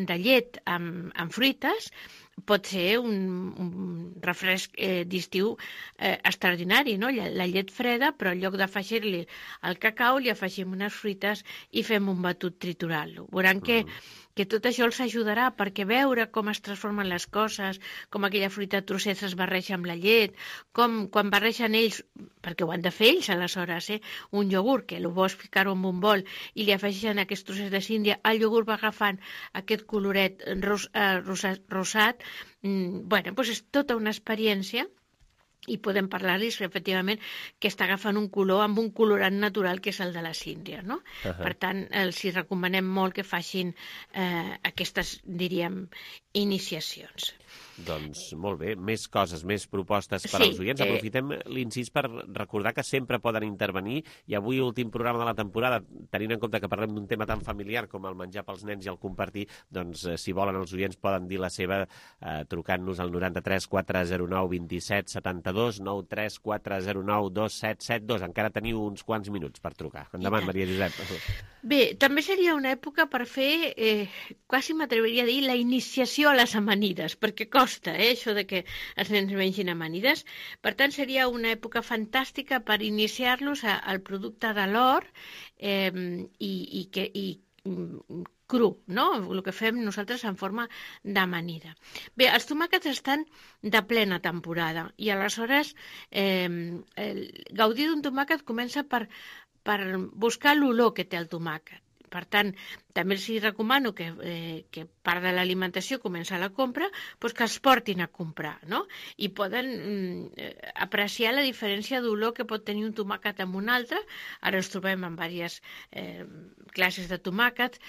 de llet amb, amb fruites. Pot ser un, un refresc eh, d'estiu eh, extraordinari, no?, la, la llet freda, però en lloc d'afegir-li el cacau li afegim unes fruites i fem un batut triturant-lo. Veuran que, que tot això els ajudarà, perquè veure com es transformen les coses, com aquella fruita a trossets es barreja amb la llet, com quan barregen ells, perquè ho han de fer ells aleshores, eh, un iogurt, que el bo és ficar-ho en un bol i li afegeixen aquests trossets de síndria, el iogurt va agafant aquest coloret ros, eh, rosat, rosat. Mm, bueno, doncs és tota una experiència i podem parlar-los efectivament que està agafant un color amb un colorant natural que és el de la síndria, no? Uh-huh. Per tant, els hi recomanem molt que facin eh, aquestes, diríem, iniciacions. Doncs molt bé, més coses, més propostes per Sí, als oients. eh, Aprofitem l'incís per recordar que sempre poden intervenir, i avui, últim programa de la temporada, tenint en compte que parlem d'un tema tan familiar com el menjar pels nens i el compartir, doncs eh, si volen els oients poden dir la seva eh, trucant-nos al noranta-tres quatre zero nou vint-i-set setanta-dos, nou tres quatre zero nou dos set set dos. Encara teniu uns quants minuts per trucar. Endavant, Maria Josep. Bé, també seria una època per fer, eh, quasi m'atreviria a dir, la iniciació a les amanides, perquè costa, eh, això de que els nens mengin amanides. Per tant, seria una època fantàstica per iniciar-los a- al producte de l'hort eh, i, i, que, i mm, cru, no? El que fem nosaltres en forma d'amanida. Bé, els tomàquets estan de plena temporada i aleshores eh, el, gaudir d'un tomàquet comença per, per buscar l'olor que té el tomàquet. per tant, també els recomano que, eh, que part de l'alimentació comença a la compra, doncs que els portin a comprar, no? I poden mm, apreciar la diferència d'olor que pot tenir un tomàquet amb un altre. Ara ens trobem amb diverses eh, classes de tomàquets,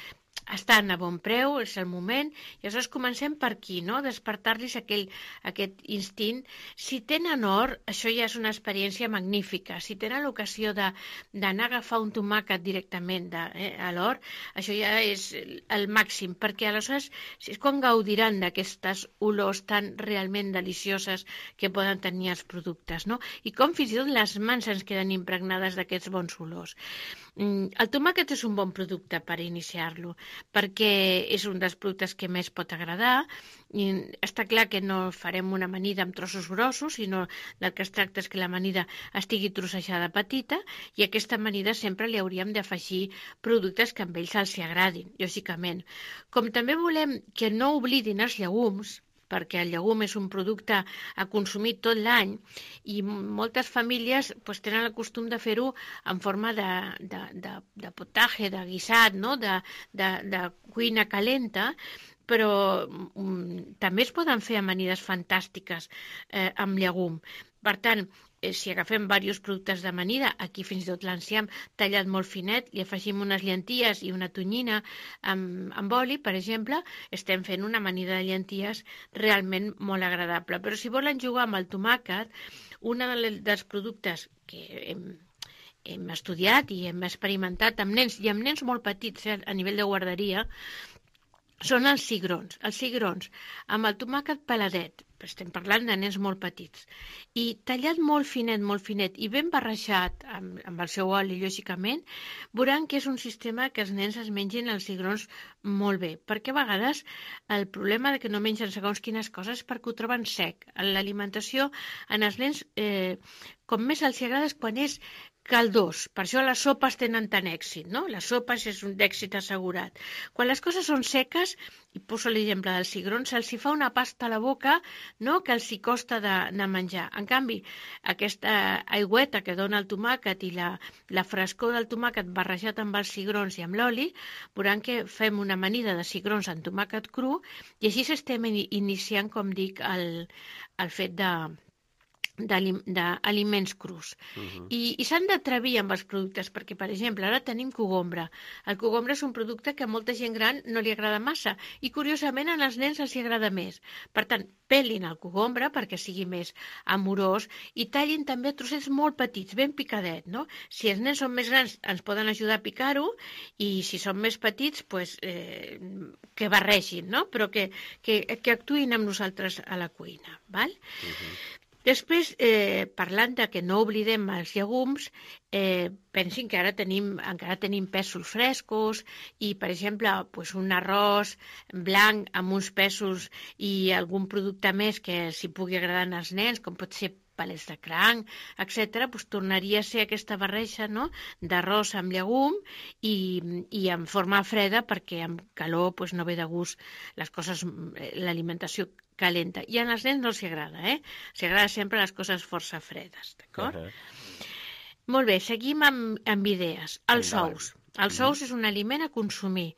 estan a bon preu, és el moment, i aleshores comencem per aquí, no? Despertar-los aquell, aquest instint. Si tenen or, això ja és una experiència magnífica. Si tenen l'ocasió d'anar a agafar un tomàquet directament de, eh, a l'or, això ja és el màxim, perquè aleshores és quan gaudiran d'aquestes olors tan realment delicioses que poden tenir els productes, no? I com fins i tot les mans ens queden impregnades d'aquests bons olors. El tomàquet és un bon producte per iniciar-lo, perquè és un dels productes que més pot agradar. I està clar que no farem una amanida amb trossos grossos, sinó del que es tracta és que l'amanida estigui trossejada petita, i a aquesta amanida sempre li hauríem d'afegir productes que a ells els agradin, lògicament. Com també volem que no oblidin els llegums, perquè el llegum és un producte a consumir tot l'any, i moltes famílies pues, tenen el costum de fer-ho en forma de, de, de, de potatge, de guisat, no? de, de, de cuina calenta, però um, també es poden fer amanides fantàstiques eh, amb llegum. Per tant, eh, si agafem diversos productes d'amanida, aquí fins i tot l'enciam tallat molt finet, li afegim unes llenties i una tonyina amb, amb oli, per exemple, estem fent una amanida de llenties realment molt agradable. Però si volen jugar amb el tomàquet, un dels productes que hem, hem estudiat i hem experimentat amb nens, i amb nens molt petits, eh, a nivell de guarderia, són els cigrons. Els cigrons amb el tomàquet peladet, estem parlant de nens molt petits, i tallat molt finet, molt finet, i ben barrejat amb, amb el seu oli, lògicament, veuran que és un sistema que els nens es mengin els cigrons molt bé, perquè a vegades el problema de que no mengen segons quines coses és perquè ho troben sec. L'alimentació en els nens, eh, com més els agrada és quan és caldós, per això les sopes tenen tant èxit, no? Les sopes és un èxit assegurat. Quan les coses són seques, i poso l'exemple dels cigrons, se'ls hi fa una pasta a la boca, no?, que els hi costa de, de menjar. En canvi, aquesta aigüeta que dona el tomàquet i la, la frescor del tomàquet barrejat amb els cigrons i amb l'oli, veuran que fem una amanida de cigrons amb tomàquet cru, i així estem iniciant, com dic, el, el fet de d'aliments crus. Uh-huh. I, i s'han d'atrevir amb els productes, perquè, per exemple, ara tenim cogombre. El cogombre és un producte que a molta gent gran no li agrada massa, i curiosament en els nens els agrada més. Per tant, pelin el cogombre perquè sigui més amorós, i tallin també trossets molt petits, ben picadet, no? Si els nens són més grans ens poden ajudar a picar-ho, i si són més petits, pues, eh, que barregin, no? Però que, que, que actuïn amb nosaltres a la cuina, val? Uh-huh. Després, eh, parlant de que no oblidem els llegums, eh, pensin que ara tenim, encara tenim pèsols frescos i, per exemple, pues un arròs blanc amb uns pèsols i algun producte més que s'hi pugui agradar als nens, com pot ser palets de cranc, etcètera, doncs tornaria a ser aquesta barreja, no?, d'arròs amb llegum i, i en forma freda, perquè amb calor doncs, no ve de gust les coses, l'alimentació calenta. I a els nens no els agrada, eh? Els agrada sempre les coses força fredes, d'acord? Uh -huh. Molt bé, seguim amb, amb idees. Els ous. Els ous és un aliment a consumir.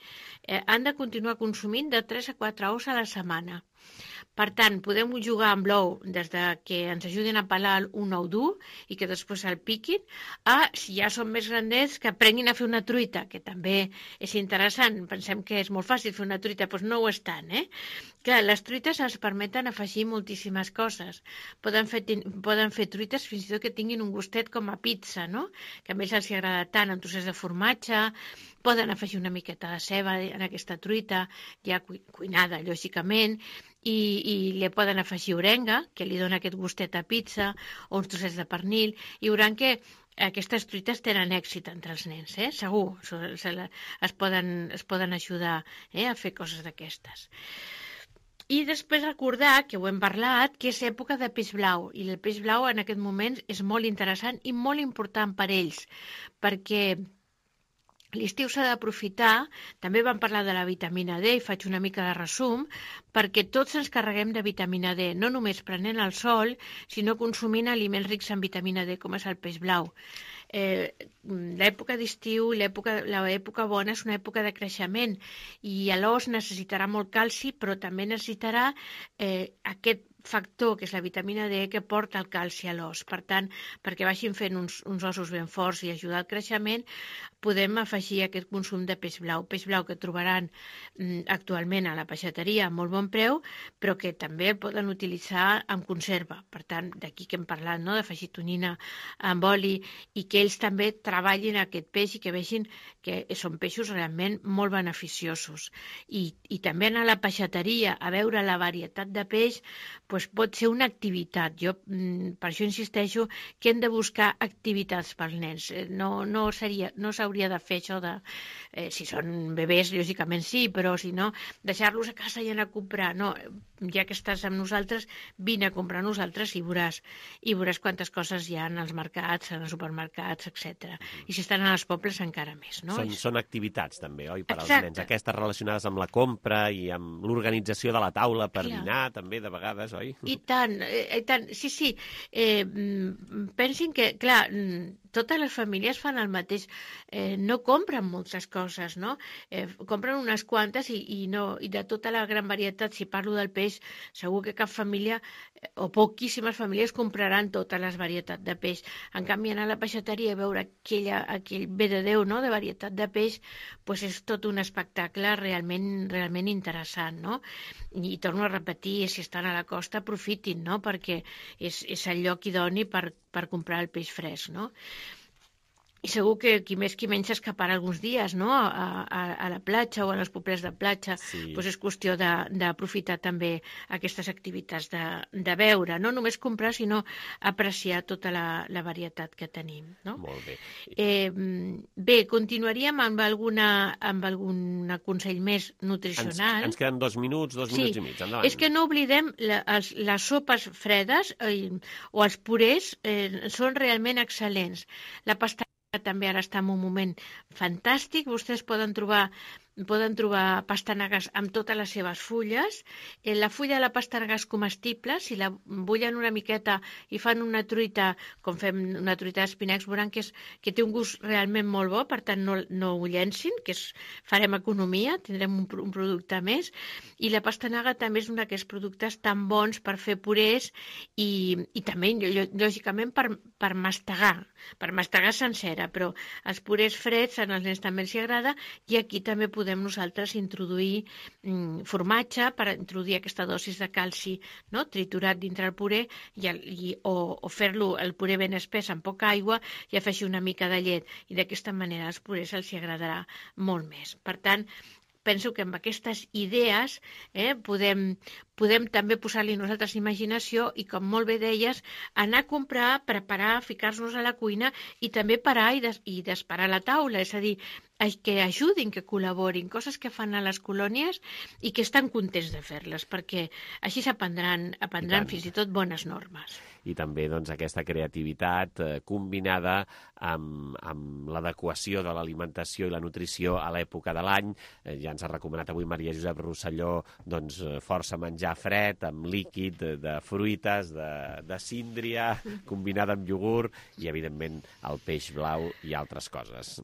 Eh, han de continuar consumint de tres a quatre ous a la setmana. Per tant, podem jugar amb l'ou des de que ens ajudin a pelar un ou dur i que després el piquin, a, si ja són més grandets, que aprenguin a fer una truita, que també és interessant. Pensem que és molt fàcil fer una truita, doncs no ho és tant, eh? Clar, les truites ens permeten afegir moltíssimes coses. Poden fer, poden fer truites fins i tot que tinguin un gustet com a pizza, no?, que a més els agrada tant, amb trossets de formatge. Poden afegir una miqueta de ceba en aquesta truita, ja cuinada, lògicament, i, i li poden afegir orenga, que li dona aquest gustet a pizza, o uns trossets de pernil, i veuran que aquestes truites tenen èxit entre els nens, eh? Segur, es poden, es poden ajudar eh? a fer coses d'aquestes. I després recordar, que ho hem parlat, que és època de peix blau, i el peix blau en aquest moment és molt interessant i molt important per ells, perquè l'estiu s'ha d'aprofitar. També vam parlar de la vitamina D i faig una mica de resum, perquè tots ens carreguem de vitamina D, no només prenent el sol, sinó consumint aliments rics en vitamina D, com és el peix blau. eh, l'època d'estiu, l'època bona és una època de creixement i l'os necessitarà molt calci, però també necessitarà eh, aquest factor, que és la vitamina D, que porta el calci a l'os. Per tant, perquè vagin fent uns, uns ossos ben forts i ajudar al creixement, podem afegir aquest consum de peix blau. Peix blau que trobaran mm, actualment a la peixateria a molt bon preu, però que també el poden utilitzar en conserva. Per tant, d'aquí que hem parlat, no?, d'afegir tonyina amb oli, i que ells també treballin aquest peix i que vegin que són peixos realment molt beneficiosos. I, i també anar a la peixateria a veure la varietat de peix, doncs pot ser una activitat. Jo per això insisteixo que hem de buscar activitats pels nens. No, no seria, no s'hauria de fer això de... Eh, si són bebès, lògicament sí, però si no, deixar-los a casa i anar a comprar. No, ja que estàs amb nosaltres, vine a comprar a nosaltres i veuràs, i veuràs quantes coses hi ha als mercats, als supermercats, etcètera. I si estan als pobles encara més, no? Són, són activitats també, oi, per als Exacte. nens. Aquestes relacionades amb la compra i amb l'organització de la taula per Clar. dinar, també, de vegades, oi? I tant, eh, i tant, sí, sí. Eh, pensin que, clar, totes les famílies fan el mateix. Eh, no compren moltes coses, no? Eh, compren unes quantes i, i, no, i de tota la gran varietat, si parlo del peix, segur que cap família, eh, o poquíssimes famílies, compraran totes les varietats de peix. En canvi, anar a la peixateria i veure aquella, aquell bé de Déu, no?, de varietat de peix, pues és tot un espectacle realment, realment interessant, no? I, i torno a repetir, si estan a la costa, aprofitin, no?, perquè és, és el lloc idoni per, per comprar el peix fresc, no? I segur que qui més qui menys s'escaparà alguns dies, no?, a, a, a la platja o a les pobles de platja. Sí. Pues és qüestió d'aprofitar també aquestes activitats de, de veure, no només comprar, sinó apreciar tota la, la varietat que tenim, no? Molt bé. Eh, bé, continuaríem amb, alguna, amb algun consell més nutricional. Ens, ens queden dos minuts, dos sí. minuts i mig. Endavant. És que no oblidem la, els, les sopes fredes eh, o els purés eh, són realment excel·lents. La pasta també ara està en un moment fantàstic. Vostès poden trobar poden trobar pastanagues amb totes les seves fulles. Eh, la fulla de la pastanaga és comestible. Si la bullen una miqueta i fan una truita, com fem una truita d'espinacs, veuran que, és, que té un gust realment molt bo, per tant no, no ho llencin, que és, farem economia, tindrem un, un producte més. I la pastanaga també és un d'aquests productes tan bons per fer purés i, i també, lògicament, per, per mastegar, per mastegar sencera, però els purés freds als nens també els agrada, i aquí també podem podem nosaltres introduir mm, formatge per introduir aquesta dosis de calci, no?, triturat dintre el puré i, el, i, o, o fer-lo el puré ben espès amb poca aigua i afegir una mica de llet, i d'aquesta manera als purés els agradarà molt més. Per tant, penso que amb aquestes idees eh, podem, podem també posar-li nosaltres imaginació i, com molt bé deies, anar a comprar, preparar, ficar-nos a la cuina i també parar i, des, i desparar la taula, és a dir, que ajudin, que col·laborin, coses que fan a les colònies i que estan contents de fer-les, perquè així s'aprendran aprendran fins i tot bones normes. I també doncs, aquesta creativitat eh, combinada amb, amb l'adequació de l'alimentació i la nutrició a l'època de l'any. Eh, ja ens ha recomanat avui Maria Josep Rosselló doncs, força menjar fred, amb líquid, de, de fruites, de, de síndria, combinada amb iogurt i, evidentment, el peix blau i altres coses.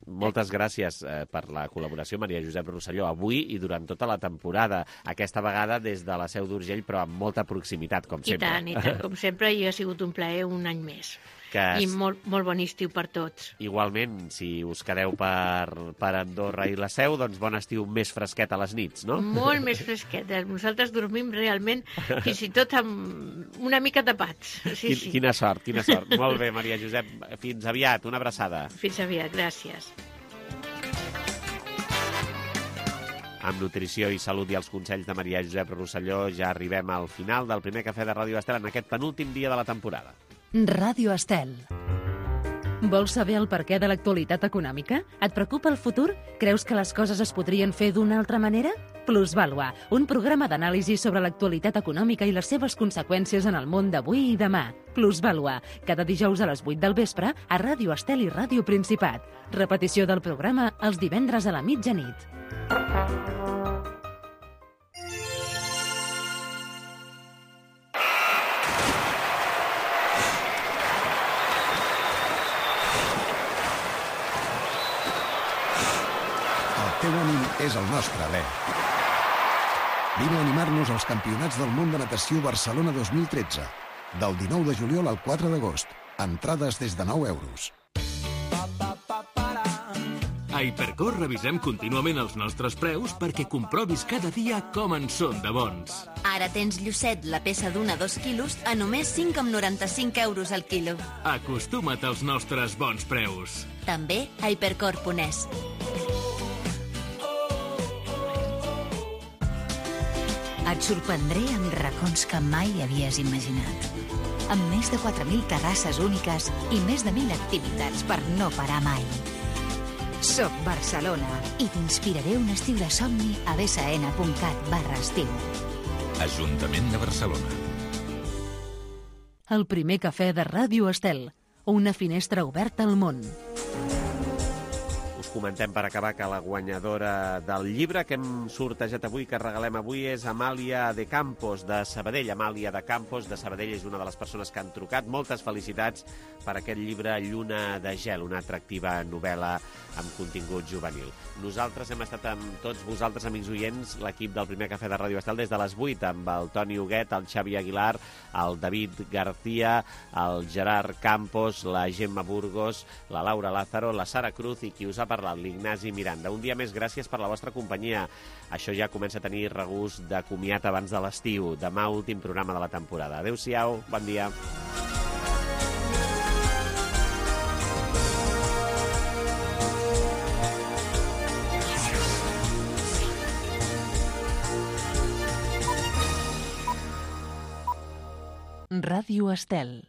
Moltes gràcies eh, per la col·laboració, Maria Josep Rosselló, avui i durant tota la temporada. Aquesta vegada des de la Seu d'Urgell, però amb molta proximitat, com sempre. I tant, i tant, com sempre, i ha sigut un plaer un any més. Que I molt, molt bon estiu per tots. Igualment, si us quedeu per, per Andorra i la Seu, doncs bon estiu més fresquet a les nits, no? Molt més fresquet. Nosaltres dormim realment fins i tot amb una mica tapats. Sí, Quin, sí. Quina sort, quina sort. Molt bé, Maria Josep, fins aviat, una abraçada. Fins aviat, gràcies. Amb nutrició i salut i els consells de Maria Josep Rosselló ja arribem al final del primer cafè de Ràdio Estel en aquest penúltim dia de la temporada. Ràdio Estel. Vols saber el perquè de l'actualitat econòmica? Et preocupa el futur? Creus que les coses es podrien fer d'una altra manera? Plusvàlua, un programa d'anàlisi sobre l'actualitat econòmica i les seves conseqüències en el món d'avui i demà. Plusvàlua, cada dijous a les vuit del vespre a Ràdio Estel i Ràdio Principat. Repetició del programa els divendres a la mitjanit. teu ànim és el nostre alè. Vine a animar-nos als Campionats del Món de Natació Barcelona dos mil tretze. Del dinou de juliol al quatre d'agost. Entrades des de nou euros. A Hipercor revisem contínuament els nostres preus perquè comprovis cada dia com en són de bons. Ara tens llucet, la peça d'un a dos quilos, a només cinc coma noranta-cinc euros al quilo. Acostuma't als nostres bons preus. També a hipercor punt es. Et sorprendré amb racons que mai havies imaginat. Amb més de quatre mil terrasses úniques i més de mil activitats per no parar mai. Soc Barcelona i t'inspiraré un estiu de somni a bsn punt cat barra estiu. Ajuntament de Barcelona. El primer cafè de Ràdio Estel. Una finestra oberta al món. Us comentem per acabar que la guanyadora del llibre que hem sortejat avui, que regalem avui, és Amàlia de Campos, de Sabadell. Amàlia de Campos, de Sabadell, és una de les persones que han trucat. Moltes felicitats per aquest llibre Lluna de gel, una atractiva novel·la amb contingut juvenil. Nosaltres hem estat amb tots vosaltres, amics oients, l'equip del primer cafè de Ràdio Estel des de les vuit, amb el Toni Huguet, el Xavi Aguilar, el David García, el Gerard Campos, la Gemma Burgos, la Laura Lázaro, la Sara Cruz i qui us ha parlat, l'Ignasi Miranda. Un dia més, gràcies per la vostra companyia. Això ja comença a tenir regust de comiat abans de l'estiu. Demà, últim programa de la temporada. Adéu-siau, bon dia. Ràdio Estel.